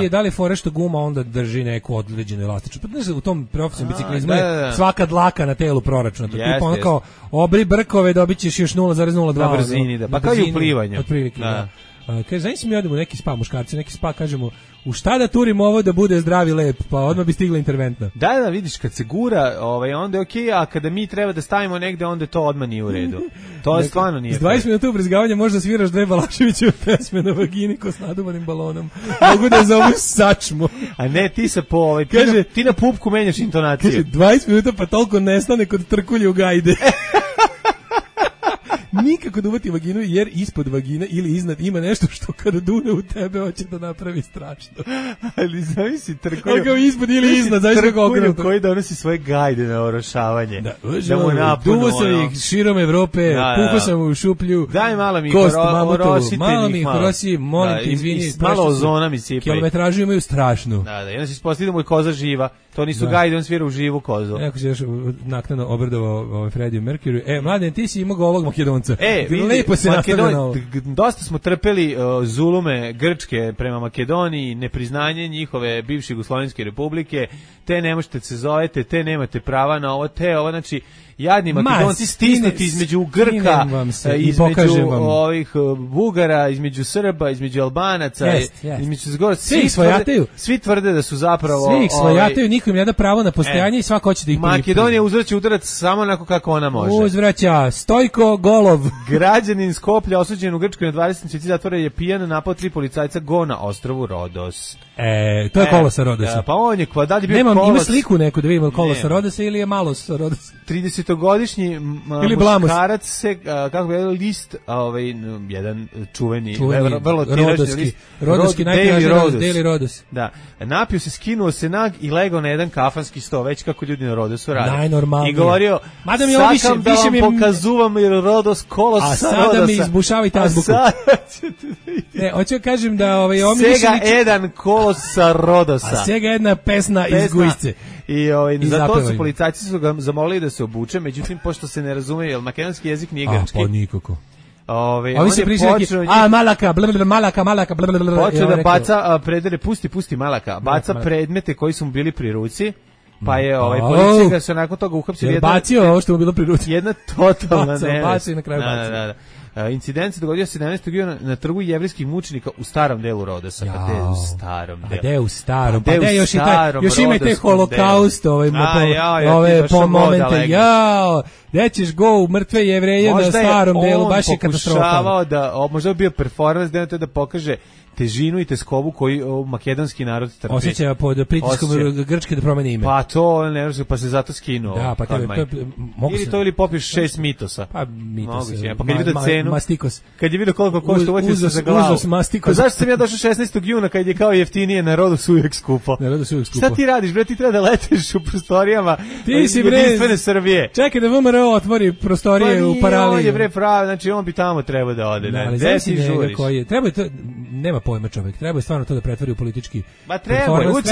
da li je fora što guma onda drži neku određenu elastičnost. Pa znaš, u tom profesionalnom biciklizmu je svaka dlaka na telu proračunata. Tipa ono kao, obri brkove, dobit ćeš još 0,02. Na brzini, da. Pa kao i u plivanju. Otprilike, da. Kaže, znaš mi odemo neki spa, muškarci, neki spa, kažemo, u šta da turimo ovo da bude zdravi lep, pa odmah bi stigla interventna. Da, vidiš, kad se gura, onda je okej, a kada mi treba da stavimo negde, onda to odmah nije u redu. To je stvarno nije. S 20 minuta ubrizgavanja možda sviraš Dve Balaševićeve pesme na vagini ko s naduvanim balonom. Mogu da zovu sačmu. A ne, ti se ti na pupku menjaš intonaciju. Kaže, 20 minuta pa toliko nestane kod trkulje u gajde. Nikako da uvati vaginu, jer ispod vagine ili iznad ima nešto što kada dune u tebe hoće da napravi strašno. Ali zavisi trkulju. Kao ispod ili iznad, zavisi kako okrenuto. Koji donosi svoje gajde na orošavanje. Da mu napunu. Duvo sam ih širom Evrope, puko sam u šuplju. Daj malo mi malo mi horosi, molim te, izvini. Malo ozona mi sipaj. Kilometražu imaju strašnu. Da, i onda se ispostavlja da mu je koza živa. To nisu gajde, on svira u živu kozu. Jako se još naknadno obradovao Freddie Mercury. Mladen, ti si imao golog Makedonca. Lepo se nastavlja na ovo. Dosta smo trpeli zulume Grčke prema Makedoniji, nepriznanje njihove bivše Jugoslovenske republike, te ne možete se zovete, te nemate prava na ovo, te ovo, znači jadni Makedonci stisnuti između Grka, između ovih Bugara, između Srba, između Albanaca, između Zgora, svi tvrde da su zapravo... Svi ih svojataju, niko im ne da pravo na postojanje i svako hoće da ih pripremi. Makedonija uzvraća udarac samo onako kako ona može. Uzvraća, Stojko Golov. Građanin Skoplja osuđen u Grčkoj na 20 mjeseci zatvora je pijan napao 3 policajca go na ostrvu Rodos. To je kolo sa Rodosa. Pa on je, da li bio kolos? Ima sliku neku da vidimo kolo sa Rodosa ili je malo sa Rodosa? 30 30-godišnji muškarac se, kako bi list, jedan čuveni vrlo tiražni list, Rodovski Daily Rodos. Da, napio se, skinuo se nag i legao na jedan kafanski sto, već kako ljudi na Rodosu rade. Najnormalnije. I govorio, sakam da vam pokazuvam jer Rodos kolos sa Rodosa. A sada mi izbušavajte azbuku. Ne, hoću kažem da Sega jedan kolos sa Rodosa. A Sega jedna pesna iz Gujsce. I za to su policajci su ga zamolili da se obuče, međutim, pošto se ne razume, jer makedonski jezik nije grčki. Pa nikako. Ovi se pričaju malaka, malaka, počeo da baca predere, pusti malaka, baca predmete koji su mu bili pri ruci, pa je policija ga se nakon toga uhapsila. Bacio ovo što mu bilo pri ruci. Jedna totalna nevest. Bacio na kraju bacio. Incident se dogodio 17. juna na trgu jevrijskih mučenika u starom delu Rodosa. Pa gde u starom delu? Gde u starom? Pa gde još ima i taj holokaust, ove po momente. Jao, gde ćeš go u mrtve Jevreje na starom delu, baš je katastrofa. Možda je bio performans da pokaže težinu i teskobu koju makedonski narod trpi. Osjeća pod pritiskom Grčke da promeni ime. Pa to ne može, pa se zato skinuo. Da, pa ili to ili popiješ 6 mitosa. Pa mitosa. Pa kad je vidio cenu, mastikos. Kad je vidio koliko košta, uvatio se za glavu. Pa zašto sam ja došao 16. juna kad je kao jeftinije, narodu su uvijek skupo. Šta ti radiš, bre, ti treba da letiš u prostorijama jedinstvene Srbije. Čekaj da VMRO otvori prostorije u Paraliji. On je bre pravi, znači on bi tamo trebao da ode. Gde ti žuriš? Treba to, nema pojma čovjek, treba je stvarno to da pretvori u politički. Ma treba, uvijek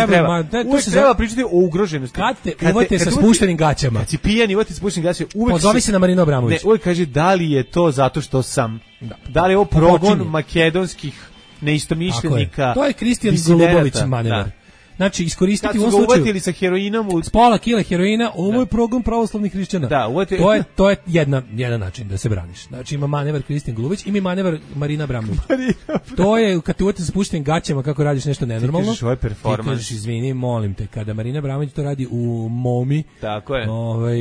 treba pričati o ugroženosti. Kad te uvate sa spuštenim gaćama. Kad si pijan, uvati sa spuštenim gaćama, uvijek pozove se na Marinu Abramović. Ne, uvijek kaže da li je to zato što sam. Da li je ovo progon makedonskih neistomišljenika. To je Kristijan Golubović manevar. Znači, iskoristiti u ovom slučaju... Kad su ga uvatili sa heroinom... S pola kile heroina, ovo je progon pravoslavnih hrišćana. Da, to je jedan način da se braniš. Znači, ima manevar Kristijan Golubović, ima manevar Marina Abramović. To je, kad te uvate sa spuštenim gaćama kako radiš nešto nenormalno... Ti kažeš, ovo je performans. Ti kažeš, izvini, molim te, kada Marina Abramović to radi u Momi... Tako je.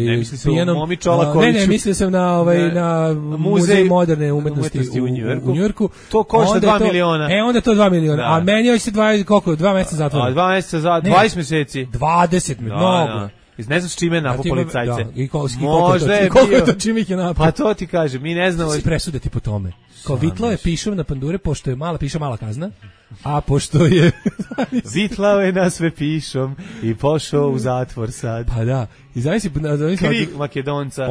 Ne misli se u Momi Čolakoviću. Ne, mislio sam na Muzej moderne umetnosti u Njujorku. To košta 2 miliona. Onda to 2 miliona. A meni hoće se 2 meseca zatvora. 2 meseca za 20 mjeseci. 20 mnogo. Ne znaš čime je napao policajce. Možda je koliko je to čime ih je napao. Pa to ti kaže, mi ne znamo. Se presuditi po tome. Kao vitlao je pišom na pandure, pošto je mala kazna, a pošto je... Vitlao je na sve pišom i pošao u zatvor sad. Pa da, i zavisi... Krik Makedonca.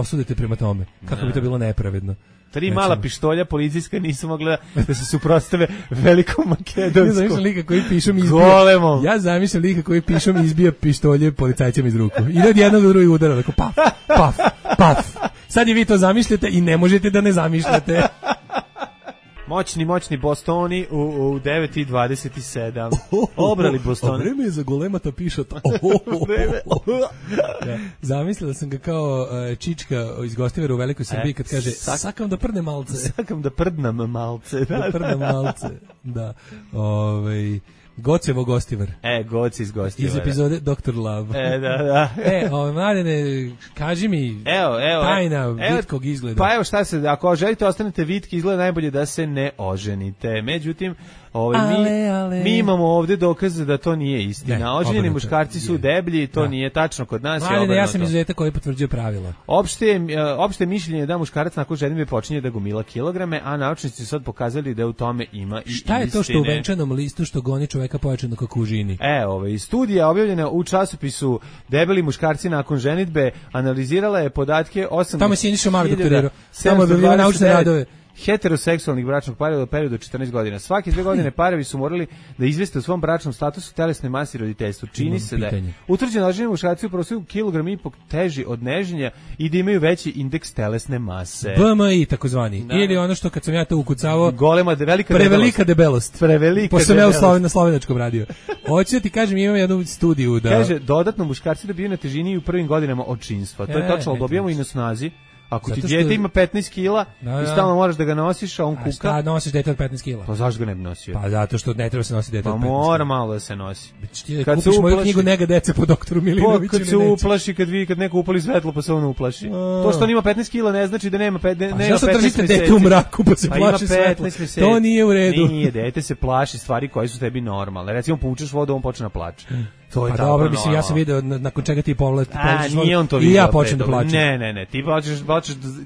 Osudite prema tome. Kako bi to bilo nepravedno. 3 mala pištolja policijska nisu mogla da se suprotstave velikom makedonskom. Ja zamišljam lika koji pišom izbija. Golemom. Ja zamišljam lika koji pišom izbija pištolje policajcima iz ruku. Ide od jednog do drugog udara, tako paf, paf, paf. Sad i vi to zamišljate i ne možete da ne zamišljate. Moćni Bostoni u 9:27. Obrali Bostoni. Vreme je za golemata pišota. Zamislila sam ga kao Čička iz Gostivera u Velikoj Srbiji kad kaže sakam da prdnem malce. Sakam da prdnem malce. Da prdnem malce. Da. Gocevo Gostivar. Goci iz Gostivara. Iz epizode Dr. Love. Da. Mladene, kaži mi tajna vitkog izgleda. Pa evo šta se, ako želite ostanete vitki, izgleda najbolje da se ne oženite. Međutim, mi imamo ovdje dokaze da to nije istina. Oženjeni muškarci su deblji, to nije tačno kod nas. Ja sam izuzetak koji potvrđuje pravila. Opšte mišljenje je da muškarac nakon ženitbe počinje da gomila kilograme, a naučnici su sad pokazali da u tome ima i istine. Šta je to što u venčanom listu što goni čoveka pojačano kako u žini? Studija objavljena u časopisu Debeli muškarci nakon ženitbe analizirala je podatke 8.000. Tamo je Siniša Mali doktorirao. Tamo je objavljeno naučne radove. Heteroseksualnih bračnog para u periodu od 14 godina. Svake 2 godine parovi su morali da izveste u svom bračnom statusu telesne mase i roditeljstvu. Čini se da je utvrđeno oženjeni muškarci u prosjeku kilogram i po teži od neženja i da imaju veći indeks telesne mase. BMI takozvani. Ili ono što kad sam ja to ukucavao, prevelika debelost. Pošto sam ja na slovenačkom radio. Hoću da ti kažem, imam jednu studiju da... Kaže, dodatno muškarci dobiju na težini u prvim godinama očinstva. To je tačno, dobijamo i na snazi. Ako ti dijete ima 15 kila i stalno moraš da ga nosiš, a on kuka... Šta nosiš dijete od 15 kila? Pa zašto ga ne bi nosio? Pa zato što ne treba se nositi dijete od 15 kila. Pa mora malo da se nosi. Kad kupiš moju knjigu Nega dece po doktoru Milinoviću. Kad se uplaši, kad neko upali svetlo pa se on uplaši. To što on ima 15 kila ne znači da nema 15 meseci. Zašto držite dete u mraku pa se plaši svetlo? To nije u redu. Nije, dete se plaši stvari koje su tebi normalne. Recimo, poučeš vodu, on počne da plače. To je Pa tako dobro, mislim, ja sam normalno. video nakon čega ti povlačiš Nije on to i vidio. ja počnem da plačem. Ne,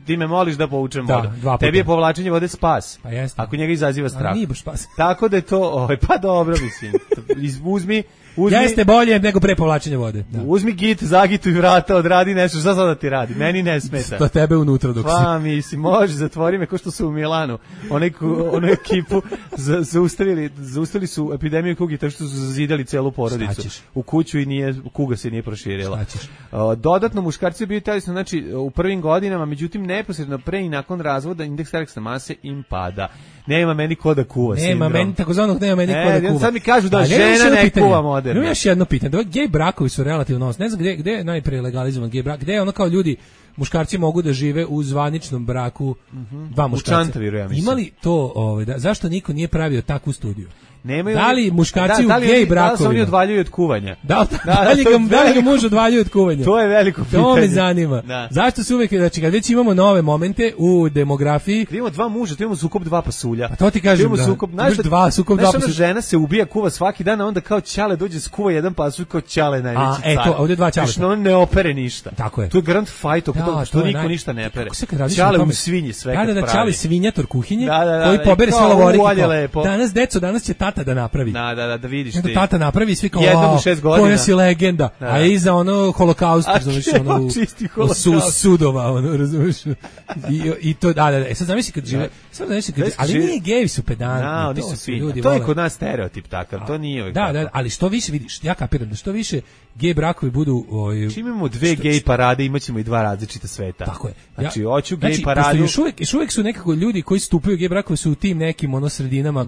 ti me moliš da povučem Da, vodu. 2 puta. Tebi je povlačenje vode spas. Pa jeste. Ako njega izaziva strah. Nije baš spas. Tako da je to, pa dobro mislim. Uzmi Jeste bolje nego pre povlačenja vode. Da. Uzmi git, zagituj vrata, odradi nešto, šta sad da ti radi? Meni ne smeta. To tebe unutra dok si. Pa mislim, može, zatvori me, ko što su u Milanu. Onu ekipu zaustavili su epidemiju kugi, tako što su zazidali celu porodicu u kuću i kuga se nije proširila. Dodatno, muškarci bili telesno, znači u prvim godinama, međutim, neposredno pre i nakon razvoda indeks telesne mase im pada. Nema meni ko da kuva Nema meni, takozvanog nema meni ko da kuva. Sad mi kažu da žena ne kuva moderno. Imam još jedno pitanje. Gej brakovi su relativno osnovni. Ne znam gde je najpre legalizovan gej brak. Gde je ono kao ljudi, muškarci mogu da žive u zvaničnom braku dva muškarca. U Čantaviru, ja mislim. Ima li to, zašto niko nije pravio takvu studiju? Nemaju, da li muškarci u gej brakovima? Da li se oni odvaljuju od kuvanja? Da li ga muž odvaljuje od kuvanja? To je veliko pitanje. To me zanima. Da. Zašto se uvek, znači kad već imamo nove momente u demografiji... Kad imamo dva muža, tu imamo sukob dva pasulja. Pa to ti kažem, da. Sukob dva pasulja. Žena se ubija, kuva svaki dan, a onda kao ćale dođe skuva jedan pasulj, kao ćale najveći car. A, ovdje dva ćaleta. Znači, on ne opere ništa. Tako je. To je garant fight, što niko ništa ne pere. Ćale u svinji sve kad pravi. Ćale svinjator kuhinje, koji pobere sve lavorike. Danas će tata da napravi. Da vidiš ti. Tata napravi svi kao, jednom u 6 godina. Koja si legenda. A iza ono holokaust, razumiješ, sudova, razumiješ. I to, sad zamisli kad žive, ali nije gejevi su pedantni. To je kod nas stereotip takav, to nije uvijek tako. Da, ali što više, vidiš, ja kapiram da što više gej brakovi budu... Čim imamo dve gej parade, imaćemo i dva različita sveta. Tako je. Znači, hoću gej paradu... Još uvijek su nekako ljudi koji stupaju gej brakovi su u tim nekim sredinama.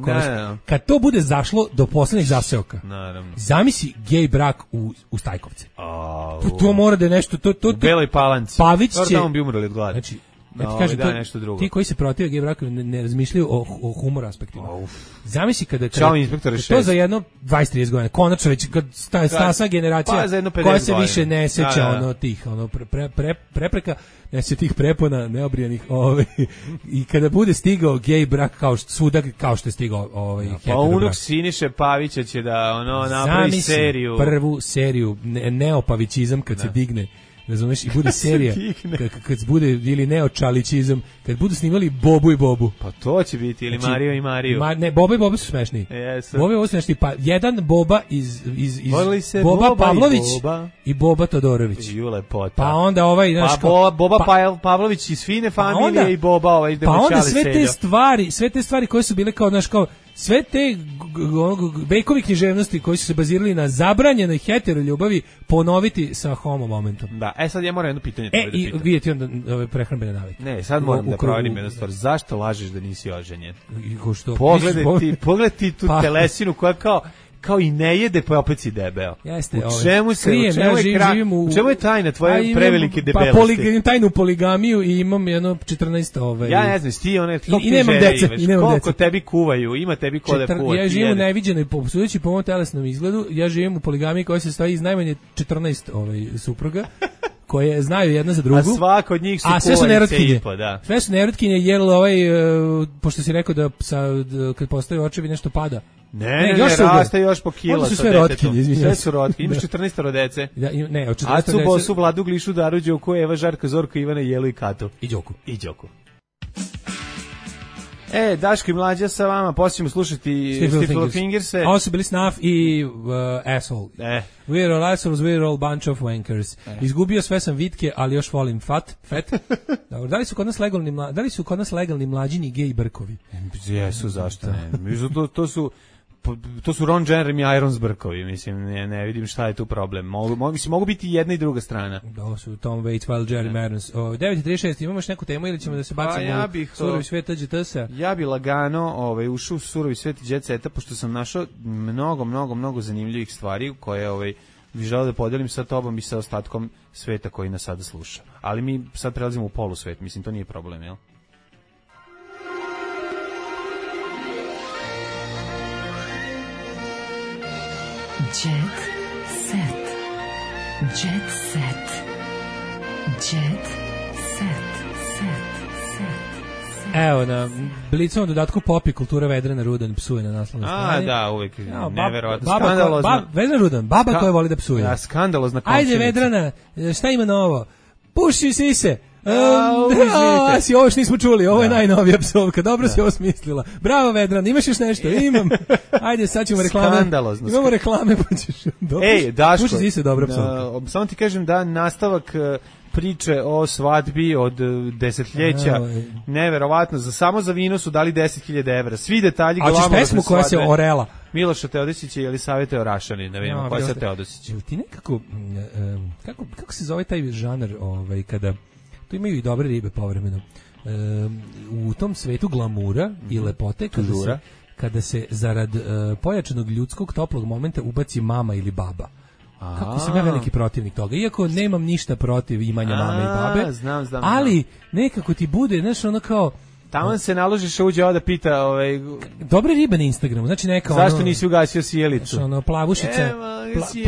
Kad to bude zašlo do poslednjih zaseoka. Naravno. Zamisli gej brak u Stajkovce. To mora da je nešto... U Beloj Palanci. Pavić će... Tamo bi umrli od glada. Znači, kažem, ti koji se protive gej brakovi ne razmišljaju o humor aspektima. Zamisli kada to za jedno 20-30 godina, konačno već kad stasa generacija koja se više ne seća tih prepreka, ne se tih prepona neobrijanih i kada bude stigao gej brak kao što je stigao pa unuk Siniše Pavića će da napravi seriju. Prvu seriju neopavićizam kad se digne, razumeš, i bude serija kad bude ili neočalićizam, kad budu snimali Bobu i Bobu. Pa to će biti, ili znači, Mario i Mariju. Ne, Boba i Boba su smešni. Yes. Boba i Boba su smešni, pa jedan Boba iz Boba Pavlović i Boba Todorović. Pa onda Boba Pavlović iz Fine familije i Boba pa onda sve te stvari koje su bile kao, znaš, kao sve te Bejkovi književnosti koji su se bazirali na zabranjenoj heteroljubavi ponoviti sa homo momentom. Da, sad ja moram jedno pitanje. I vidjeti onda prehrambene navike. Ne, sad moram da proverim jednu stvar. Zašto lažeš da nisi oženjen? Pogledaj ti tu telesinu koja kao i ne jede, pa opet si debeo. Jeste, u čemu je tajna tvoje prevelike debelosti? Pa imam tajnu poligamiju i imam jedno 14 Ja ne znam, ti i nemam dece. Koliko tebi kuvaju, ima tebi ko da kuva. Ja živim u neviđenoj, sudeći po mom telesnom izgledu, ja živim u poligamiji koja se stoji iz najmanje 14 supruga, koje znaju jedna za drugu. A svaka od njih su sve su nerotkinje. Da. Sve su nerotkinje, jer pošto si rekao da kad postoji očevi nešto pada. Ne, raste još po kila. Oni su sve rotkinje, izvinjam. Sve su rotkinje. Imaš 14 dece. Ne, od 14 dece. Acu, Bosu, Vladu, Glišu, Daru, Đoku, Eva, Žarka, Zorka, Ivana, Jelu i Katu. I Đoku. Daško i Mlađa sa vama, poslije ćemo slušati Stifle Fingerse. Ovo su bili Snuff i Asshole. We're all assholes, we're all bunch of wankers. Izgubio sve sam vitke, ali još volim fat. Dobro, da li su kod nas legalni mlađini gej brkovi? Jesu, zašto ne? To su Ron Jeremy Irons brkovi, mislim, ne vidim šta je tu problem. Mogu biti jedna i druga strana. Da, su Tom Waits, Jeremy Irons. 9.36, imamo još neku temu ili ćemo da se bacimo u surovi svet GTS-a? Ja bi lagano ušao u surovi svet GTS-a, pošto sam našao mnogo zanimljivih stvari koje bih želeo da podelim sa tobom i sa ostatkom sveta koji nas sada sluša. Ali mi sad prelazimo u polusvet, mislim, to nije problem, jel? Jet set. Jet set. Jet set. Set. Evo, na Blicovom dodatku Popi kultura Vedrana Rudan psuje na naslovnoj strani. Da, uvek neverovatno. Skandalozna. Vedrana Rudan, baba koja voli da psuje. Da, skandalozna komšinica. Ajde, Vedrana, šta ima novo? Puši sise. Izvinite. Ovo što nismo čuli, ovo je najnovija psovka. Dobro si ovo smislila. Bravo, Vedrana, imaš još nešto? Imam. Ajde, sad ćemo reklame. Skandalozno. Imamo reklame, pa ćeš. Ej, Daško. Puši sise, dobra psovka. Samo ti kažem da nastavak priče o svadbi od desetljeća, neverovatno, samo za vino su dali 10.000 evra. Svi detalji glamurozne svadbe. A ćeš pesmu koja se orela? Miloša Teodosića ili Jelisaveta Orašanin, ne vidimo koja se Teodosića. Ti nekako, kako se zove taj žanar, kada, tu imaju i dobre ribe povremeno, u tom svetu glamura i lepote, kada se zarad pojačanog ljudskog toplog momenta ubaci mama ili baba. Kako sam ja veliki protivnik toga, iako nemam ništa protiv imanja mame i babe, znam, ali nekako ti bude, znaš, ono kao, tamo se naložiš uđe ovo da pita dobre ribe na Instagramu, znači neka zašto nisi ugasio sjelicu? Ono,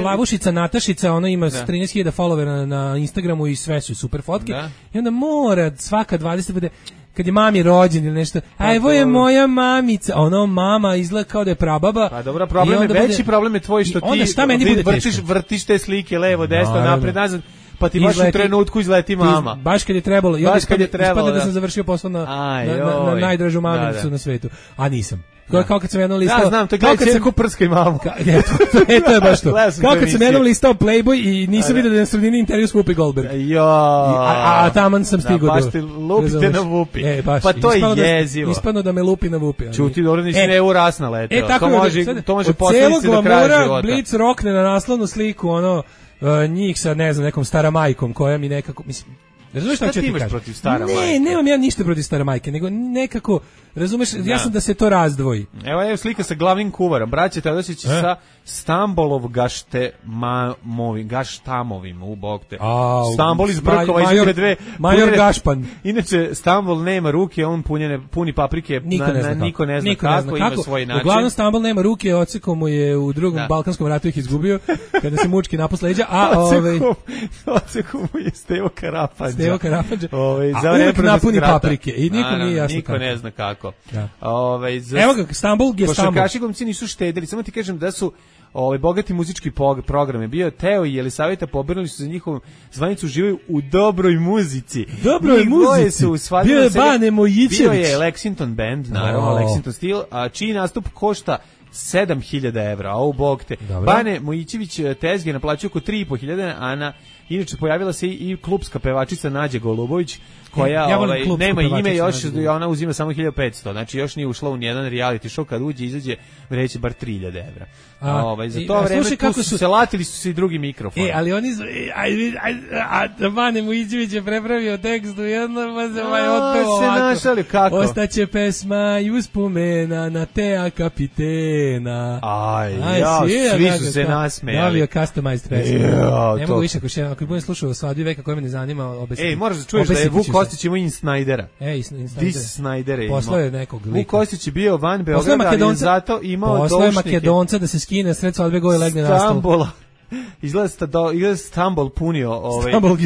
plavušica Natašica, ona ima 13.000 followera na Instagramu i sve su super fotke. I onda mora svaka 20 bude, kad je mami rođen ili nešto, a evo je moja mamica, ono mama izgleda kao da je prababa. Pa dobro, problem je, veći problem je tvoj što ti vrtiš te slike levo, desno, napred, nazad, pa ti baš u trenutku izleti mama. Baš kad je trebalo. Ispadne da sam završio posao na najdražu mamicu na svetu. A nisam. Kao kad sam jednom listao... Ja znam, to gledaj se ko prska i mamu. To je baš to. Kao kad sam jednom listao Playboy i nisam vidio da je na sredini intervju s Whoopi Goldberg. A taman sam stigao. Baš ti lupite na Whoopi. Pa to je jezivo. Ispadno da me lupi na Whoopi. Čuti, dobro, nisi ne uras naletao. To može posledice do kraja života. Blic rokne na naslovnu sliku, njih sa, ne znam, nekom staramajkom koja mi nekako, mislim, razumeš šta ću ti kažem? Protiv stara majke? Ne, nemam ja ništa protiv stara majke, nego nekako, razumeš, ja sam da se to razdvoji. Evo slika sa glavnim kuvarom, braće Teodosić sa Stambolov gaštamovim, u bog te. Stambol iz Brkova izgleda dve. Major Gašpan. Inače, Stambol nema ruke, on puni paprike, niko ne zna kako, ima svoj način. Uglavnom, Stambol nema ruke, odsekom mu je u drugom Balkanskom ratu ih izgubio, kada se mučki napos leđa, odsekom mu je Stevo Karapanđa. A uvijek napuni paprike i niko nije jasno kako. Niko ne zna kako. Evo ga, Stambol je Stambol. Košarkaši glumci nisu štedili, samo ti kažem da su bogati muzički program je bio. Teo i Jelisaveta pobrnuli su za njihovu zvanicu, uživaju u dobroj muzici. Dobroj muzici. Bio je Bane Mojićević. Bio je Lexington Band, naravno, Lexington Steel, a čiji nastup košta 7.000 evra, a u bog te. Bane Mojićević tezge naplaćuje oko 3.500, inače pojavila se i klubska pevačica Nađa Golubović, koja nema ime još, ona uzima samo 1.500, znači još nije ušla u nijedan reality show, kad izađe vreće bar 3.000 evra. Za to vreme latili su se i drugi mikrofoni. Ali oni Bane Mojićević je prepravio tekst u jednom, pa se otpeo se našali, kako? Ostaće pesma i uspomena na Tea kapitena. Svi su se nasmejali. Dobio customized pesmu. Ne mogu više, ako budem slušao o svadbi veka koja me ne zanima, moraš da čuješ da je Vuk Kostić imao Insnajdera. Insnajdera. Poslao je nekog lika. Vuk Kostić je bio van Beograda, ali je zato imao doušnike. Poslao je Makedonca da se skine sred svadbe goje legne na stol. Stambola. Izgleda Stambol punio,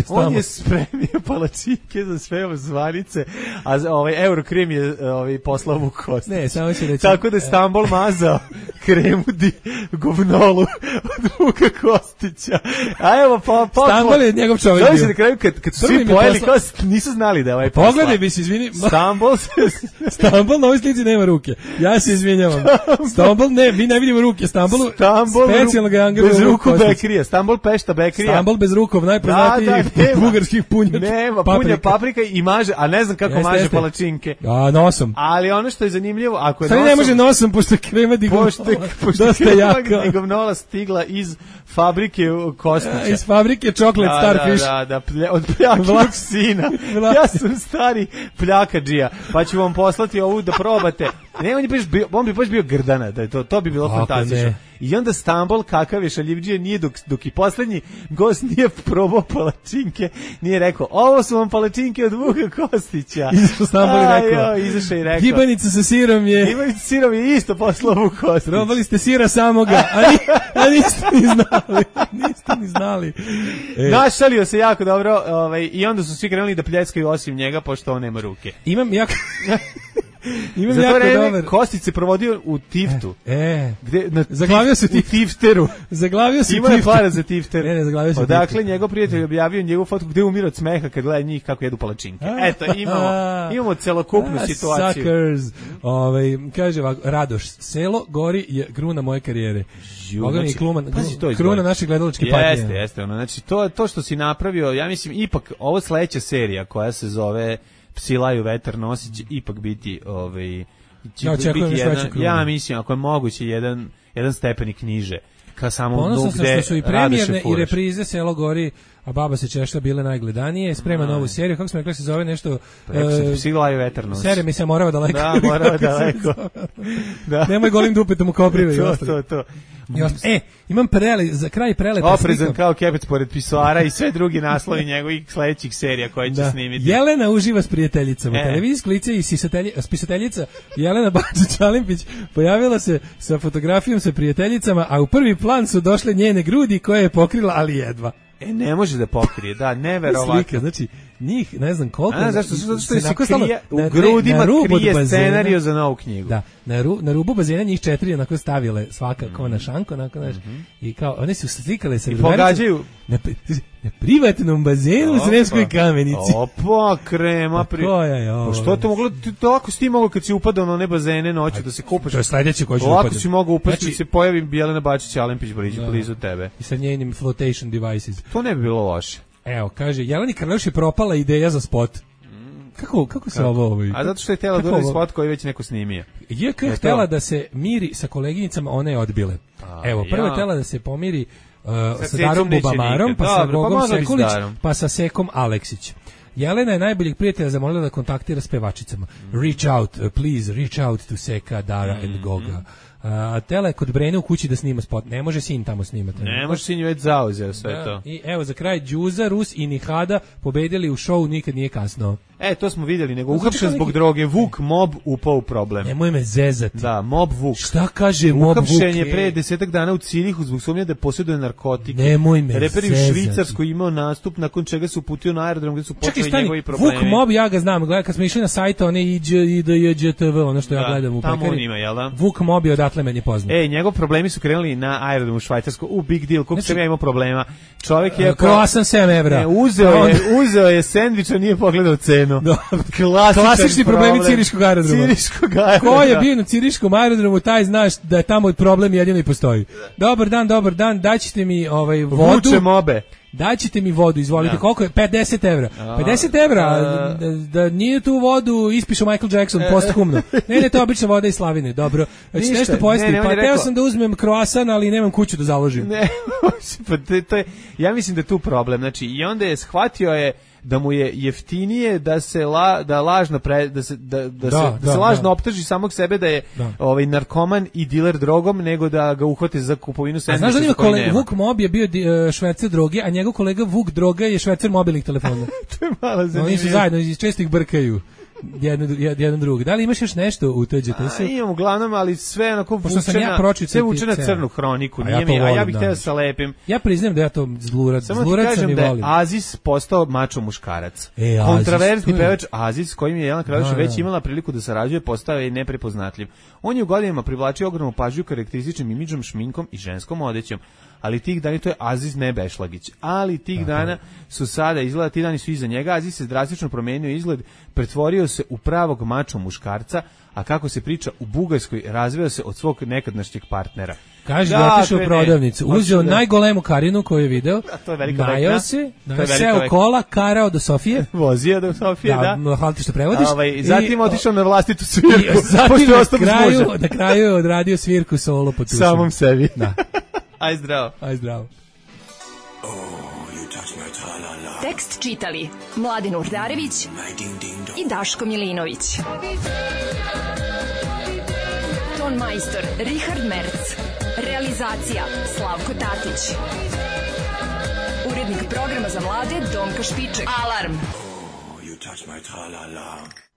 on je spremio palačinke za sve zvanice, a Eurokrim je poslao Vuk Kostić. Ne, samo ću reći. Tako da je Stambol mazao kremu govnolu od Vuka Kostića. A evo, Stambol je njegov čovjek. Zove se na kraju, kad su svi pojeli, kao nisu znali da je posla. Pogledaj mi se, izvini. Stambol na ovoj slici nema ruke. Ja se izvinjavam. Stambol, ne, mi ne vidimo ruke. Stambol specijalno ga je angažovao bez ruku Bekrija. Stambol Pešta Bekrija. Stambol bez rukov, najpoznatiji bugarskih punja. Nema, punja paprika i maže, a ne znam kako maže palačinke. Nosom. Ali ono što je zanimljivo, ako je nosom... ne može nosom, pošto je krema digovnola stigla iz fabrike Kostića. Iz fabrike Chocolate Starfish. Od pljakivog sina. Ja sam stari pljakađija, pa ću vam poslati ovu da probate. Ne, on bi baš bio Grdana, da je to bi bilo fantastično. I onda Stambol, kakav je šaljivđije, nije dok i poslednji gost nije probao palačinke, nije rekao, ovo su vam palačinke od Vuka Kostića. Izašao Stambol i rekao. Izašao i rekao. Gibanica sa sirom je isto poslao Vuk Kostić. Probali ste sira samoga, a niste ni znali. Našalio se jako dobro, i onda su svi krenuli da pljeckaju osim njega, pošto on nema ruke. Imam jako dobar. Kostić se provodio u Tiftu. Zaglavio se u Tifteru. Zaglavio se Ima je para za Tifter. Ne, zaglavio se. Odakle njegov prijatelj objavio njegovu fotku gde umire od smeha kad gleda njih kako jedu palačinke. Eto, imamo celokupnu situaciju. Suckers. Kaže ovako, Radoš, selo gori je kruna moje karijere. Kruna naše gledalačke patnje. Jeste. Znači, to što si napravio, ja mislim, ipak, ovo sledeća serija koja se zove Psi laju vetar nosi će ipak biti ja mislim ako je moguće jedan stepenik niže ka samom dnu gde što su i premijerne i reprize Selo gori, a Baba se češlja bile najgledanije, sprema novu seriju, kako smo rekli se zove nešto Psi laju vetar nosi. Serija mi se morava daleko. Da, morava daleko. Nemoj golim dupetom u koprive i ostalo. To. Imam za kraj prelepa oprezan kao kepec pored pisoara i sve drugi naslovi njegovih sledećih serija koje će snimiti. Jelena uživa s prijateljicama. Televizijsko lice i spisateljica Jelena Bačić-Alimpić pojavila se sa fotografijom sa prijateljicama, a u prvi plan su došle njene grudi koje je pokrila, ali jedva. Ne može da pokrije, neverovatno. Slika, znači, njih, ne znam koliko... Zašto se krije, u grudima krije scenariju za novu knjigu. Da, na rubu bazena njih 4 onako stavile svaka kao na šanku, onako, znaš, i kao, one su slikale sa... I pogađaju... Na privatnom bazenu u Sremskoj Kamenici. Opa, krema. Pa što to moglo, ako si ti moglo kad si upadao na one bazene noću da se kupaš. To je sledeće koji će upadati. Ovako si mogao upasti da se pojavi Jelena Bačić-Alimpić blizu tebe. I sa njenim flotation devices. To ne bi bilo loše. Evo, kaže, Jeleni Karleuš je propala ideja za spot. Kako se ovo... A zato što je htjela da uradi spot koji već neko snimio. JK je htjela da se miri sa koleginicama, one je odbile. Evo, prvo je htjela da se pomiri sa Darom Bubamarom, pa sa Gogom Sekulić, pa sa Sekom Aleksić. Jelena je najboljeg prijatelja zamolila da kontaktira s pevačicama. Reach out, please, reach out to Seka, Dara and Goga. Tela je kod Brene u kući da snima spot. Ne može sin tamo snimati. Ne može sin već zauzeo sve to. I evo za kraj Đuza, Rus i Nihada pobedili u šovu Nikad nije kasno. To smo vidjeli, nego uhapšen zbog droge. Vuk Mob upao u problem. Nemoj me zezati. Da, Mob Vuk. Šta kaže Mob Vuk? Uhapšen je pre 10 dana u Cirihu zbog sumnje da posjeduje narkotike. Nemoj me Reper zezati. u Švicarskoj imao nastup nakon čega se uputio na aerodrom gdje su počeli njegovi problemi. Vuk Mob, ja ga znam, gledaj, kad smo išli na sajt, one IDJTV, ono što ja gledam u pekari. Tamo on ima, jel da? Vuk Mob je odatle meni poznat. Njegov problemi su krenuli na aerodromu u Švajcarskoj. Big deal, koliko sam ja imao problema. Čovjek je... Kroasan 7 evra. Uzeo je sendvič, a nije pogledao cenu. Klasični problemi Ciriškog aerodroma. Ko je bio na Ciriškom aerodromu, taj znaš da je tamo problem jedino i postoji. Dobar dan, daćete mi vodu. Vuče Mobe. Daćete mi vodu, izvolite, koliko je? 50 evra. 50 evra, da nije tu vodu ispišu Michael Jackson posthumno. Ne, to je obična voda iz Slavine, dobro. Znači nešto pojesti, pa teo sam da uzmem kroasan, ali nemam kuću da založim. Ne, ja mislim da je tu problem, znači i onda je shvatio da mu je jeftinije da se lažno optuži samog sebe da je narkoman i diler drogom nego da ga uhvate za kupovinu sendviča. Znaš da kolega Vuk Mob je bio švercer droge, a njegov kolega Vuk Droga je švercer mobilnih telefona. To je malo zanimljivo. Oni su zajedno i često ih brkaju. Jedan drugi. Da li imaš još nešto u TGT-u? Imam uglavnom, ali sve onako vučena crnu hroniku. Ja bih htio da se lepim. Ja priznam da ja to zlurac sam i volim. Samo ti kažem da je Aziz postao mačo muškarac. Kontraverzni pevač Aziz, s kojim je Jelena Karleuš već imala priliku da sarađuje, postao je neprepoznatljiv. On je u godinama privlačio ogromnu pažnju karakterističnim imidžom, šminkom i ženskom odećom. Ali tih dana, to je Aziz Nebešlagić, ali tih dana su sada, izgleda, ti dani su iza njega, Aziz se drastično promenio izgled, pretvorio se u pravog mačo muškarca, a kako se priča, u Bugarskoj razveo se od svog nekadašnjeg partnera. Kaže da otišao u prodavnicu, uzeo najgolemu Karinu koju je video, najao se u kola, karao do Sofije. Vozio do Sofije, da. Hvala ti što prevodiš. Zatim otišao na vlastitu svirku. Zatim na kraju je odradio svirku solo po tušu. Samom sebi. Da. Aj zdravo. Tekst čitali Mladen Urdarević i Daško Milinović. Ton majstor Richard Merc. Realizacija Slavko Tatić. Urednik programa za mlade Donka Špiček. Alarm! You touch my tra-la-la.